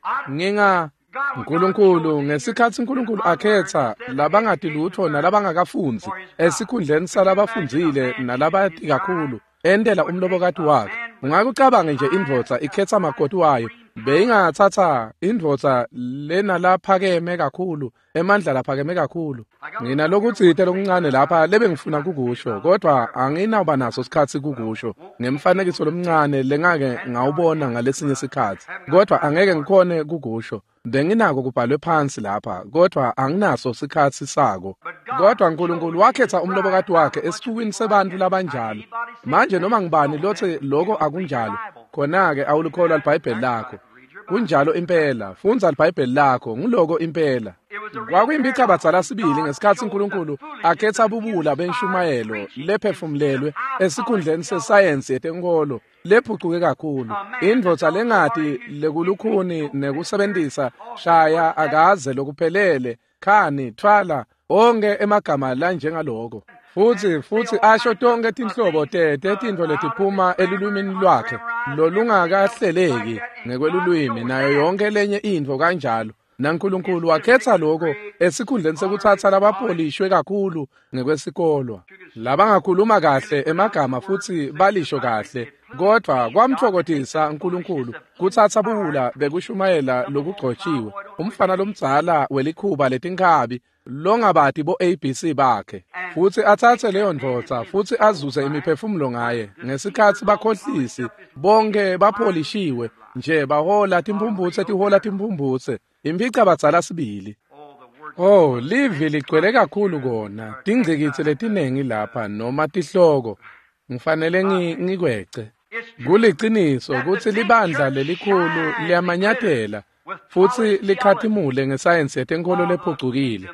Nkulunkulu, ngesikhatsi Nkulunkulu akhetsa labangati lutfo nalabangakafundzi esikhundleni salabafundzile nalabati kakhulu, entela umlobokati wakhe. Ungakucabange nje indvodza ikhetsa makoti wayo, beyingatsatsa indvodza lenalaphakeme kakhulu, emandla laphakeme kakhulu. Nginalokutsite lokuncane lapha lebengifuna kukusho, kodvwa anginawuba naso sikhatsi kukusho ngemfanekiso lomncane lengake ngawubona ngalesinye sikhatsi, kodvwa angeke ngikhone kukusho. Benginako kubhalwe phansi lapha, kodvwa anginaso sikhatsi sako. Kodvwa Nkulunkulu wakhetsa umlobokati wakhe esixukwini sebantfu labanjalo. Manje noma ngibani lotsi loko akunjalo, khona-ke awulikholwa liBhayibheli lakho. Kunjalo impela, fundza liBhayibheli lakho, nguloko impela. Kwakuyimpicabadzala sibili ngesikhatsi Nkulunkulu akhetsa bubula benshumayelo lephefumulelwe esikhundleni sesayensi yetenkholo lephucuke kakhulu. Indvodza lengati lekulukhuni nekusebentisa shaya akaze lokuphelele, khani, thwala, onke emagama lanjengaloko. Futsi asho tonke tinhlobo tetintfo letiphuma elulwimini lwakhe lolungakahleleki ngekwelulwimi nayo yonke lenye intfo kanjalo. NaNkulunkulu wakhetsa loko esikhundleni sekutsatsa labapolishwe kakhulu ngekwesikolwa, labangakhuluma kahle emagama futsi balisho kahle, kodvwa kwamtfokotisa Nkulunkulu kutsatsa buwula bekushumayela lokugcotshiwe, umfana lomdzala welikhuba letinkhabi longabati bo-ABC bakhe, futsi atsatse leyo ndvodza futsi azuze imiphefumulo ngaye. Ngesikhatsi bakhohlisi bonke bapholishiwe nje bahola timphumbutse tihola timphumbutse, impicabadzala sibili. Oh, livi ligcwele kakhulu kona, tingcikitsi letinengi lapha noma tihloko, ngifanele ngikwece. Kuliciniso kutsi libandla lelikhulu liyamanyatela futsi likhatimule ngesayensi yetenkholo lephucukile,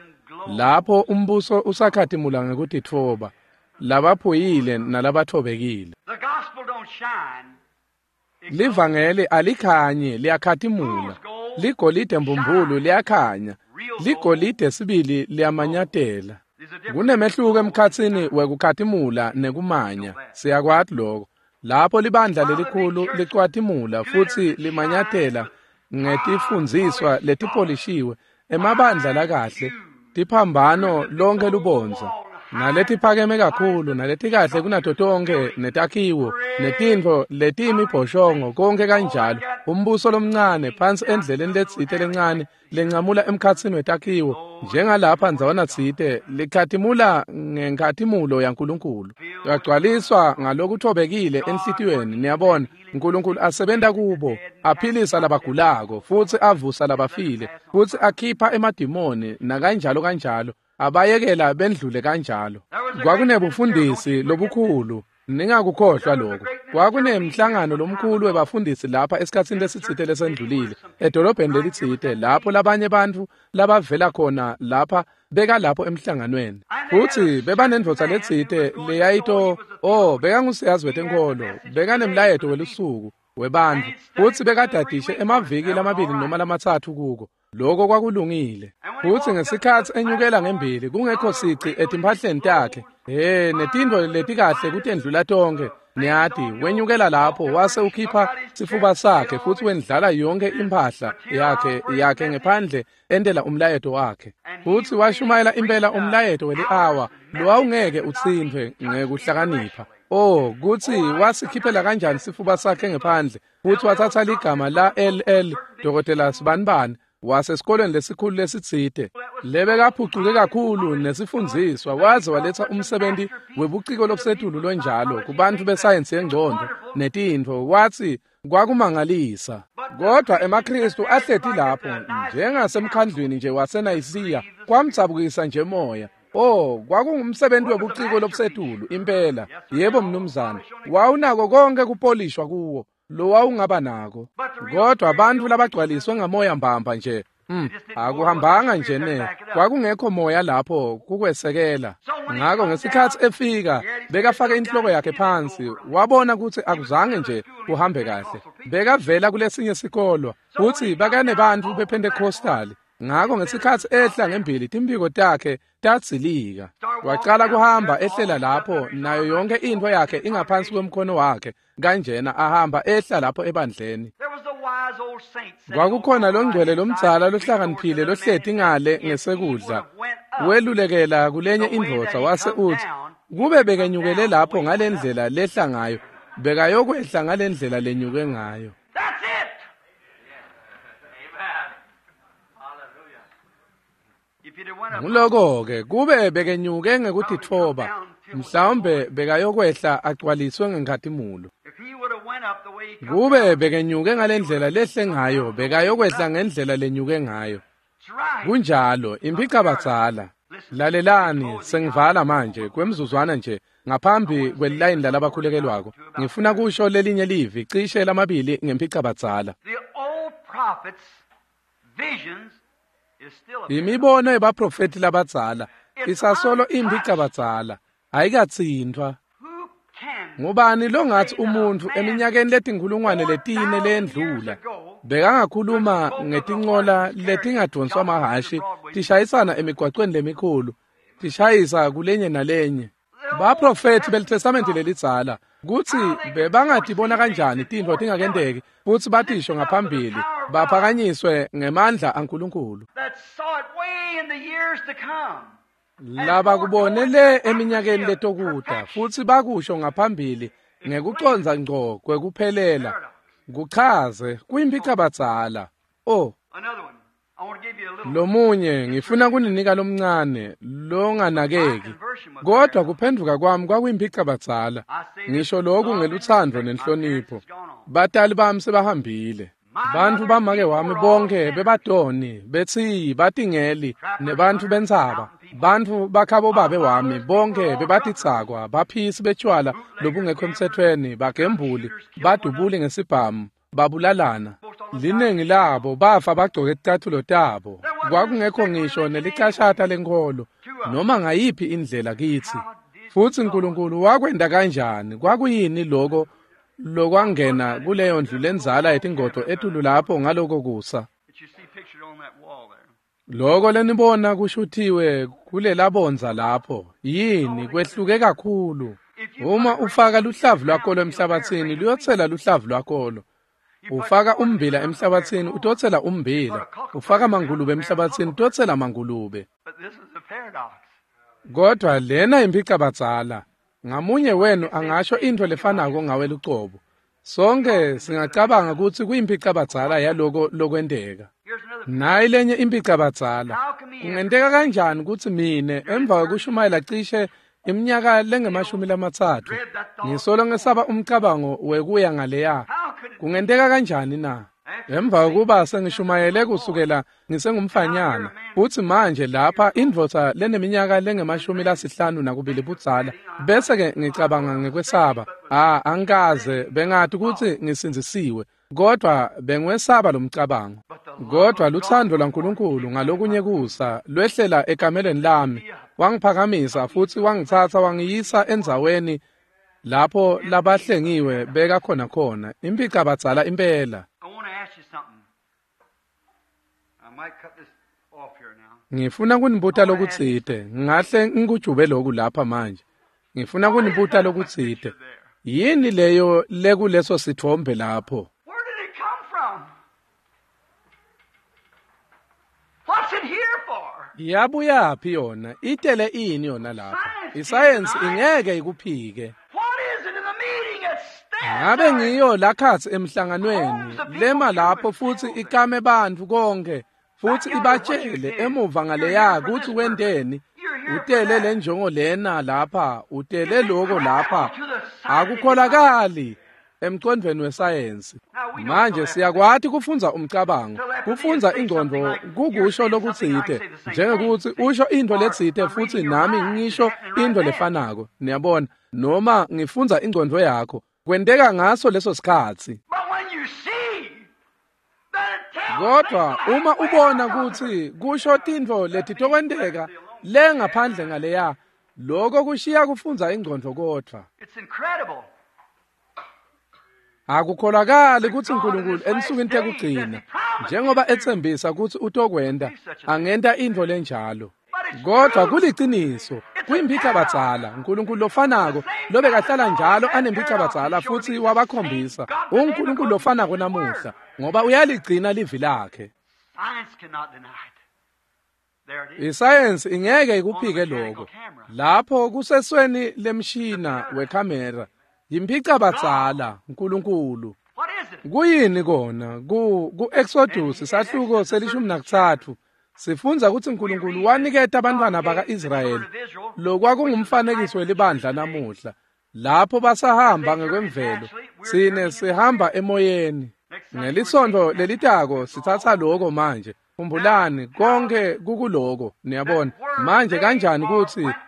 lapho umbuso usakhatimula ngekutitfoba, labaphuyile nalabathobekile. Livangeli alikhanyi, liyakhatimula. Ligolide mbumbulu liyakhanya, ligolide sibili liyamanyatela. Kunemehluko emkhatsini wekukhatimula nekumanya, siyakwati lokho. Lapho libandla lelikhulu licwatimula futsi limanyatela ngetifundziswa letipolishiwe, emabandla lakahle, tiphambano lonke lubondza, naletiphakeme kakhulu, naletikahle kunato tonke, netakhiwo, netintfo letiyimibhoshongo, konke kanjalo. Umbuso lomncane phansi endleleni letsite lencane lencamula emkhatsini wetakhiwo, njengalapha ndzawana tsite, likhatimula ngenkhatimulo yaNkulunkulu. Yagcwaliswa ngalokuthobekile enhlitiyweni, niyabona, Nkulunkulu asebenta kubo, aphilisa labagulako, futsi avusa labafile, futsi akhipha emadimoni, nakanjalo kanjalo, abayekela bendlule kanjalo. Kwakunebufundisi lobukhulu, ningakukhohlwa lokho. Kwakunemhlangano lomkhulu webafundisi lapha esikhatsini lesitsite lesendlulile, edolobheni lelitsite, lapho labanye bantfu labavela khona lapha bekalapho emhlanganweni. Futsi bebanendvodza letsite leyayito, bekangusiyazi wetenkholo, bekanemlayeto welusuku webantfu, futsi bekadadishe emaviki lamabili noma lamatsatfu kuko. Lokho kwakulungile. Futsi ngesikhatsi enyukela ngembili kungekho sici etimphahleni takhe, netintfo letikahle kutendlula tonke, niyati, wenyukela lapho wase ukhipha sifuba sakhe futsi wendlala yonke imphahla yakhe ngephandle entela umlayeto wakhe. Futsi washumayela impela umlayeto weli-awa lowawungeke utsintfwe ngekuhlakanipha. Oh, kutsi wasikhiphela kanjani sifuba sakhe ngephandle, futsi watsatsa ligama la LL Dr. Sibanibani wasesikolweni lesikhulu lesitsite, lebekaphucuke kakhulu nesifundziswa, waze waletsa umsebenzi webuciko lobusetulu lonjalo kubantfu besayensi yengcondvo netintfo, watsi kwakumangalisa. Kodwa emaKhristu ahleti lapho njengasemkhandlwini nje waseNayisiya, kwamdzabukisa nje moya. Oh, kwakungumsebenzi webuciko lobusetulu impela. Yebo mnumzane, wawunako konke kupolishwa kuwo lowawungaba nako. Kodwa bantfu labagcwaliswe ngamoya mbamba nje, akuhambanga nje ne, kwakungekho moya lapho kukwesekela. Ngako ngesikhatsi efika, bekafake inhloko yakhe phansi, wabona kutsi akuzange nje kuhambe kahle. Bekavela kulesinye sikolwa, futsi bakanebantfu bePentecostali. Ngako ngesikhatsi ehla ngembili timphiko takhe tadzilika. Wacala kuhamba ehlela lapho nayo yonke intfo yakhe ingaphansi kwemkhono wakhe kanjena ahamba ehla lapho ebandleni. Kwakukhona longcwele lomdzala lohlakaniphile lohleti ngale ngesekudla. Welulekela kulenye indvodza wase utsi, kube bekenyukele lapho ngalendlela lehla ngayo, bekayokwehla ngalendlela lenyuke ngayo. Nguloko-ke kube bekenyuke ngekutitfoba, mhlawumbe bekayokwehla agcwaliswe ngenkhatimulo. Kube bekenyuke ngalendlela lehle ngayo, bekayokwehla ngendlela lenyuke ngayo. Kunjalo, imphicabadzala. Lalelani, sengivala manje kwemzuzwana nje ngaphambi kwelilayini lalabakhulekelwako. Ngifuna kusho lelinye livi cishe lamabili ngemphicabadzala. Imibono yebaprofeti labadzala isasolo imphicabadzala, ayikatsintfwa. Ngubani longathi umuntfu eminyakeni letinkhulungwane letine leyendlula bekangakhuluma ngetincola letingadvonswa mahhashi tishayisana emigwacweni lemikhulu, tishayisa kulenye nalenye? Baprofethi beliTestamenti lelidzala kutsi bebangatibona kanjani tintfo tingakenteki futsi batisho ngaphambili, baphakanyiswe ngemandla aNkulunkulu. Labakubone le eminyakeni letokuta futsi bakusho ngaphambili ngekucondza ngco kwekuphelela, kuchaze kuyimphicabadzala. Oh, lomunye ngifuna kuninika lomncane longanakeki, kodwa kuphendvuka kwami kwakuyimphicabadzala. Ngisho lokhu ngelutsandvo nenhlonipho. Batali bami sebahambile. Bantfu bamake wami bonke bebatoni, betsiyi, batingeli, nebantfu bentsaba. Bantfu bakhabo babe wami bonke bebatitsakwa, baphisi betshwala lobungekho emtsetfweni, bagembuli, badubuli ngesibhamu, babulalana. Linengi labo bafa bagcoke ticatfulo tabo. Kwakungekho ngisho nelicashata lenkholo noma ngayiphi indlela kitsi. Futsi Nkulunkulu wakwenta kanjani? Kwakuyini loko lokwangena kuleyo ndlu lendzala yetingodvo etulu lapho ngaloko kusa? Loko lenibona kushuthiwe kulelabondza lapho yini kwehluke kakhulu. Uma ufaka luhlavu lwakolo emhlabatsini, luyotsela luhlavu lwakolo. Ufaka ummbila emhlabatsini, utotsela ummbila. Ufaka mangulube emhlabatsini, utotsela mangulube. Kodwa lena imphicabadzala. Ngamunye wenu angasho intfo lefanako ngawe lucobo. Sonke singacabanga kutsi kuyimphicabadzala yaloko lokwenteka. Nayi lenye imphicabadzala. Kungenteka kanjani kutsi mine emva kwekushumayela cishe iminyaka lengemashumi 30 ngisolo ngesaba umcabango wekuya ngaleya? Kungenteka kanjani na? Emva kokuba sengishumayele kusukela ngisengumfanyana, futsi manje lapha indvodza leneminyaka lengemashumi 52 budzala, bese-ke ngicabanga ngekwesaba. Angikaze bengati kutsi ngisindzisiwe, kodwa bengiwesaba lo mcabango. Kodwa lutsandvo lwaNkulunkulu ngalokunye kusa lwehlela ekamelweni lami, wangiphakamisa futsi wangitsatsa wangiyisa endzaweni lapho labahlengiwe beka khona khona, imphicabadzala impela. Ngifuna kunibuta lokutsite, ngahle ngikujube loku lapha manje. Ngifuna kunibuta lokutsite. Yini leyo lekuleso sithombe lapho? Yabuyaphi yona? Itele ini yona lapha? Isayensi ingeke ikuphike. Ngabe ngiyo lakhatsi emhlanganweni lema lapho futsi ikame bantfu konke futsi ibatshele emuva ngaleya kutsi wenteni. Utele lenjongo lena lapha, utele loko lapha. Akukholakali emcondvweni wesayensi. Manje siyakwati kufundza umcabango, kufundza ingcondvo kukusho lokutsite, njengekutsi usho intfo letsite futsi nami ngisho intfo lefanako, niyabona, noma ngifundza ingcondvo yakho. Kwenteka ngaso leso sikhatsi. Kodwa uma ubona kutsi kusho tintfo letitokwenteka le ngaphandle ngaleya, lokho kushiya kufundza ingcondvo kodvwa. Akukholakali kutsi uNkulunkulu ensukwini tekugcina njengoba etsembisa kutsi utokwenta angenta intfo lenjalo. Kodwa kuliciniso, kuyimphicabadzala, uNkulunkulu lofanako lobekahlala njalo anemphicabadzala futsi wabakhombisa uNkulunkulu lofanako namuhla ngoba uyaligcina livi lakhe. Isayensi ingeke ikuphike lokho. Lapho kusesweni lemshina wekhamera yimphicabadzala uNkulunkulu. Kuyini kona? Ku-Exodus sahluko se-13 sifundza kutsi uNkulunkulu waniketa abantwana baka-Israyeli lokwakungumfanekiso welibandla namuhla. Lapho basahamba ngekwemvelo, sine sihamba emoyeni. Ngelisonto lelitako sitsatsa lokho manje. Khumbulani konke kukuloko, niyabona. Manje kanjani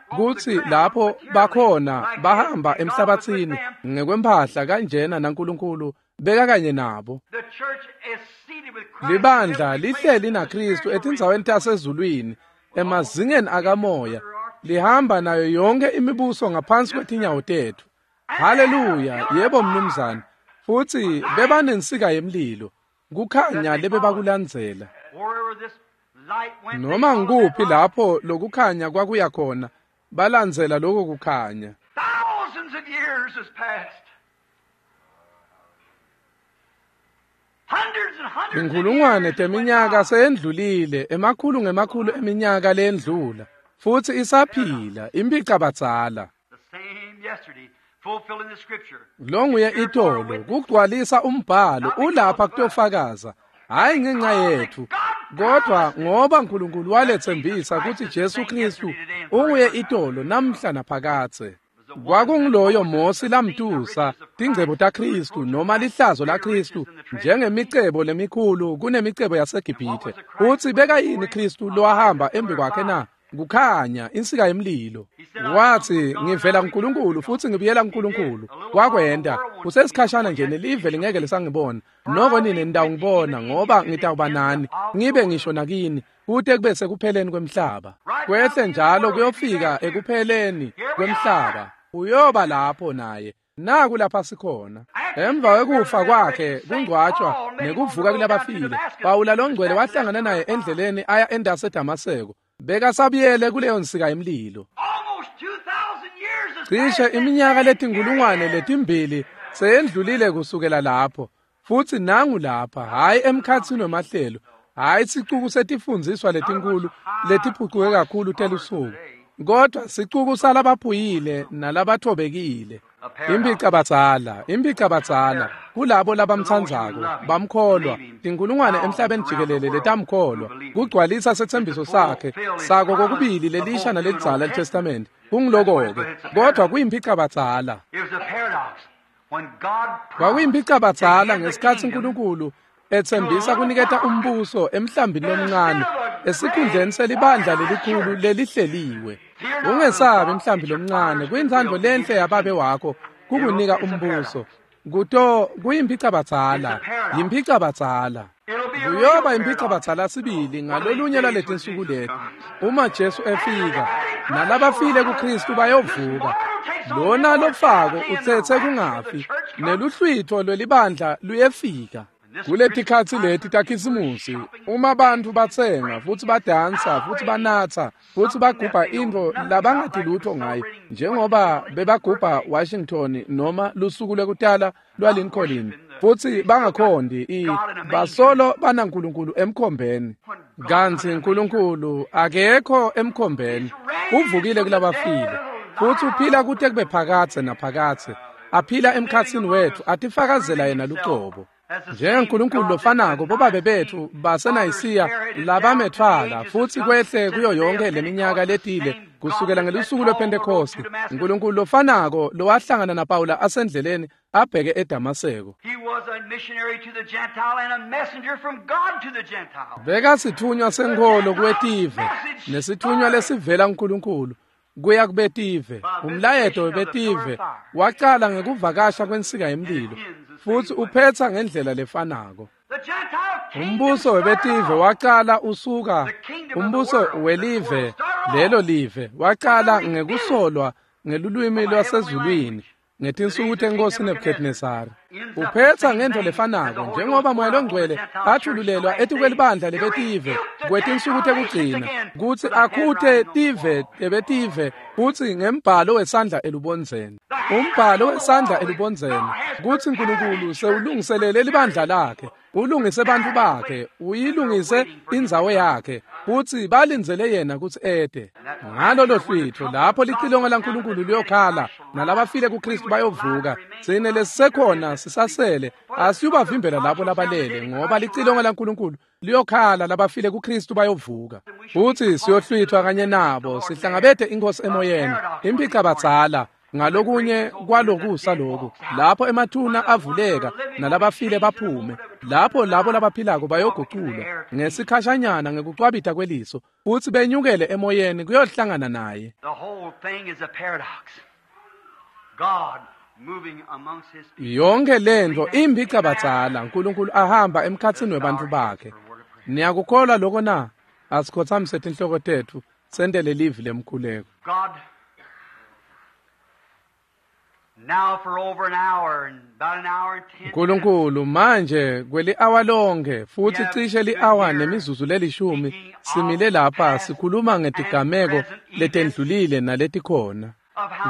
kutsi lapho bakhona bahamba emhlabathini ngekwemphahla kanjena naNkulunkulu beka kanye nabo. Libandla lihleli naKristu etindzaweni tasezulwini emazingeni akamoya, lihamba nayo yonke imibuso ngaphansi kwetinyawo tethu. Haleluya, yebo mnumzane. Futsi bebanensika yemlilo, kukhanya lebebakulandzela. Noma ngikuphi lapho lokukhanya kwakuya khona, balandzela lokho kukhanya. Inkhulungwane teminyaka seyendlulile, emakhulu ngemakhulu eminyaka lendlula, futsi isaphila imphicabadzala. Longuye itolo kugcwalisa umbhalo ulapha kutofakaza, hayi ngenxa yethu, kodwa ngoba uNkulunkulu waletsembisa kutsi Jesu Kristu unguye itolo namhla naphakadze. Kwakunguloyo Mosi lamtusa tingcebo taKristu noma lihlazo laKristu njengemicebo lemikhulu kunemicebo yaseGibhithe. Utsi bekayini Kristu lowahamba embi kwakhe na? Kukhanya insika yemlilo. Wathi ngivela kuNkulunkulu futhi ngibuyela kuNkulunkulu. Wakwenta kusesikhashana nje nelive lingeke lisangibona, noko nine nitawungibona ngoba ngitawuba nani ngibe ngisho nakini kute kube sekupheleni kwemhlaba. Kwehle njalo kuyofika ekupheleni kwemhlaba, uyoba lapho naye. Naku lapha sikhona. Emva kwekufa kwakhe kungcwatshwa nekuvuka kulabafile, Pawula longcwele wahlangana naye endleleni aya endase Damaseko. Bekasabuyele kuleyo nsika yemlilo. Cishe iminyaka letinkulungwane letimbili seyendlulile kusukela lapho, futsi nangu lapha, hhayi emkhatsini wemahlelo, hhayi sicuku setifundziswa letinkulu letiphucuke kakhulu telusuku, kodwa sicuku salabaphuyile nalabathobekile. Imphicabadzala, imphicabadzala kulabo labamtsandzako bamkholwa, tinkulungwane emhlabeni jikelele letamkholwa, kugcwalisa setsembiso sakhe sako kokubili lelisha nalelidzala liTestament. Kungiloko-ke, kodwa kuyimphicabadzala. Kwakuyimphicabadzala ngesikhatsi uNkulunkulu etsembisa kuniketa umbuso emhlambini lomncane esikhundleni selibandla lelikhulu lelihleliwe. Ungesabi mhlambi lomncane, kuyintsandvo lenhle yababe wakho kukunika umbuso. Kuto kuyimphicabadzala, yimphicabadzala. Kuyoba imphicabadzala sibili ngalolunye lwaletinsuku leti. Uma Jesu efika, nalabafile kuKristu bayovuka. Lona lofako utsetse kungafi, neluhlwitho lwelibandla luyefika. Kuletikhatsi leti taKhisimusi, uma bantfu batsenga futsi badansa futsi banatsa futsi bagubha intfo labangati lutho ngayo, njengoba bebagubha Washington noma lusuku lwekutala lwaLincoln, futsi bangakhondi basolo banaNkulunkulu emkhombeni. Kantsi uNkulunkulu akekho emkhombeni, uvukile kulabafile futsi uphila kute kube phakadze naphakadze, aphila emkhatsini wetfu, atifakazela yena lucobo. NjengeNkulunkulu lofanako bobabe betfu baseNayisiya labamethwala futsi kwehle kuyo yonke leminyaka letile kusukela ngelusuku lwePhentekhosti, uNkulunkulu lofanako lowahlangana naPawula asendleleni abheke eDamaseko. Bekasithunywa senkholo kuwetive nesithunywa lesivela kuNkulunkulu kuya kubetive. Umlayeto webetive wacala ngekuvakasha kwensika yemlilo futsi uphetsa ngendlela lefanako. Umbuso webetive wacala usuka, umbuso welive lelo live wacala ngekusolwa ngelulwimi lwasezulwini Ngetinsuku tenkosi Nebuchadnezzar. Uphetha ngento lefanako njengoba Moya loNgcwele athululelwa etikwelibandla lebetive kwetinsuku tekugcina kutsi akhute tive tebetive futsi ngembhalo wesandla elubondzeni. Umbhalo wesandla elubondzeni kutsi Nkulunkulu sewulungiselele libandla lakhe, ulungise bantfu bakhe, uyilungise indzawo yakhe futsi balindzele yena kutsi ete. Ngalolo hlwitho lapho licilongo laNkulunkulu liyokhala nalabafile kuKristu bayovuka, tsine lesisekhona sisasele asiyubavimbela labo labalele, ngoba licilongo laNkulunkulu liyokhala, labafile kuKristu bayovuka futsi siyohlwithwa kanye nabo sihlangabete inkosi emoyeni. Impicabadzala ngalokunye kwalokusa loku lapho emathuna avuleka nalabafile baphume, lapho labo labaphilako bayoguculwa ngesikhashanyana ngekucwabita kweliso futsi benyukele emoyeni kuyohlangana naye. Yonke lento impicabadzala, Nkulunkulu ahamba emkhatsini webantfu bakhe. Niyakukholwa lokho na? Asikhothamise tinhloko tetfu sentele livi lemkhuleko. Nkulunkulu, manje kweli-awa lonke futsi cishe li-awa nemizuzu lelishumi simile lapha sikhuluma ngetigameko letendlulile naletikhona,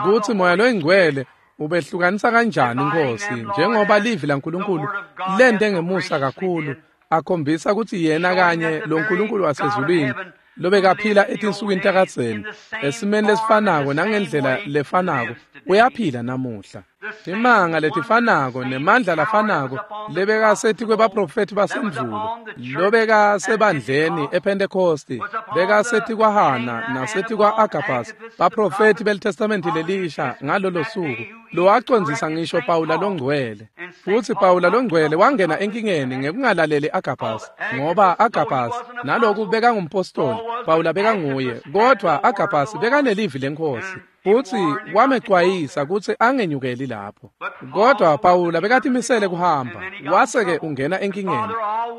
kutsi Moya loNgcwele ubehlukanisa kanjani Nkosi, njengoba livi laNkulunkulu lente ngemusa kakhulu akhombisa kutsi yena kanye lo Nkulunkulu wasezulwini lobekaphila etinsukwini takadzeni esimeni lesifanako nangendlela lefanako uyaphila namuhla. Timanga letifanako nemandla lafanako lebekasethi kwebaprofethi basendvulo, lobekasebandleni ePentecosti, bekasethi kwaHana nasethi kwa-Agabus, baprofethi beliTestamenti lelisha ngalolo suku lowacondzisa ngisho Pawula loNgcwele. Futsi Pawula loNgcwele wangena enkingeni ngekungalaleli Agabus, ngoba Agabus naloku bekangumpostoli, Pawula bekanguye, kodvwa Agabus bekanelivi leNkhosi futsi wamecwayisa kutsi angenyukeli lapho. Kodwa Pawula bekatimisele kuhamba, wase-ke ungena enkingeni.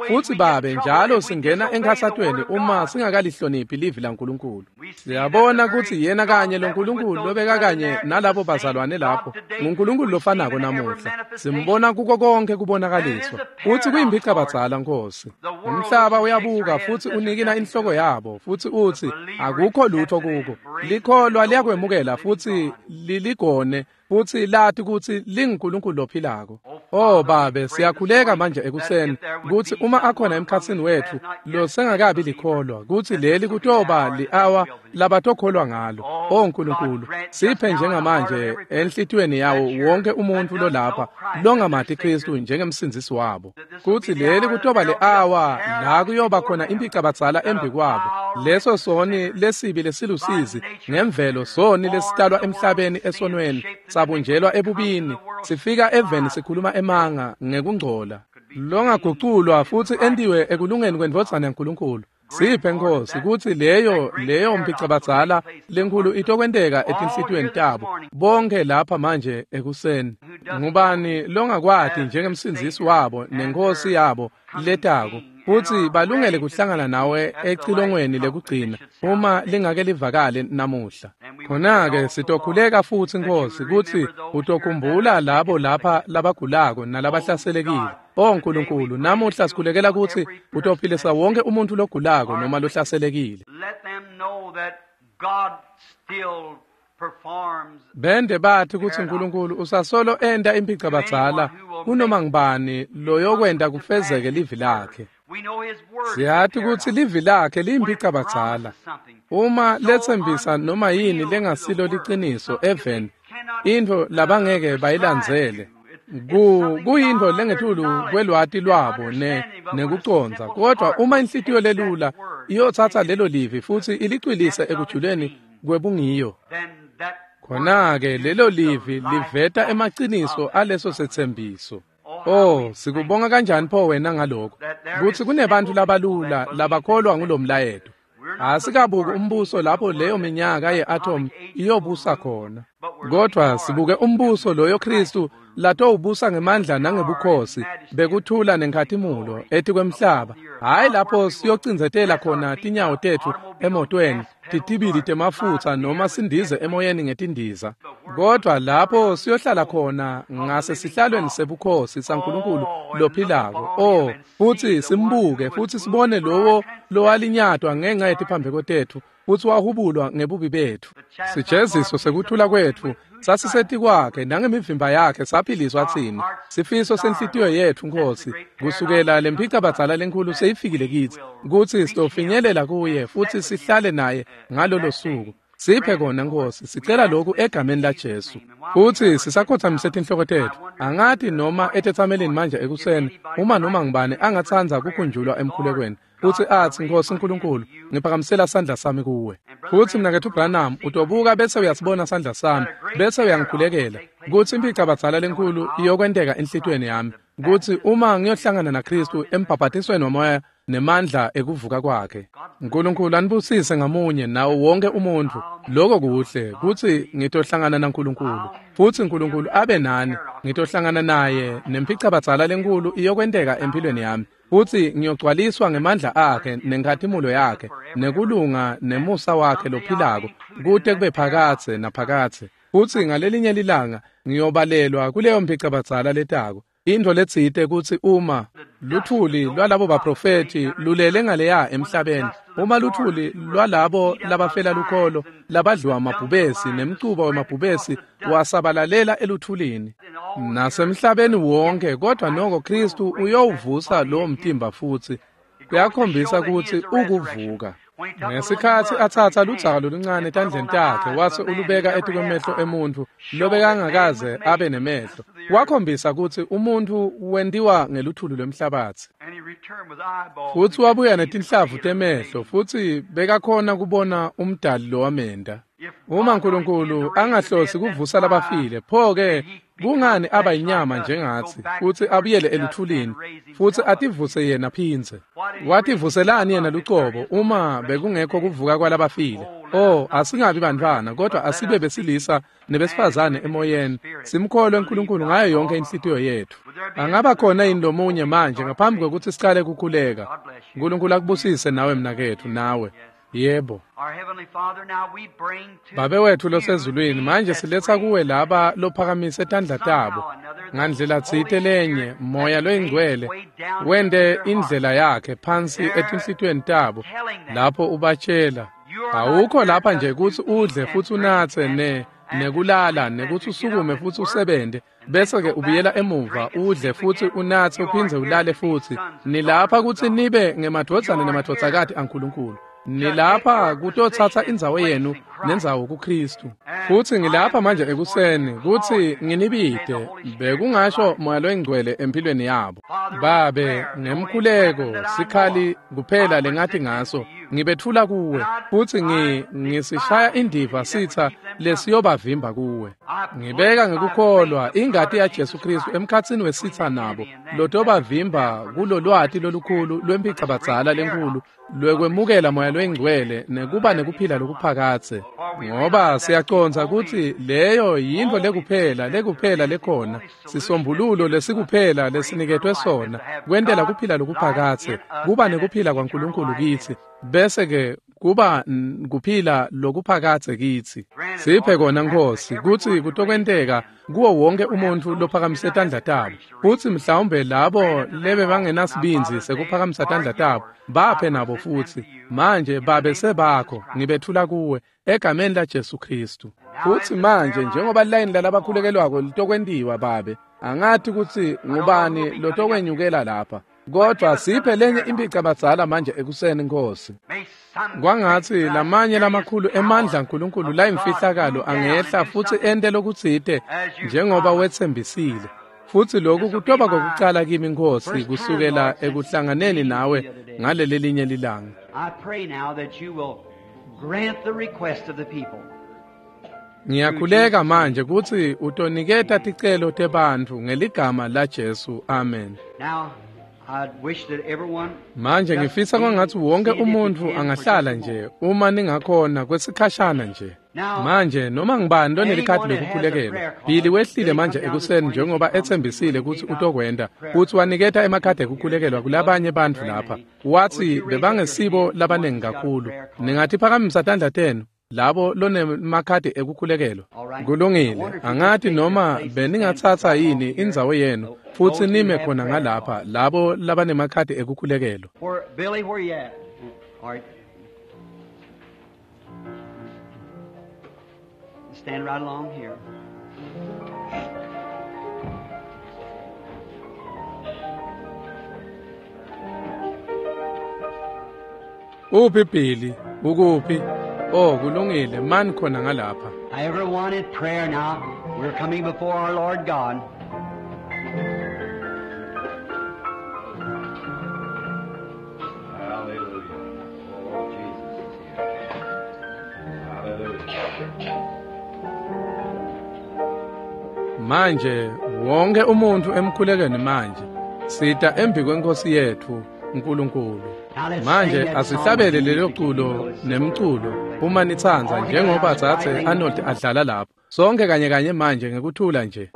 Futsi babe njalo singena enkhatsatweni uma singakalihloniphi livi laNkulunkulu. Siyabona kutsi yena kanye lo Nkulunkulu lobeka kanye nalabo bazalwane lapho nguNkulunkulu lofanako namuhla. Simbona kuko konke kubonakaliswa. Futsi kuyimphicabadzala Nkosi. Umhlaba uyabuka futsi unikina inhloko yabo futsi utsi akukho lutho kuko. Likholwa liyakwemukela futsi liligone futsi lati kutsi linguNkulunkulu lophilako. Oh babe, siyakhuleka manje ekuseni kutsi uma akhona emkhatsini wetfu losengakabi likholwa, kutsi leli kutoba li-awa labatokholwa ngalo. Oh Nkulunkulu, siphe njengamanje enhlitiyweni yawo wonke umuntfu lolapha longamati Kristu njengemsindzisi wabo, kutsi leli kutoba li-awa la kuyoba khona impicabadzala embi kwabo, leso soni lesibi lesilusizi ngemvelo, soni lesitalwa emhlabeni esonweni, sabunjelwa ebubini, sifika eveni sikhuluma emanga ngekungcola, longaguculwa futsi entiwe ekulungeni kwendvodzana yaNkulunkulu. Siphe Nkosi kutsi leyo mpicabadzala lenkhulu itokwenteka etinhlitiyweni tabo bonke lapha manje ekuseni. Ngubani longakwati njengemsindzisi wabo nenkosi yabo letako, futsi balungele kuhlangana nawe ecilongweni lekugcina uma lingake livakale namuhla. Khona-ke sitokhuleka futsi Nkosi kutsi utokhumbula labo lapha labagulako nalabahlaselekile. Oh Nkulunkulu, namuhla sikhulekela kutsi utophilisa wonke umuntfu logulako noma lohlaselekile. Bende bathi kutsi Nkulunkulu usasolo enta impicabadzala kunoma ngubani loyokwenta kufezeke livi lakhe. Siyati kutsi livi lakhe liyimphicabadzala. Uma letsembisa noma yini lengasilo liciniso eveni, intfo labangeke bayilandzele, kuyintfo lengetulu kwelwati lwabo nekucondza. Kodwa uma inhlitiyo lelula iyotsatsa lelo livi futsi ilicwilise ekujuleni kwebungiyo, khona-ke lelo livi liveta emaciniso aleso setsembiso. Oh, sikubonga kanjani pho wena ngalokho, kutsi kunebantfu labalula labakholwa ngulomlayeto. Asikabuki umbuso lapho leyo minyaka ye-atom iyobusa khona, kodwa sibuke umbuso loyo Kristu latowubusa ngemandla nangebukhosi bekuthula nenkhatimulo etikwemhlaba, hhayi lapho siyocindzetela khona tinyawo tetfu emotweni titibili temafutsa noma sindize emoyeni ngetindiza, kodwa lapho siyohlala khona ngasesihlalweni sebukhosi saNkulunkulu lophilako. Oh, futhi simbuke futhi sibone lowo lowalinyatwa ngenxa yetiphambeko tetfu futhi wahubulwa ngebubi bethu. Sijeziso sekuthula kwetfu sasisetikwakhe, nangemivimba yakhe saphiliswa tsine. Sifiso senhlitiyo yetfu, Nkosi, kusukela lemphicabadzala lenkhulu seyifikile kitsi, kutsi sitofinyelela kuye futhi sihlale naye ngalolo suku. Siphe kona, Nkosi, sicela lokhu egameni laJesu. Futhi sisakhothamise tinhloko tetfu. Angati noma etetsamelini manje ekuseni, uma noma ngibani angatsandza kukhunjulwa emkhulekweni, futhi athi, Nkosi nkulunkulu, ngiphakamisela sandla sami kuwe. Futhi mnaketfu Branham utobuka bese uyasibona sandla sami, bese uyangikhulekela, kutsi imphicabadzala lenkhulu iyokwenteka enhlitiyweni yami, kutsi uma ngiyohlangana naKhristu embhabhatisweni wamoya nemandla ekuvuka kwakhe. Nkulunkulu anibusise ngamunye nawo wonke umuntfu. Lokho kuhle kutsi ngitohlangana naNkulunkulu, futhi Nkulunkulu abe nani. Ngitohlangana naye nemphicabadzala lenkhulu iyokwenteka empilweni yami, futhi ngiyogcwaliswa ngemandla akhe nenkhatimulo yakhe nekulunga nemusa wakhe lophilako kute kube phakadze naphakadze. Futhi ngalelinye lilanga ngiyobalelwa kuleyo mphicabadzala letako. Intfo letsite kutsi uma luthuli lwalabo baprofethi lulele ngaleya emhlabeni, uma luthuli lwalabo labafela lukholo labadliwa amabhubesi nemcuba wemabhubesi wasabalalela eluthulini nasemhlabeni wonke, kodwa noko Khristu uyowuvusa lowo mtimba futhi. Kuyakhombisa kutsi ukuvuka. Ngesikhatsi atsatsa ludzaka loluncane etandleni takhe wase ulubeka etikwemehlo emuntfu lobekangakaze abe nemehlo, wakhombisa kutsi umuntfu wentiwa ngeluthuli lwemhlabatsi. Futhi wabuya netinhlavu temehlo, futhi bekakhona kubona umdali lowamenta. Uma Nkulunkulu angahlosi kuvusa labafile, pho-ke kungani aba yinyama njengatsi futhi abuyele eluthulini futhi ativuse yena phindze? Wativuselani yena lucobo uma bekungekho kuvuka kwalabafile? Oh, asingabi bantfwana, kodwa asibe besilisa nebesifazane emoyeni, simkholwe uNkulunkulu ngayo yonke inhlitiyo yetfu. Angaba khona yini lomunye manje ngaphambi kwekutsi sicale kukhuleka? Nkulunkulu akubusise nawe mnaketfu, nawe. Yebo. Babe wetfu losezulwini, manje siletsa kuwe laba lophakamise tandla tabo. Ngandlela tsite lenye, Moya loyingcwele wente indlela yakhe phansi etinhlitiyweni tabo lapho ubatshela, awukho lapha nje kutsi udle futhi unatse nekulala, nekutsi usukume futhi usebente, bese-ke ubuyela emuva udle futhi unatse uphindze ulale futhi. Nilapha kutsi nibe ngemadvodzana nemadvodzakati aNkulunkulu. Nilapha kutotsatsa indzawo yenu nendzawo kuKhristu. Futhi ngilapha manje ekuseni kutsi nginibite, bekungasho Moya loyingcwele empilweni yabo. Babe, ngemkhuleko sikhali kuphela lengathi ngaso ngibethula kuwe, futhi ngisishaya indiva sitsa lesiyobavimba kuwe. Ngibeka ngekukholwa ingati yaJesu Khristu emkhatsini wesitsa nabo lotobavimba kulolwati lolukhulu lwemphicabadzala lenkhulu lwekwemukela Moya loyingcwele nekuba nekuphila lokuphakadze. Ngoba siyacondza kutsi leyo yintfo lekuphela lekhona, sisombululo lesikuphela lesiniketwe sona kwentela kuphila lokuphakadze, kuba nekuphila kwaNkulunkulu kitsi, bese-ke kuba kuphila lokuphakadze kitsi. Siphe kona, Nkosi, kutsi kutokwenteka kuwo wonke umuntfu lophakamise tandla tabo, futsi mhlawumbe labo lebebangenasibindzi sekuphakamisa tandla tabo, baphe nabo futhi. Manje babe sebakho, ngibethula kuwe egameni laJesu Khristu. Futhi manje njengoba layini lalabakhulekelwako litokwentiwa, Babe, angathi kutsi ngubani lotokwenyukela lapha, kodwa siphe lenye imphicabadzala manje ekuseni, Nkosi. Kwangatsi lamanye lamakhulu emandla aNkulunkulu layimfihlakalo angehla futhi ente lokutsite njengoba wetsembisile. Futhi lokhu kutoba kokucala kimi, Nkosi, kusukela ekuhlanganeni nawe ngaleli linye lilanga. I pray now that you will grant the request of the people. Ngiyakhuleka manje kutsi utoniketa ticelo tebantfu ngeligama laJesu. Amen. Now, Manje ngifisa kwangathi wonke umuntu angahlala nje uma ningakhona kwesikhashana nje. Manje noma ngibani lonelikhadi lokukhulekelwa, Billy wehlile manje ekuseni njengoba etsembisile kutsi utokwenta, kutsi waniketa emakhadi ekukhulekelwa kulabanye bantfu lapha. Watsi bebangesibo labanengi kakhulu. Ningatiphakamisa tandla tenu labo lonemakhadi ekukhulekelwa. Kulungile, angati noma beningatsatsa yini indzawo yenu futsi nime khona ngalapha labo labanemakhadi ekukhulekelwa. Billy, where you at? All right. Stand right along here. Uphi Billy? Ukuphi? Oh, kulungile, mani khona ngalapha. I ever wanted prayer now. We're coming before our Lord God. Hallelujah. Oh, Jesus is here. Hallelujah. Manje wonke umuntu emkhulekweni manje sita embi kwenkosi yethu uNkulunkulu. Manje asihlabele lelo culo nemculo uma nitsandza njengoba dzadze Arnold adlala lapho. Sonke kanye kanye manje ngekuthula nje.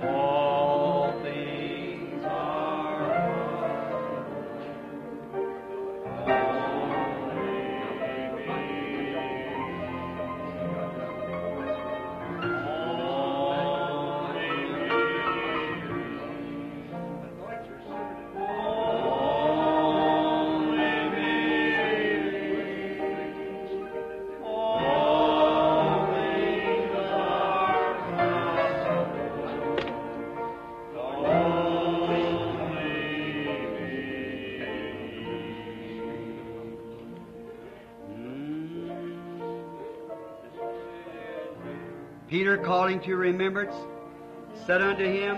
All things are Peter calling to remembrance said unto him,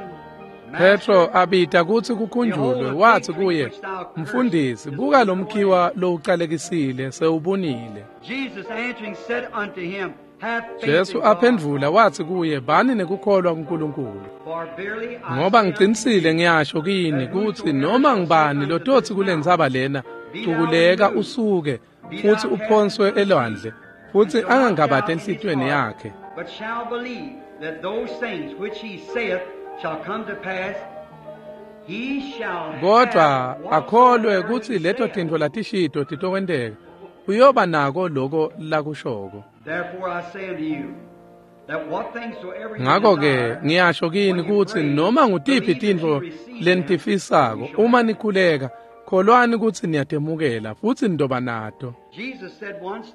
Petro abita kutsi kukhunjulwe watsi kuye, "Mfundisi, buka lo mkhiwa lowucalekisile sewubunile." Jesus answering said unto him, Have faith Jesu in God. aphendvula watsi kuye, "Bani nekukholwa kuNkulunkulu." For verily I Ngoba say unto ngicinisile ngiyasho kini kutsi noma ngibani lototsi kulentsaba lena, cukuleka usuke futsi uphonswe elwandle, futsi angangabati enhlitiyweni yakhe, but shall believe that those things which he saith shall come to pass, he shall kodwa have akholwe whatsoever kutsi he leto saith. tintfo latishito titokwenteka, uyoba nako loko lakushoko. Therefore I say unto you, that what things soever you Ngakho ke desire, ngiyasho kini kutsi noma ngutiphi tintfo lenitifisako uma nikhuleka, kholwani kutsi niyatemukela futsi nitoba nato. Jesus said once,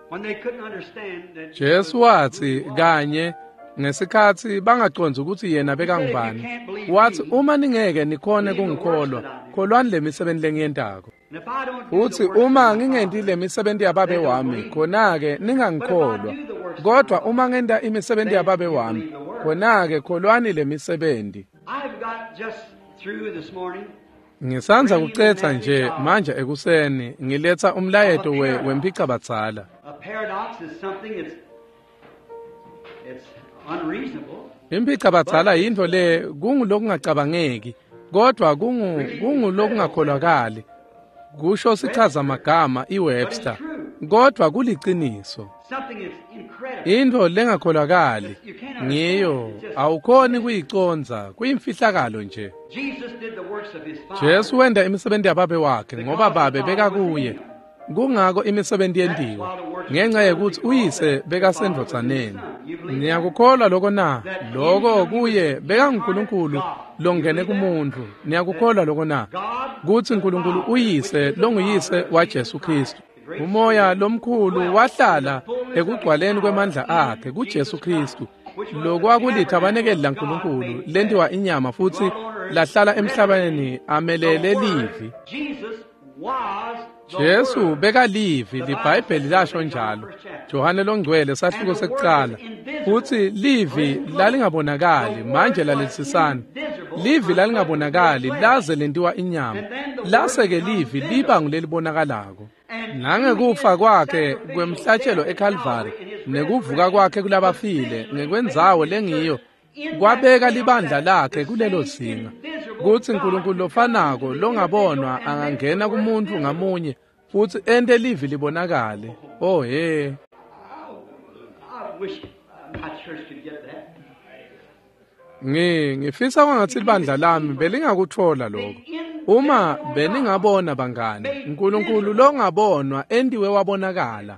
when they couldn't understand that Jesu watsi kanye ngesikhatsi bangacondzi kutsi yena bekangubani, watsi uma ningeke nikhone kungikholwa, kholwani lemisebenti lengiyentako. And if I don't do Futsi the works uma of my ngingenti Father, lemisebenti yababe wami, khona-ke ningangikholwa. Kodwa uma ngenta imisebenti yababe wami, khona-ke kholwani lemisebenti. I've got just through this morning Ngisandza kucetsa nje manje ekuseni ngiletsa umlayeto wemphicabadzala. A paradox is something that's it's unreasonable. Imphicabadzala yintfo le kungulokungacabangeki, kodwa kungulokungakholakali. Kusho sichazamagama iWebster. Kodwa kuliciniso. Something that's incredible. Intfo lengakholakali. Ngiyo awukhoni kuyicondza, kuyimfihlakalo nje. Jesu wenta imisebenti yababe wakhe ngoba babe bekakuye. Kungako imisebenti yentiwa ngenxa yekutsi uyise bekasendvodzaneni. Niyakukholwa lokho na? Lokho kuye bekanguNkulunkulu longene kumuntu. Niyakukholwa lokho na? Kutsi uNkulunkulu uyise longuyise waJesu Kristu. Umoya lomkhulu wahlala ekugcwaleni kwemandla akhe kuJesu Kristu. Lokwakulithabanekeli laNkulunkulu lentiwa inyama futsi lahlala emhlabeni amelele livi. Jesu bekalivi, liBhayibheli lasho njalo. Johane longcwele sahluko sekucala. Futsi livi lalingabonakali, manje lalelisisani. Livi lalingabonakali laze lentiwa inyama. Lase-ke livi liba ngulelibonakalako. Nangekufa kwakhe kwemhlatshelo eKalvari nekuvuka kwakhe kulabafile ngekwendzawo lengiyo kwabeka libandla lakhe kulelo zinga. Kutsi uNkulunkulu lofanako longabonwa angangena kumuntu ngamunye futsi ente livi libonakale. Oh he. Ngifisa kwangatsi libandla lami belingakutfola lokho. Uma beningabona bangani, uNkulunkulu longabonwa entiwe wabonakala.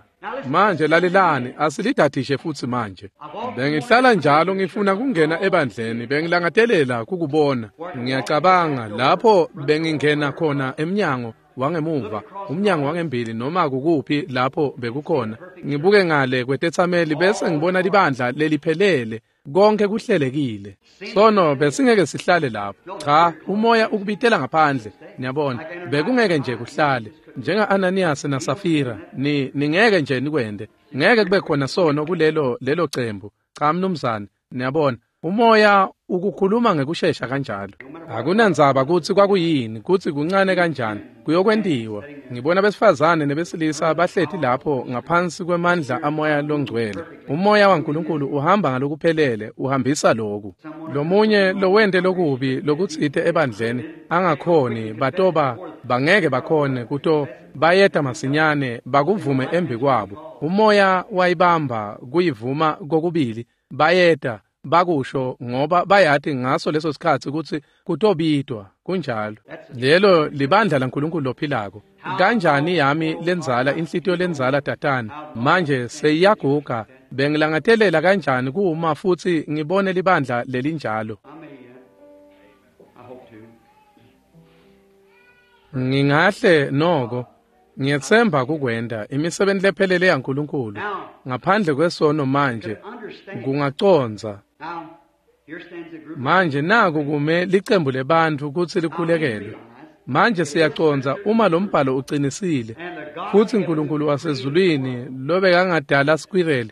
Manje lalelani, asilidadishe futsi manje. Bengihlala njalo ngifuna kungena ebandleni, bengilangatelela kukubona. Ngiyacabanga lapho bengingena khona emnyango wangemuva, umnyango wangembili noma kukuphi lapho bekukhona. Ngibuke ngale kwetetsameli bese ngibona libandla leliphelele. Konke kuhlelekile. Sono besingeke sihlale lapho. Cha, umoya ukubitela ngaphandle. Niyabona, bekungeke nje kuhlale. Njenga Ananias na Safira, ningeke nje nikwende. Ngeke kube khona sono kulelo lelo cembu. Cha mnumzane, niyabona, umoya ukukhuluma ngekushesha kanjalo. Akunandzaba kutsi kwakuyini, kutsi kuncane kanjani, kuyokwentiwa. Ngibona besifazane nebesilisa bahleti lapho ngaphansi kwemandla amoya longcwele. Umoya waNkulunkulu uhamba ngalokuphelele, uhambisa loku. Lomunye lowente lokubi lokutsite ebandleni angakhoni, batoba bangeke bakhone kuto bayeta masinyane bakuvume embi kwabo. Umoya wayibamba kuyivuma kokubili, bayeta bakusho ngoba bayati ngaso leso sikhatsi kutsi kutobitwa. Kunjalo. Lelo libandla laNkulunkulu lophilako. Kanjani yami lenzala inhlitiyo lenzala tatana manje seyiyaguga. Bengilangatelela kanjani kuma futsi ngibone libandla lelinjalo. Ngingahle noko ngiyetsemba kukwenta imisebenti lephelele yaNkulunkulu ngaphandle kwesono manje kungacondza. Manje naku kume licembu lebantfu kutsi likhulekelwe. Manje siyacondza uma lo mbhalo ucinisile futsi uNkulunkulu wasezulwini lobekangadala squirrel,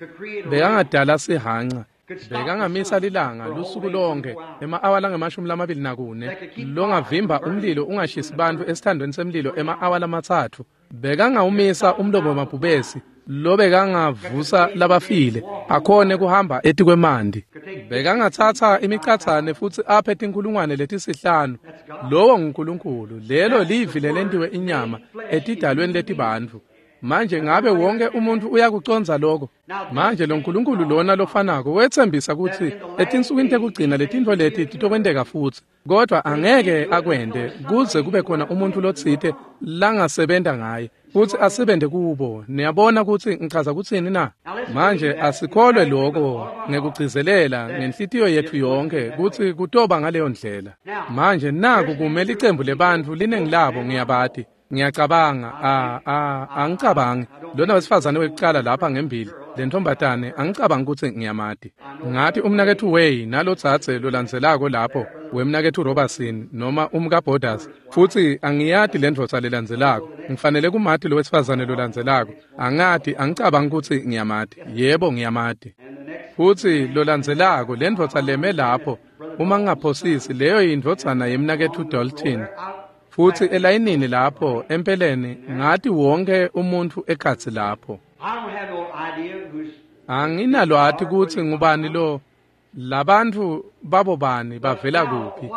bekangadala sihanca, bekangamisa lilanga lusuku lonke ema-awa lange-24, longavimba umlilo ungashisi bantfu esithandweni semlilo ema-awa lamatsatfu, bekangawumisa umlomo wamabhubesi lobekangavusa labafile akhone kuhamba etikwemanti, bekangatsatsa imicatsane futsi aphe tinkulungwane letisihlanu. Lowo nguNkulunkulu. Lelo livi lelentiwe inyama etidalweni letibantfu. Manje ngabe wonke umuntu uyakucondza lokho? Manje lo Nkulunkulu lona lofanako wetsembisa kutsi etinsukwini tekugcina letintfo leti titokwenteka futsi, kodwa angeke akwente kuze kube khona umuntu lotsite langasebenta ngaye futsi asebente kubo. Niyabona kutsi ngichaza kutsini na? Manje asikholwe lokho ngekugcizelela ngenhlitiyo yetfu yonke kutsi kutoba ngaleyo ndlela. Manje naku kume licembu lebantfu, linengi labo ngiyabati. Ngiyacabanga, angicabangi. Lona wesifazane wekucala lapha ngembili, lentombatane, angicabangi kutsi ngiyamati. Ngathi umnaketfu Way nalotsatse lolandzelako lapho, wemnaketfu Robertson noma umkaBorders, futsi angiyati lendvodza lelandzelako. Ngifanele kumati lo wesifazane lolandzelako. Angati, angicabangi kutsi ngiyamati. Yebo, ngiyamati. Futsi lolandzelako, lendvodza leme lapho, uma ngingaphosisi, leyo yindvodzana yemnaketfu Dalton. Futsi elayinini lapho empeleni ngathi wonke umuntu ekhatsi lapho. Anginalwati kutsi ngubani lo Labantu babo bani bavela kuphi?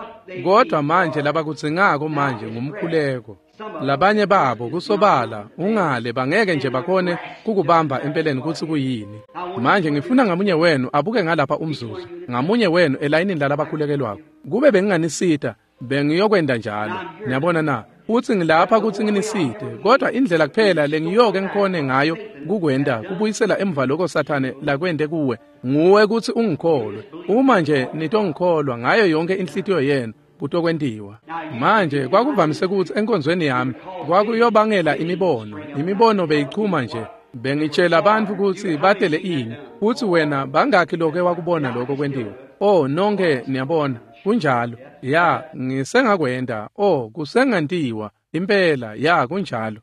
Kodwa manje labakudzingako manje ngumkhuleko. Labanye babo kusobala ungale bangeke nje bakhone kukubamba empeleni kutsi kuyini. Manje ngifuna ngamunye wenu abuke ngalapha umzuzu, ngamunye wenu elayinini lalabakhulekelwako. Kube benginganisita, bengiyokwenda njalo. Niyabona na? Futsi ngilapha kutsi nginisite, kodwa indlela kuphela lengiyoke ngikhone ngayo kukwenda kubuyisela emva lokho Sathane lakwente kuwe, nguwe kutsi ungikholwe. Uma nje nitongikholwa ngayo yonke inhlitiyo yenu, kutokwentiwa. Manje kwakuvamise kutsi enkonzweni yami kwakuyobangela imibono. Imibono beyichuma nje. Bengitshela abantu kutsi batele ini, futsi wena bangakhi loke wakubona lokho kwentiwa. Oh, nonke niyabona, kunjalo. Ya, ngisengakwenda. Oh, kusengantiwa. Impela, ya, kunjalo.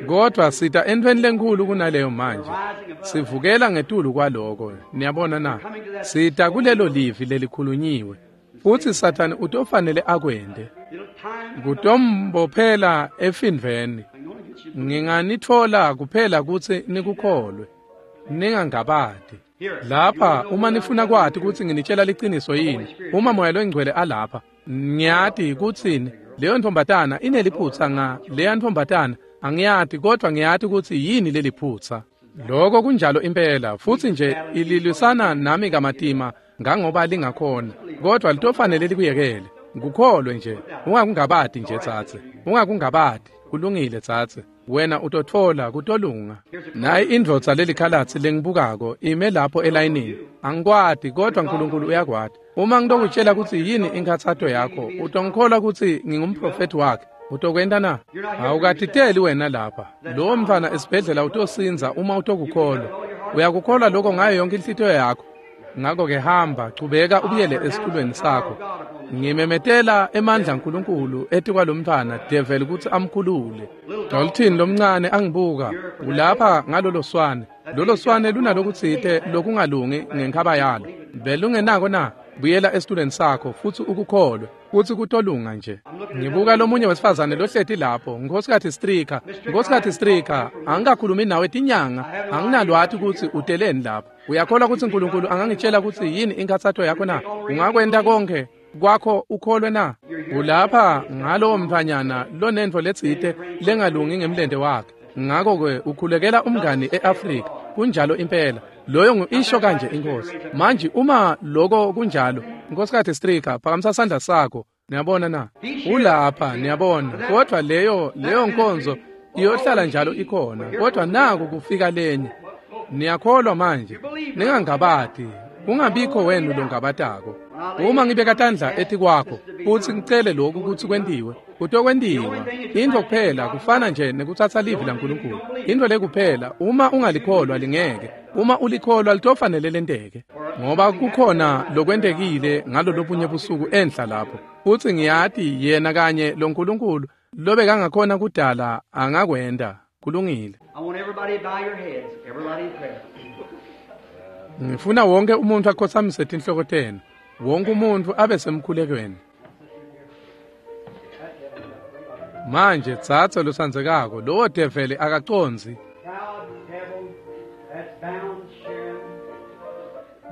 Kodwa sita entweni lenkhulu kunaleyo manje. Sivukela ngetulu kwaloko. Niyabona na? Sita kulelo livi lelikhulunyiwe. Futsi Sathane utofanele akwente. Kutombophela efindveni. Nginganitfola kuphela kutsi nikukholwe. Ningangabati. Lapha uma nifuna kwati kutsi nginitshela liciniso yini, uma Moya loNgcwele alapha, ngiyati kutsini leyo ntombatana ineliphutsa nga leya ntombatana angiyati, kodwa ngiyati kutsi yini leliphutsa. Lokho kunjalo impela, futsi nje ililwisana nami kamatima ngangoba lingakhona, kodwa litofanele likuyekele. Ngukholwe nje, ungakungabati nje tsatse, ungakungabati. Kulungile tsatse, wena utotfola kutolunga. Nayi indvodza lelikhalatsi lengibukako ime lapho elayinini. Angikwati, kodwa uNkulunkulu uyakwati. Uma ngitokutshela kutsi yini inkhatsato yakho, utongikholwa kutsi ngingumprofethi wakhe. Utokwenta na? Awukatiteli wena lapha. Lowo mntfwana esibhedlela utosinza uma utokukholwa. Uyakukholwa lokho ngayo yonke inhlitiyo yakho. Ngakho-ke hamba, chubeka ubuyele esitulweni sakho. Ngimemetela emandla aNkulunkulu etikwalomntfwana devil kutsi amkhulule. Dalton lomncane angibuka, ulapha ngalolo swane. Lolo swane lunalokutsite lokungalungi ngenkhaba yalo. Belungenako na? Buyela esitulweni sakho futsi ukukholwe, futsi kutolunga nje. Ngibuka lomunye wesifazane lohleti lapho, Nkhosikati Stricker. Nkhosikati Stricker, angikakhulumi nawe tinyanga, anginalwati kutsi uteleni lapho. Uyakholwa kutsi uNkulunkulu angangitshela kutsi yini inkhatsato yakho na? Ungakwenta konke kwakho ukholwe na? Ulapha ngalowo mntfwanyana lonentfo letsite lengalungi ngemlente wakhe. Ngakho-ke ukhulekela umngani e-Afrika. Kunjalo impela. Loyo ngu-isho kanje inkosi. Manje uma lokho kunjalo, Nkhosikati Stricker, phakamisa sandla sakho. Niyabona na? Ulapha, niyabona. Kodwa leyo nkonzo iyohlala njalo ikhona. Kodwa naku kufika lenye. Niyakholwa manje. Ningangabati. Kungabikho wenu longabatako. Uma ngibeka tandla etikwakho futsi ngicele lokhu kutsi kwentiwe, kutokwentiwa. Intfo kuphela kufana nje nekutsatsa livi laNkulunkulu. Intfo lekuphela, uma ungalikholwa lingeke. Uma ulikholwa litofanele lenteke. Ngoba kukhona lokwentekile ngalolobunye busuku enhla lapho. Futsi ngiyati yena kanye loNkulunkulu lobekangakhona kudala angakwenta. Kulungile. I want everybody to bow your heads, everybody in prayer. Ngifuna wonke umuntu akhotsamise tinhloko tenu. Wonke umuntu abe semkhulekweni. Manje tsatsa losandzekako, lowo develi akacondzi. Proud devil that's bound Sharon.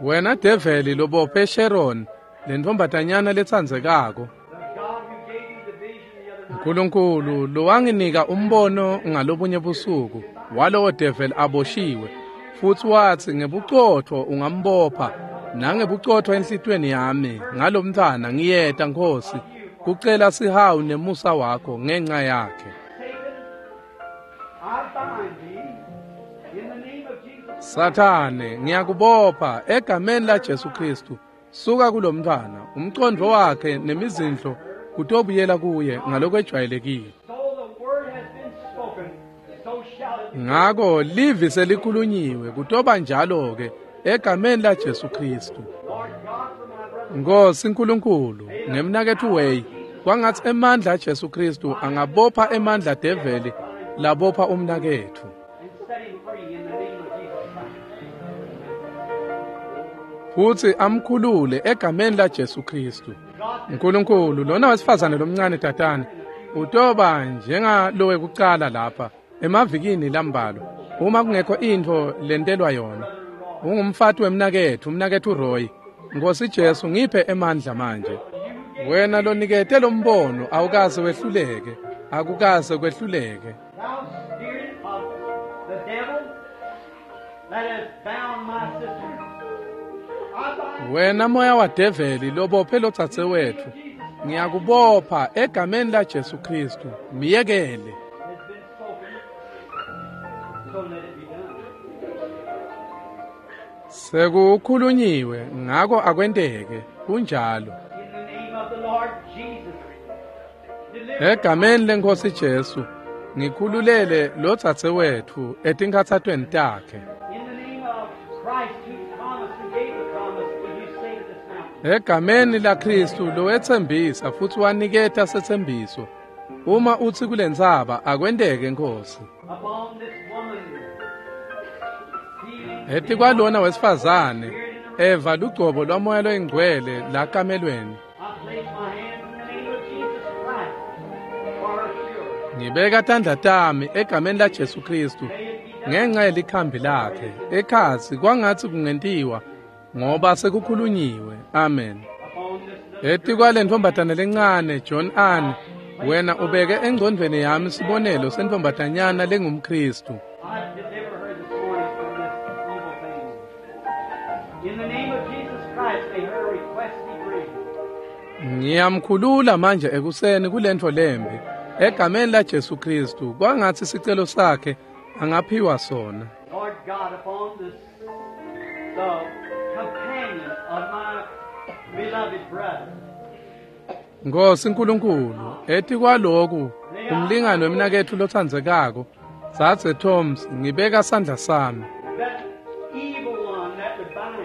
Wena develi lobophe Sharon, lentfombatanyana letsandzekako. The God who gave you the vision the other night. uNkulunkulu lowanginika umbono ngalobunye busuku walowo develi aboshiwe, futsi watsi ngebucotfo ungambopha nangebucotfo enhlitiyweni yami ngalomntfwana ngiyeta Nkhosi kucela sihawu nemusa wakho ngenxa yakhe. Satan, I bind thee in the name of Jesus. Sathane, ngiyakubopha egameni la Jesu Kristu. Suka kulomntfwana, umcondvo wakhe nemizindlo kutobuyela kuye ngalokwejwayelekile. So the word has been spoken, so shall it be. Ngako livi selikhulunyiwe kutoba njalo ke egameni la Jesu Kristu. Lord God, for my brother, Nkosi uNkulunkulu, ngemnaketfu Way, kwangatsi emandla aJesu Kristu angabopha emandla develi labopha umnaketfu. and set him free in the name of Jesus Christ. Futsi amkhulule egameni la Jesu Kristu. uNkulunkulu, lona wesifazane lomncane tatane utoba njengalo wekucala lapha emavikini lambalwa uma kungekho intfo lentelwa yona. Ungumfati wemnaketfu, umnaketfu Roy. Nkosi Jesu, ngiphe emandla manje. Wena lonikete lombono awukaze wehluleke, akukaze kwehluleke. Thou spirit of the devil that has bound my sister, I bind Wena moya wadeveli lobophe lodzadzewetfu, ngiyakubopha egameni laJesu Khristu. Miyekele. has been spoken, so let it be done. Sekukhulunyiwe, ngako akwenteke. Kunjalo. In the name of the Lord Jesus, deliver Egameni leNkosi Jesu, ngikhululele lodzadzewetfu etinkhatsatweni takhe. in the name of Christ who promised and gave the promise, will you say to this mountain? Egameni laKristu lowetsembisa futsi waniketa setsembiso. Uma utsi kulentsaba akwenteke Nkosi. Upon this woman, feeling Etikwalona wesifazane eva lugcobo lwamoya loyingcwele lakamelweni. I place my hands in the name of Jesus Christ for her cure. Ngibeka tandla tami egameni laJesu Kristu May it be done. ngenxa yelikhambi lakhe. Ekhatsi kwangatsi kungentiwa ngoba sekukhulunyiwe. Amen. Upon this little Etikwale ntombazane lencane John Ann, wena ubeke engcondvweni yami sibonelo sentfombatanyana lengumKristu. I deliver her this morning from this evil thing. In the name of Jesus Christ, may her request be granted. Ngiyamkhulula manje ekuseni kulentfo lembi. Egameni laJesu Kristu, kwangatsi sicelo sakhe angaphiwa sona. Lord God, upon this, the companion of my beloved brother, Nkosi Nkulunkulu, etikwaloku umlingani wemnaketfu lotsandzekako, Dzadze Thoms, ngibeka sandla sami. that evil one that would bind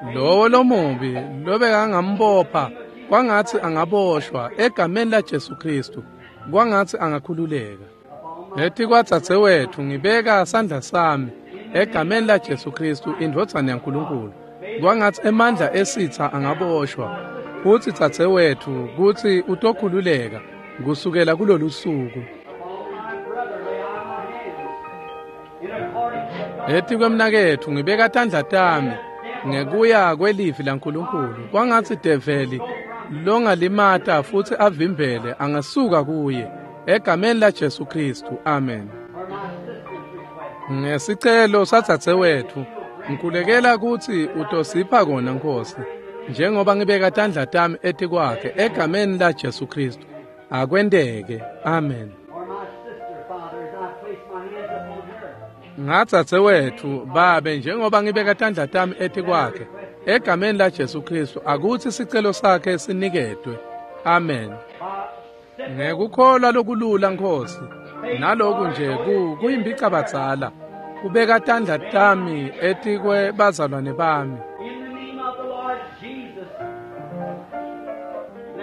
her, Lowo lomubi lobekangambopha kwangatsi angaboshwa egameni laJesu Kristu, kwangatsi angakhululeka. upon my Etikwadzadzewetfu ngibeka sandla sami egameni laJesu Kristu indvodzana yaNkulunkulu. Kwangatsi emandla esitha angaboshwa futsi dzadzewetfu kutsi utokhululeka kusukela kulolu suku. upon my brother lay I my hands, in accordance with God's Etikwemnaketfu ngibeka tandla tami ngekuya kwelivi laNkulunkulu. Kwangatsi develi longalimata futsi avimbele angasuka kuye egameni laJesu Kristu. Amen. for my sister's request. Ngesicelo sadzadzewetfu, ngikhulekela kutsi utosipha kona Nkosi, njengoba ngibeka tandla tami etikwakhe egameni laJesu Kristu. Akwenteke. Amen. For my sister, Father, as I place my hands upon her, Ngadzadzewetfu, babe, njengoba ngibeka tandla tami etikwakhe egameni laJesu Kristu, akutsi sicelo sakhe siniketwe. Amen. by simple Ngekukholwa lokulula Nkosi, naloku nje kuyimbicabadzala, kubeka tandla tami etikwe bazalwane bami. In the name of the Lord Jesus,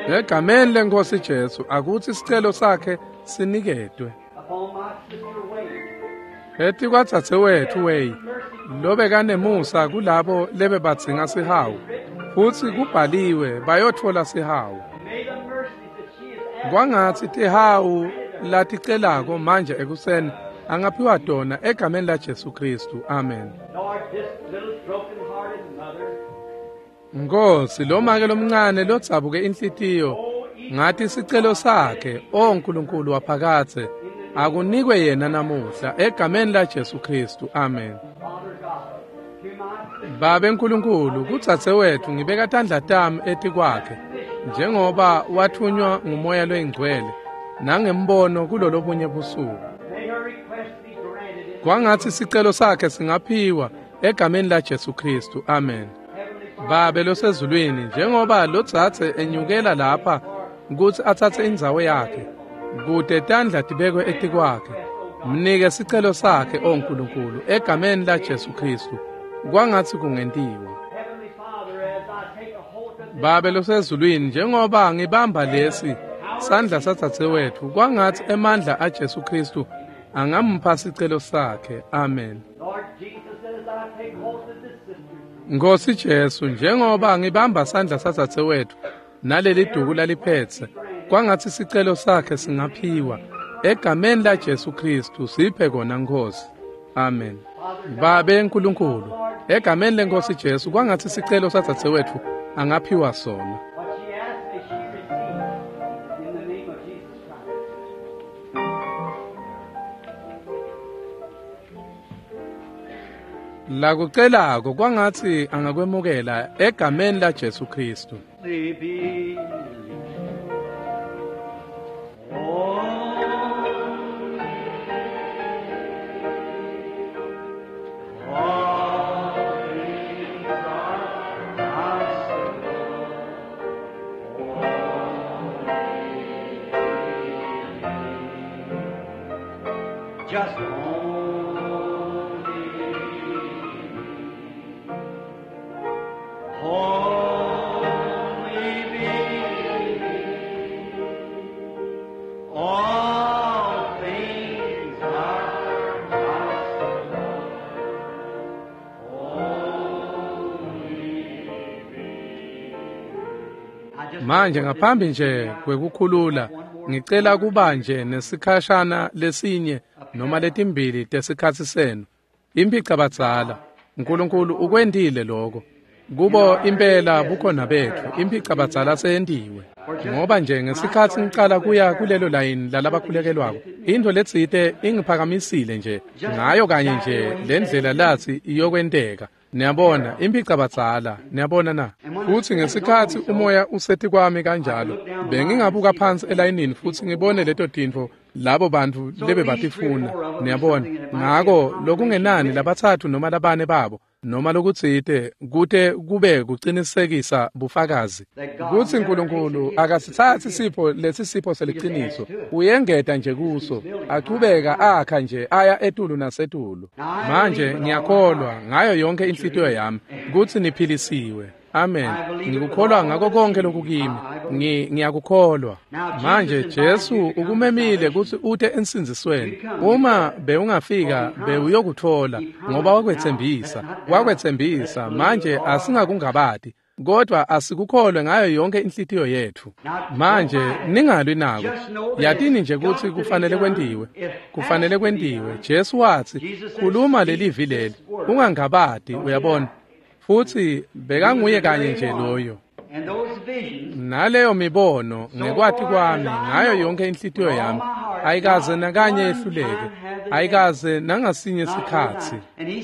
let Egameni leNkosi Jesu, akutsi sicelo sakhe siniketwe. upon my sister Wade, Etikwadzadzewetfu Way, lobekanemusa kulabo lebebadzinga sihawu, futsi kubhaliwe bayotfola sihawu. may the mercies that she is asking Kwangatsi tihawu laticelako manje ekuseni angaphiwa tona egameni laJesu Kristu. Amen. Lord, this little broken-hearted mother, Nkosi, lo make lomncane lodzabuke inhlitiyo, ngathi sicelo sakhe, o Nkulunkulu waphakathe, akunikwe yena namuhla egameni laJesu Kristu. Amen. Father God, to my sister, Babe Nkulunkulu, kudzadzewetfu ngibeka tandla tami etikwakhe, njengoba wathunywa ngumoya loyingcwele nangembono kulolobunye busuku. may her request be granted in Kwangatsi sicelo sakhe singaphiwa egameni laJesu Kristu. Amen. Heavenly Father. Babe losezulwini, njengoba lodzadze enyukela lapha kutsi atsatse indzawo yakhe, kute tandla tibekwe etikwakhe, mnike sicelo sakhe, o Nkulunkulu, egameni laJesu Kristu. Kwangatsi kungentiwa. Heavenly Father, as I take a hold of this Babe losezulwini, njengoba ngibamba lesi sandla sadzadzewetfu, kwangatsi emandla aJesu Kristu angampha sicelo sakhe. Amen. Lord Jesus, as I take hold of this sister, Nkosi Jesu, njengoba ngibamba sandla sadzadzewetfu naleli duku laliphetse, kwangatsi sicelo sakhe singaphiwa egameni laJesu Kristu. Siphe kona Nkosi. Amen. Babe Nkulunkulu, egameni lenkosi Jesu, kwangatsi sicelo sadzadzewetfu angaphiwa sona. What she asked may she receive in the name of Jesus Christ. Lakucelako kwangatsi angakwemukela egameni la Jesu Kristu. They believe. Oh, all things are possible. Only Just only Only believe. All things are possible. Only believe. I just Manje ngaphambi nje kwekukhulula, ngicela kuba nje nesikhashana lesinye noma letimbili tesikhatsi senu. Imphicabadzala, Nkulunkulu ukwentile lokho. Kubo impela bukhona betfu, imphicabadzala seyentiwe. Ngoba nje ngesikhatsi ngicala kuya kulelo layini lalabakhulekelwako, intfo letsite ingiphakamisile nje ngayo kanye nje lendlela latsi iyokwenteka. Niyabona, imphicabadzala, niyabona na? Futsi ngesikhatsi umoya usetikwami kanjalo, bengingabuka phansi elayinini futsi ngibone leto tintfo labo bantfu lebebatifuna. Niyabona, ngako lokungenani labatsatfu noma labane babo noma lokutsite kute kube kucinisekisa bufakazi kutsi Nkulunkulu akasitsatsi sipho lesi sipho seliciniso, uyengeta nje kuso, achubeka akha nje aya etulu nasetulu. Manje ngiyakholwa ngayo yonke inhlitiyo yami kutsi niphilisiwe. Amen. Ngikukholwa ngako konke lokukimi. Ngiyakukholwa. Manje Jesu ukumemile kutsi ute ensindzisweni. Uma bewungafika bewuyokutfola ngoba wakwetsembisa. Wakwetsembisa. Manje asingakungabati, kodwa asikukholwe ngayo yonke inhlitiyo yetfu. Manje ningalwi nako. Yatini nje kutsi kufanele kwentiwe. Kufanele kwentiwe. Jesu watsi, "Khuluma lelivi leli, ungangabati," uyabona. Futsi bekanguye kanye nje loyo. And those visions Naleyo mibono ngekwati kwami ngayo yonke inhlitiyo yami ayikaze nakanye yehluleke, ayikaze nangasinye sikhatsi.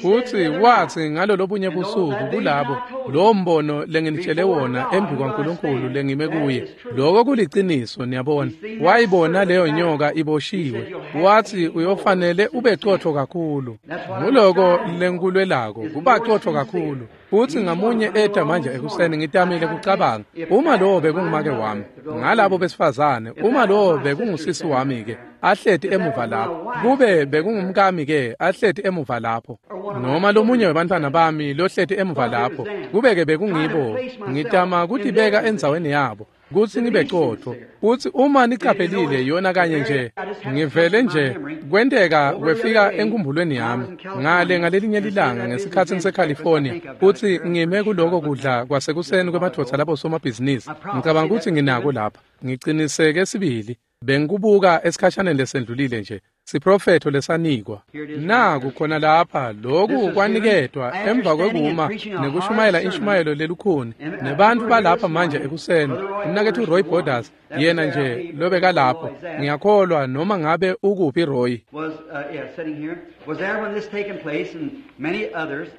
Futsi watsi ngalolobunye busuku kulabo, lowo mbono lenginitshele wona embi kwaNkulunkulu lengime kuye, loko kuliciniso. Niyabona, wayibona leyo nyoka iboshiwe, watsi uyofanele ube cotfo kakhulu. Nguloko lengikulwelako, kuba cotfo kakhulu. Futsi ngamunye eta manje ekuseni ngitamile kucabanga, uma lowo bekungumake wami, ngalabo besifazane, uma lowo bekungusisi wami-ke ahleti emuva lapho, kube bekungumkami-ke ahleti emuva lapho, noma lomunye webantfwana bami lohleti emuva lapho, kube-ke bekungibo, ngitama kutibeka endzaweni yabo kutsi ngibe cotfo. Futsi uma nicaphelile yona kanye nje, ngivele nje kwenteka kwefika enkhumbulweni yami ngale ngalelinye lilanga ngesikhatsi ngiseCalifornia, futsi ngime kuloko kudla kwasekuseni kwemadvodza labo somabhizinisi. Ngicabanga kutsi nginako lapha, ngiciniseke sibili. Bengikubuka esikhashaneni lesendlulile nje, siprofetho lesanikwa. Naku khona lapha, loku kwaniketwa emva kwekuma nekushumayela inshumayelo lelukhuni nebantfu balapha manje ekuseni. Umnaketfu Roy Borders, yena nje lobekalapho, ngiyakholwa noma ngabe ukuphi Roy. was yeah, sitting here, was there when this taken place, and many others.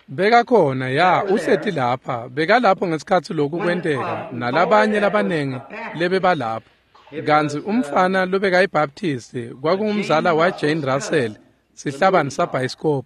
Bekakhona ya uhleti lapha, bekalapho ngesikhatsi loku kwenteka nalabanye labanengi lebebalapho. Kantsi umfana lobekayibaptisti kwakungumzala wa Jane Russell, sihlabani sabhayisikobho.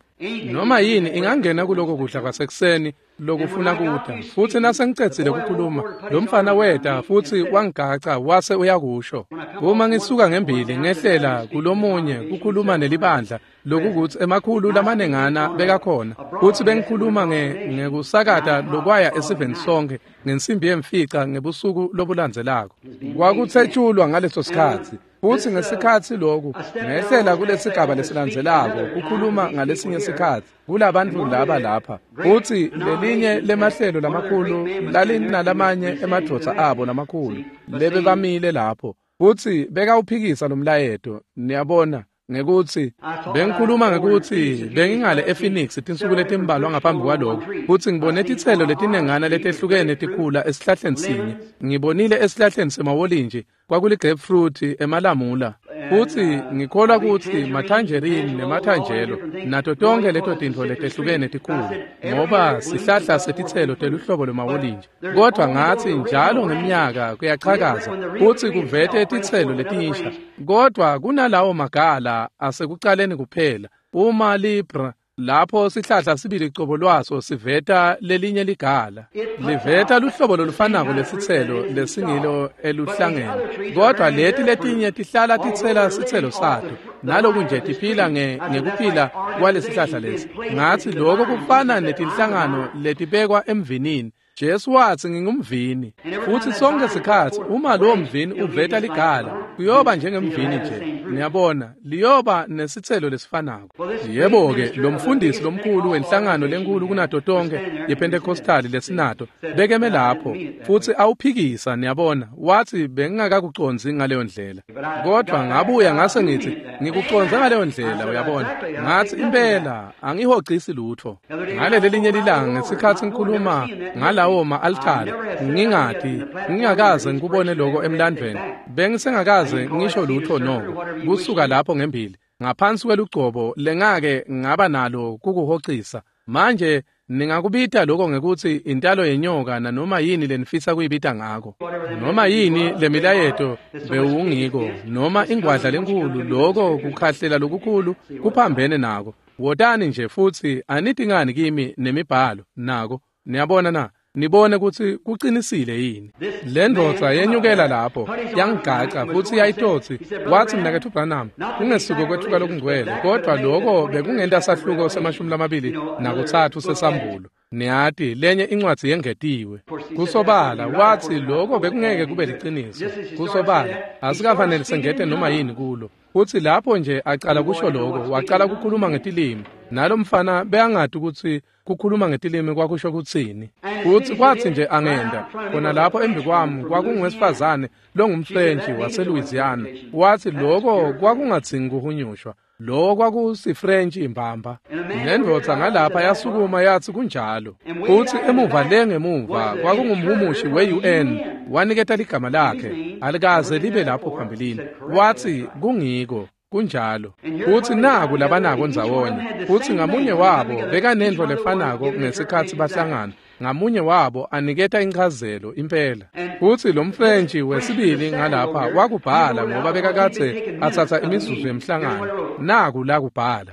Noma yini ingangena kuloko kudla kwasekuseni lokufuna kuda. Futsi nasengicedzile kukhuluma, lo mfana weta futsi wangigaca wase uyakusho. Uma ngisuka ngembili ngehlela kulomunye kukhuluma nelibandla, lokukutsi emakhulu lamanengana bekakhona, futsi bengikhuluma ngekusakata lokwaya esiveni sonke ngensimbi yemfica ngebusuku lobulandzelako. Kwakutsetshulwa ngaleso sikhatsi. Futsi ngesikhatsi loku ngehlela kulesigaba lesilandzelako kukhuluma ngalesinye sikhatsi kulabantfu laba lapha. Futsi lelinye lemahlelo lamakhulu lalinalamanye emadvodza abo lamakhulu lebebamile lapho, futsi bekawuphikisa lo mlayeto. Niyabona, Ngekutsi bengikhuluma ngekutsi bengingale ePhoenix tinsuku letimbalwa ngaphambi kwaloko futsi ngibone titselo letinengana letehlukene tikhula esihlahleni sinye. Ngibonile esihlahleni semawolintji kwakuli-grapefruit, emalamula, futsi ngikholwa kutsi mathanjerini nemathanjelo nato tonke leto tintfo letehlukene tikhula ngoba sihlahla setitselo teluhlobo lwemawolintji. Kodwa ngatsi njalo ngeminyaka kuyachakaza futsi kuvete titselo letinsha, kodwa kunalawo magala asekucaleni kuphela. Uma libra lapho sihlahla sibili cobo lwaso siveta lelinye ligala, liveta luhlobo lolufanako lesitselo lesingilo eluhlangeni, kodwa leti letinye tihlala titsela sitselo sato naloku nje tiphila ngekuphila kwalesihlahla lesi. Ngatsi lokho kufana netinhlangano letibekwa emvinini. Jesu watsi ngingumvini, futsi sonke sikhatsi uma lowo mvini uveta ligala kuyoba njengemvini nje, niyabona, liyoba nesitselo lesifanako. Yebo-ke, lo mfundisi lomkhulu wenhlangano lenkulu kunato tonke yePentecostali lesinato bekeme lapho futsi awuphikisa, niyabona, watsi bengingakakucondzi ngaleyo ndlela, kodwa ngabuya ngase ngitsi ngikucondze ngaleyo ndlela, uyabona. Ngatsi impela angihocisi lutfo. Ngaleli linye lilanga ngesikhatsi ngikhuluma ngalawo ma-altari, ngingati ngingakaze ngikubone lokho emlandvweni, bengisengakaze ngisho lutfo noko kusuka lapho ngembili ngaphansi kwelugcobo lengake ngaba nalo kukuhocisa. Manje ningakubita lokho ngekutsi intalo yenyoka nanoma yini lenifisa kuyibita ngako, noma yini lemilayeto bewungiko, noma ingwadla lenkulu, lokho kukhahlela lokukhulu kuphambene nako. Wotani nje futsi anitingani kimi nemibhalo nako, niyabona na? Nibone kutsi kucinisile yini. Le ndvodza yenyukela lapho yangigaca futsi yayitotsi, watsi mnaketfu Branham, kungesuko kwetfuka lokungcwele, kodwa lokho bekungenta sahluko se-23 sesambulo. Niyati lenye incwadzi yengetiwe. Kusobala watsi lokho bekungeke kube liciniso. Kusobala asikafanele sengete noma yini kulo. Futsi lapho nje acala kusho lokho, wacala kukhuluma ngetilimi. Nalo mfana beyangati kutsi kukhuluma ngetilimi kwakusho kutsini. Futsi kwatsi nje angenda khona lapho embi kwami kwakungowesifazane longumFrentshi waseLouisiana. Watsi lokho kwakungadzingi kuhunyushwa, lokho kwakusifrentshi imbamba. Nendvodza ngalapha yasukuma yatsi kunjalo. Futsi emuva le ngemuva kwakungumhumushi we-UN, waniketa ligama lakhe alikaze libe lapho phambilini. Watsi kungiko kunjalo. Futsi naku labanako ndzawonye, futsi ngamunye wabo bekanentfo lefanako ngesikhatsi bahlangana, ngamunye wabo aniketa inchazelo impela. Futsi lo mFrentshi wesibili ngalapha wakubhala ngoba bekakadze atsatsa imizuzu yemhlangano. Naku lakubhala: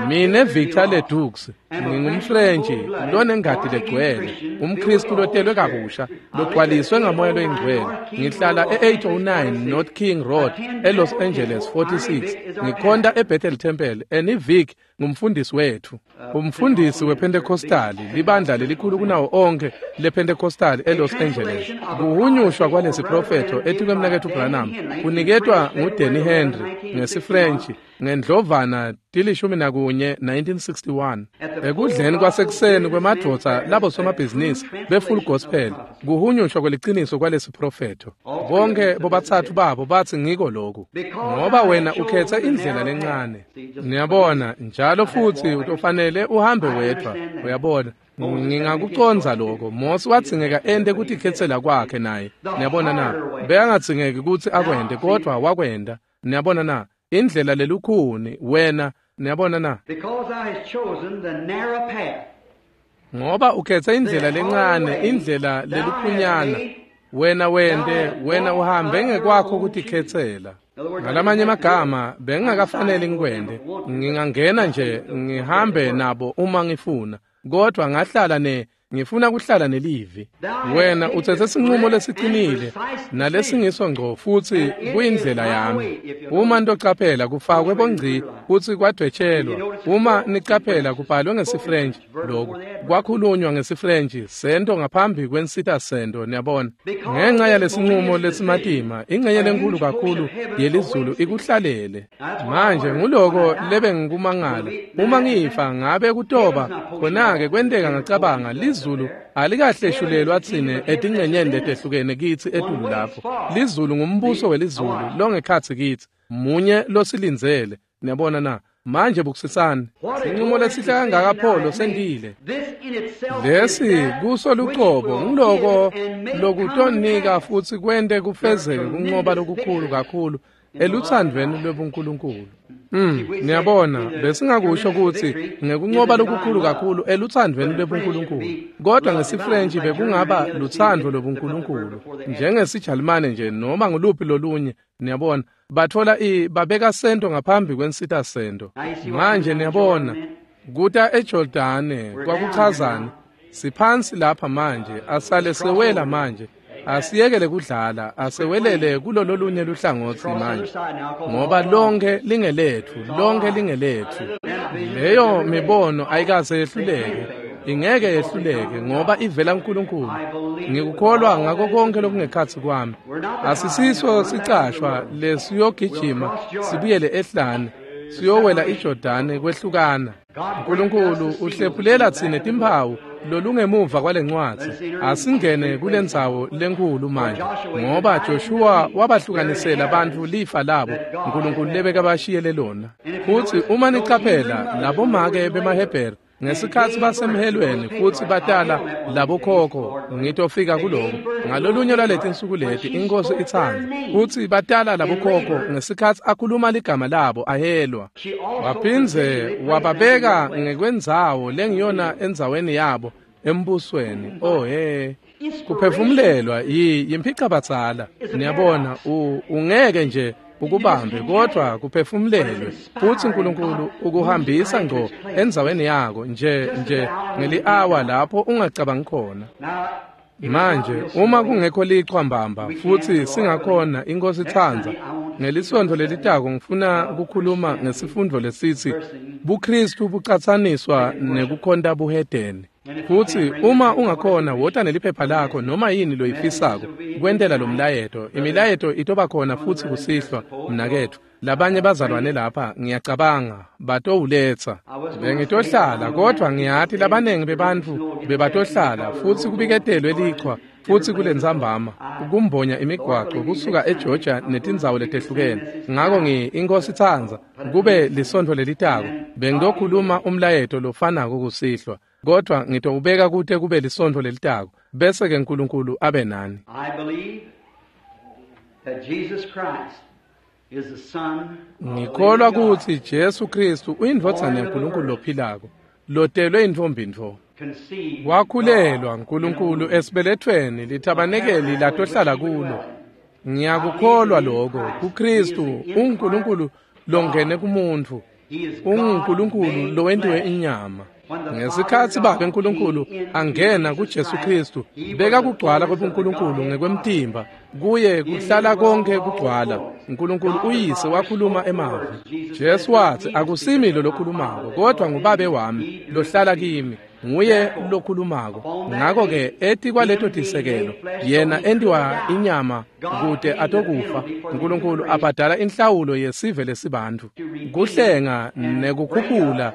mine Victor Ledoux ngingumFrentshi lonengati legcwele, umKhristu lotelwe kabusha, logcwaliswe ngamoya loyingcwele. Ngihlala e-809 North King Road eLos Angeles 46. Ngikhonta eBethel Temple. Enivic ngumfundisi wethu, umfundisi wePentecostali, libandla lelikhulu kunawo onke lePentecostali eLos Angeles. Kuhunyushwa kwalesi profetho etikwemnaketfu Branham kuniketwa nguDanny Henry ngesiFrentshi ngendlovana 11 1961 ekudleni kwasekuseni kwemadvodza labo somabhizinisi be-Full Gospel. Kuhunyushwa kweliciniso kwalesi profetho. Bonke bobathathu babo batsi ngiko lokhu, ngoba wena ukhethe indlela lencane, niyabona, njalo futsi utofanele uhambe wedvwa, uyabona. Ngingakucondza lokho. Mose wadzingeka ente kutikhetsela kwakhe naye, niyabona na? Bekangadzingeki kutsi akwente, kodwa wakwenta, niyabona na? Indlela lelukhuni wena, niyabona na? Ngoba ukhethe indlela lencane, indlela lelukhunyana, wena wente, wena uhambe ngekwakho kutikhetsela. Ngalamanye amagama, bengingakafanele ngikwente. Ngingangena nje ngihambe nabo uma ngifuna, kodwa ngahlala ngifuna kuhlala nelivi. Wena utsetse sinqumo lesiqinile nalesingiso ngco, futsi kuyindlela yami. Uma ntocaphela kufakwe bongci futsi kwadwetshelwa. Uma nicaphela kubhalwe ngesiFrench, lokhu kwakhulunywa ngesiFrench sento ngaphambi kwensita sento, niyabona. Ngenxa yalesinqumo lesimatima, ingxenye lenkulu kakhulu yelizulu ikuhlalele. Manje nguloko lebengikumangala. Uma ngifa ngabe kutoba khona-ke kwenteka ngacabanga lizulu alikahleshulelwa tsine etingcenyeni letehlukene kitsi etulu lapho. Lizulu ngumbuso welizulu longekhatsi kitsi, munye losilindzele. Niyabona na? Manje bukisisani. Sinqumo lesihle kangaka Pholo sendile. Lesi kuso lucobo ngiloko lokutonika futsi kwente kufezeke kunqoba lokukhulu kakhulu eluthandweni lwebuNkulunkulu. Niyabona, besingakusho ukuthi ngekunqoba lokukhulu kakhulu eluthandweni lwebuNkulunkulu, kodwa ngesiFrench bekungaba luthando lwebuNkulunkulu, njengesiJalimane nje noma nguluphi lolunye. Niyabona, bathola babeka sento ngaphambi kwensita sento. Manje niyabona, kuta eJordane kwakuchazani? Siphansi lapha manje, asale sewela manje. Asiyekele kudlala, asewelele kulololunye luhlangotsi manje, ngoba lonke lingelethu, lonke lingelethu. Leyo mibono ayikaze yehluleke, ingeke yehluleke ngoba ivela kuNkulunkulu. Ngikukholwa ngako konke lokungekhatsi kwami. Asisiso sicashwa lesiyogijima sibuyele ehlane, siyowela iJordane kwehlukana. uNkulunkulu uhlephulela tsine timphawu lolungemuva kwalencwadzi. Asingene kulendzawo lenkulu manje, ngoba Joshua wabahlukanisela bantfu lifa labo uNkulunkulu lebekabashiyele lona. Futsi uma nicaphela labomake bemaHebheru ngesikhatsi basemhelweni futsi batala labokhokho, ngitofika kuloko ngalolunye lwaletinsuku leti inkosi itsandza, futsi batala labokhokho ngesikhatsi akhuluma ligama labo ahelwa. Waphindze wababeka ngekwendzawo lengiyona endzaweni yabo embusweni. Oh he, kuphefumulelwa yimphicabadzala. Niyabona, ungeke nje ukubambe, kodwa kuphefumulelwe futsi uNkulunkulu ukuhambisa ngco endzaweni yako nje ngeli-awa lapho ungacabangi khona. Manje uma kungekho lichwa mbamba futsi singakhona, inkosi itsandza, ngelisontfo lelitako ngifuna kukhuluma ngesifundo lesitsi buKristu bucatsaniswa nekukhonta buhedeni. Futsi uma ungakhona, wota neliphepha lakho noma yini loyifisako kwentela lo mlayeto. Imilayeto itoba khona futsi kusihlwa, mnaketfu. Labanye bazalwane lapha ngiyacabanga batowuletsa. Bengitohlala, kodwa ngiyati labanengi bebantfu bebatohlala futsi kubiketelwe lichwa futsi kulentsambama kumbonya imigwaco kusuka eGeorgia netindzawo letehlukene. Ngako inkosi itsandza kube lisontfo lelitako bengitokhuluma umlayeto lofanako kusihlwa, kodwa ngitowubeka kute kube lisontfo lelitako, bese ke uNkulunkulu abe nani. Ngikholwa kutsi Jesu Kristu uyindvodzana yaNkulunkulu lophilako, lotelwe intfombi ntfo. Wakhulelwa uNkulunkulu esibelethweni lithabanekeli latohlala kulo. Ngiyakukholwa lokho kuKristu uNkulunkulu longene kumuntfu, unguNkulunkulu lowentiwe inyama. Ngesikhatsi Babe uNkulunkulu angena kuJesu Kristu, beka kugcwala kwebuNkulunkulu ngekwemtimba, kuye kuhlala konke kugcwala. uNkulunkulu uyise wakhuluma emavi. Jesu watsi, akusimi lo lokhulumako, kodwa nguBabe wami lohlala kimi, nguye lokhulumako. Ngako-ke etikwaleto tisekelo yena entiwa inyama kute atokufa. uNkulunkulu abhadala inhlawulo yesive lesibantfu, kuhlenga nekukhuphula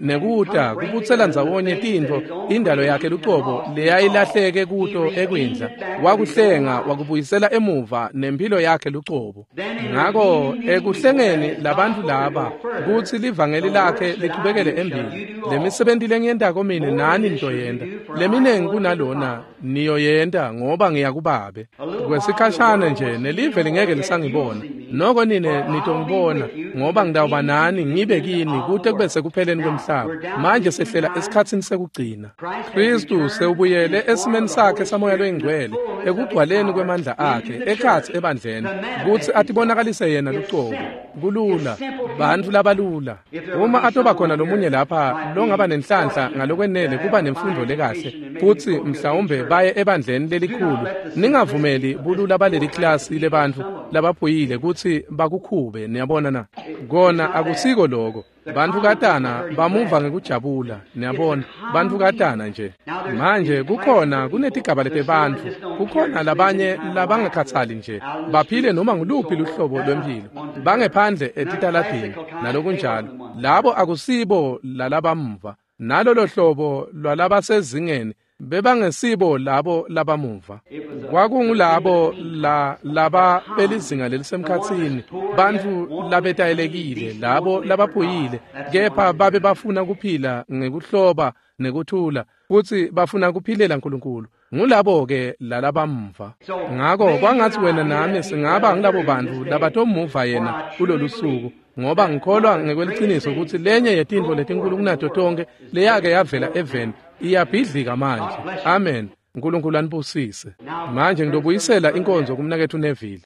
nekuta kubutsela ndzawonye tintfo indalo yakhe lucobo leyayilahleke kuto ekwindla. Wakuhlenga wakubuyisela emuva nempilo yakhe lucobo. Ngako ekuhlengeni labantfu laba kutsi livangeli lakhe lichubekele embili, lemisebenti lengiyentako mine nani nitoyenta, leminengi kunalona niyoyenta, ngoba ngiyakubabe. Kwesikhashana nje nelive lingeke lisangibona, noko nine nitongibona, ngoba ngitawuba nani ngibe kini kute kube sekupheleni kwemhlaba. Manje sehlela esikhatsini sekugcina. Kristu sewubuyele esimeni sakhe samoya loyingcwele, ekugcwaleni kwemandla akhe ekhatsi ebandleni, kutsi atibonakalise yena lucobo. Kulula, bantfu labalula. Uma atoba khona lomunye lapha longaba nenhlanhla ngalokwenele kuba nemfundo lekahle, futsi mhlawumbe baye ebandleni lelikhulu, ningavumeli bulula baleli klasi lebantfu labaphuyile kutsi bakukhube. Niyabona na? Kona akusiko lokho. Bantfu katana bamuva ngekujabula, niyabona, bantfu katana nje. Manje kukhona kunetigaba letebantfu, kukhona labanye labangakhatsali nje, baphile noma nguluphi luhlobo lwemphilo, bangephandle etitaladini nalokunjalo. Labo akusibo lalabamva. Nalolo hlobo lwalabasezingeni bebangesibo labo labamuva. Kwakungulabo laba belizinga lelisemkhatsini, bantfu labetayelekile, labo labaphuyile, kepha babe bafuna kuphila ngekuhloba nekuthula, futsi bafuna kuphilela uNkulunkulu. Ngulabo-ke lalabamva. Ngako kwangatsi wena nami singaba ngilabo bantfu labatomuva yena kulolu suku, ngoba ngikholwa ngekweliciniso kutsi lenye yetintfo letinkulu kunato tonkhe leyake yavela eveni iyabhidlika manje. Amen. uNkulunkulu anibusise. Manje ngitobuyisela inkonzo kumnaketfu Neville.